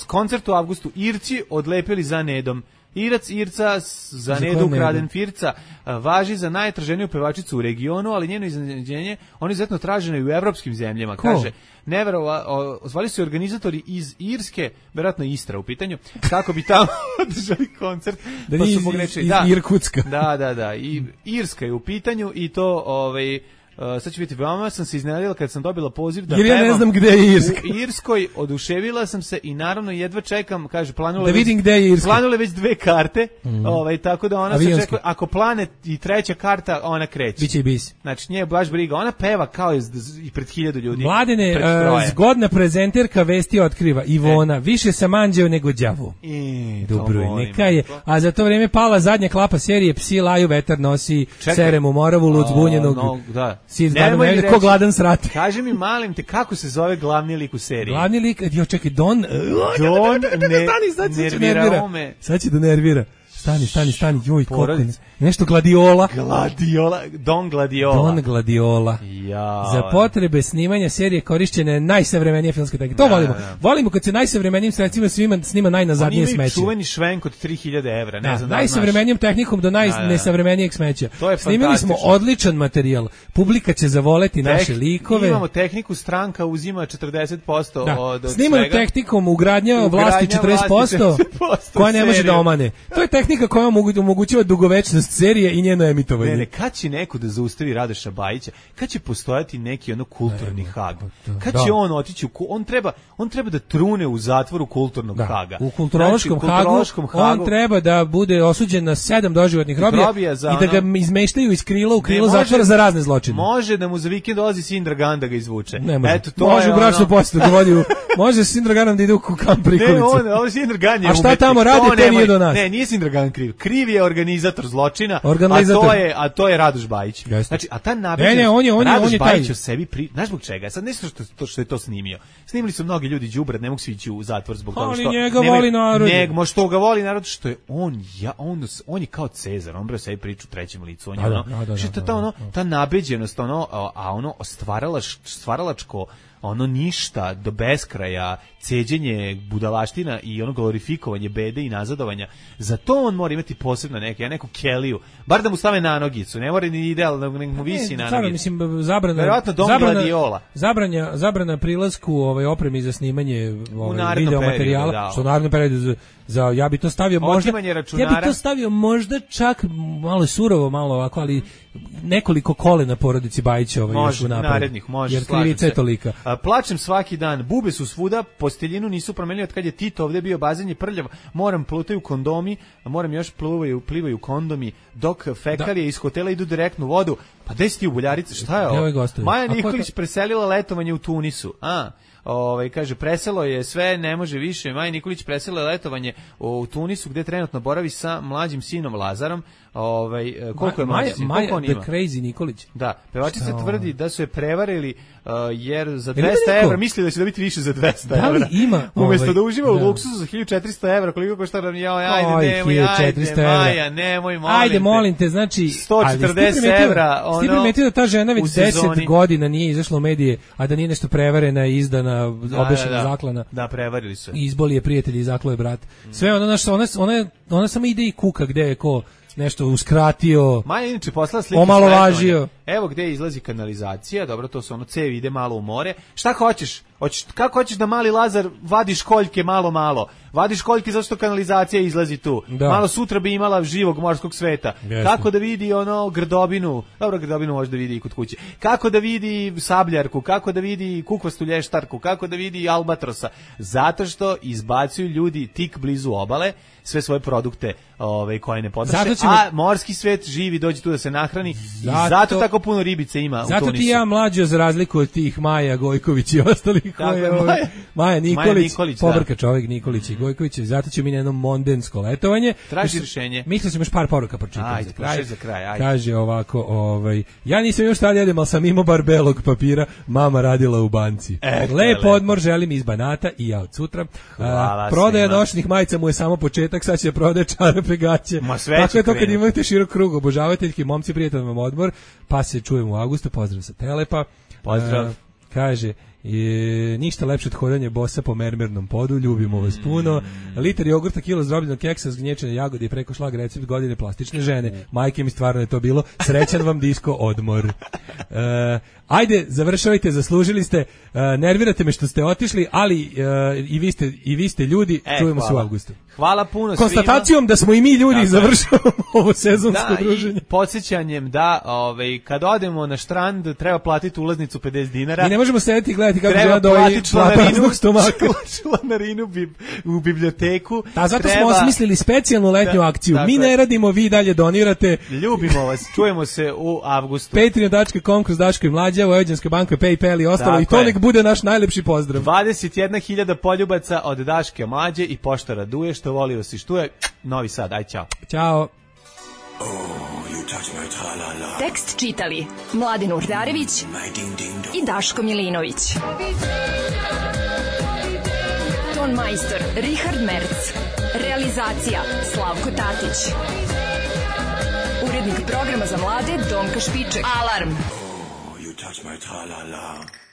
Koncert u avgustu, Irci odlepili za Nedom. Irca za Nedu ukraden Firca važi za najtraženiju pevačicu u regionu, ali njeno iznenađenje, on je izuzetno traženo i u evropskim zemljama. Kaže, zvali su organizatori iz Irske, vjerojatno Istra u pitanju, kako bi tamo održali koncert. Pa su pogrešili. Iz Irkutska. Da. I Irska je u pitanju i to sad će biti, veoma sam se iznenadila kad sam dobila poziv da pevam. Jer ja ne znam gde je Irska. U Irskoj oduševila sam se i naravno jedva čekam, kaže, planule već 2 karte, tako da ona se čeka, ako plane i 3. karta, ona kreće. Biće i bis. Znači, nije baš briga, ona peva kao i pred 1000 ljudi. Mladene, zgodna prezenterka vesti otkriva, Ivona, više sam anđeo nego đavo. Dobro, neka je. A za to vrijeme pala zadnja klapa serije, psi laju, vetar nosi, serem u moravu, lud zbunjenog. Ko gladan srat. Kaži mi, malim te, kako se zove glavni lik u seriji? Glavni lik, čekaj, Don nervira. Sad će da nervira. Stani, joj, koliko nešto Gladiola. Don Gladiola. Za potrebe snimanja serije korišćena je najsavremenija filmska tehnika. To volimo. Volimo kad se najsavremenijim sredstvima snima najnazadnije smeće. Oni imaju čuveni švenk od 3000 evra. Ne znam najsavremenijom tehnikom do najnesavremenijeg smeća. Snimili smo odličan materijal. Publika će zavoleti naše likove. Imamo tehniku, stranka uzima 40% od svega. Snimanu tehnikom ugradnja vlasti 40%, koja ne može da omane. To je tehnika koja omogućava dugovečnost serije i njeno emitovanje. Ne, kad će neko da zaustavi Radoša Bajića? Kad će postojati neki kulturni Hag? Kad će on otići on treba da trune u zatvoru kulturnog Haga. U kulturološkom Hagu on treba da bude osuđen na 7 doživotnih robija i da ga izmeštaju iz krila u krilo zatvora za razne zločine. Može da mu za vikend dolazi Sindra Gan da ga izvuče. Eto, to može u bračnu posjetu da vodi. Može Sindra Ganom da ide u kamp prikolice. Ne, Sindra Gan je a šta tamo radi, to nije do nas. Ne, nije Sindra Gan kriv. Kriv je organizator zločina. zločina, organizator. a to je Radoš Bajić. Znači, a ta nabeđenost, Radoš Bajić o sebi, znaš zbog čega? Sad ne znam što je to snimio. Snimili su mnogi ljudi đubre, ne mogu svi ići u zatvor zbog toga što njega voli narod. Nego što ga voli narod, što je on je kao Cezar, on bre sebi priču u trećem licu, on je ta nabeđenost, stvaralačko ništa do beskraja, ceđenje budalaština i glorifikovanje bede i nazadovanja. Za to on mora imati posebno neku keliju, bar da mu stave na nogicu, ne mora ni idealno, nek mu visi na nogicu. Mislim, zabrana prilasku opremi za snimanje video materijala, što u narednom periodu ja bi to stavio možda čak malo surovo, malo ovako, ali nekoliko kolena porodici Bajića još u napred, jer krivica je tolika. Plačem svaki dan, bube su svuda, posteljinu nisu promenili od kad je Tito ovdje bio, bazen je prljav, moram plutaju kondomi, moram još plivaju kondomi, dok fekalije iz hotela idu direktno u vodu. Pa gde si ti u Buljarice, šta je ovo? Maja Nikolić preselila letovanje u Tunisu. Kaže, preselo je sve, ne može više. Maja Nikolić presela letovanje u Tunisu, gde trenutno boravi sa mlađim sinom Lazarom. Koliko je mlađi sin? Maja the Crazy Nikolić. Da, pevačica tvrdi da su je prevarili jer za 200 evra misli da će dobiti više za 200 evra. Da li ima? Umjesto da uživa u luksusu za 1400 evra, koliko košta nam nemoj, ajde, molim te, znači 140 evra. Ti primetio da ta žena već 10 godina nije izašla u medije, a da nije nešto prevarena, izdana, obešena, zaklana. Da, prevarili su. Izboli je prijatelj i zaklo je brat. Sve ona samo ide i kuka gde je ko nešto uskratio, Maja inače poslala slike, omalovažio. Evo gde izlazi kanalizacija, dobro, to su cevi, ide malo u more. Šta hoćeš? Kako hoćeš da mali Lazar vadi školjke malo? Vadi školjke zato što kanalizacija izlazi tu. Da. Malo sutra bi imala živog morskog sveta. Jasne. Kako da vidi grdobinu? Dobro, grdobinu može da vidi i kod kuće. Kako da vidi sabljarku? Kako da vidi kukvastu lještarku? Kako da vidi albatrosa? Zato što izbacuju ljudi tik blizu obale sve svoje produkte koje ne potroše, a morski svet živi, dođe tu da se nahrani i zato tako puno ribice ima u Tunisu. Zato ti ja mlađo, za razliku od tih Maja Gojković i ostalih, Maja Nikolić, pobrka čovjek Nikolić i Gojković, zato ćemo mi na jedno mondensko letovanje. Traži rješenje. Mislio sam još par poruka pročitati. Ajde, za kraj. Ajde. Kaže ovako, ja nisam još tad jedem, ali sam imao bar belog papira, mama radila u banci. Lep odmor želim iz Banata i ja od sutra. Prodaja nošnih majica mu je samo početak, sad će prodaje čarape, gaće. Tako je to kad imate širok krug obožavateljki, momci, prijatelj vam odmor, pa se čujemo u avgustu, pozdrav sa Telepa. Pozdrav. Kaže, ništa lepše od hodanja bosa po mermernom podu, ljubimo vas puno. Liter jogurta, kilo zdrobljenog keksa, zgnječene jagode i preko šlag recept godine plastične žene. Majke mi, stvarno je to bilo. Srećan vam disko odmor. Ajde, završavajte, zaslužili ste. Nervirate me što ste otišli, ali i vi ste ljudi. Čujemo se u avgustu. Hvala puno konstatacijom da smo i mi ljudi završavamo ovo sezonsko druženje. I podsjećanjem da kad odemo na štrand treba platiti ulaznicu 50 dinara. I ne možemo sedeti i gledati kako žena doji praznog stomaka. Članarinu u biblioteku. Zato smo osmislili specijalnu letnju akciju. Mi ne radimo, vi dalje donirate. Ljubimo vas, čujemo se u avgustu. Patreon.com kroz Daško i Mlađa, Vojvođanska banka, PayPal i ostalo. I to nek bude naš najlepši pozdrav. 21.000 poljubaca od Daške Mlađe i pošta raduje što volio si štuje. Novi Sad, aj ćao. Ćao. Tekst čitali Mladen Urdarević i Daško Milinović. Ton majstor Richard Merc. Realizacija Slavko Tatić. Urednik programa za mlade Donka Špiček. Alarm. You touch my tra-la-la.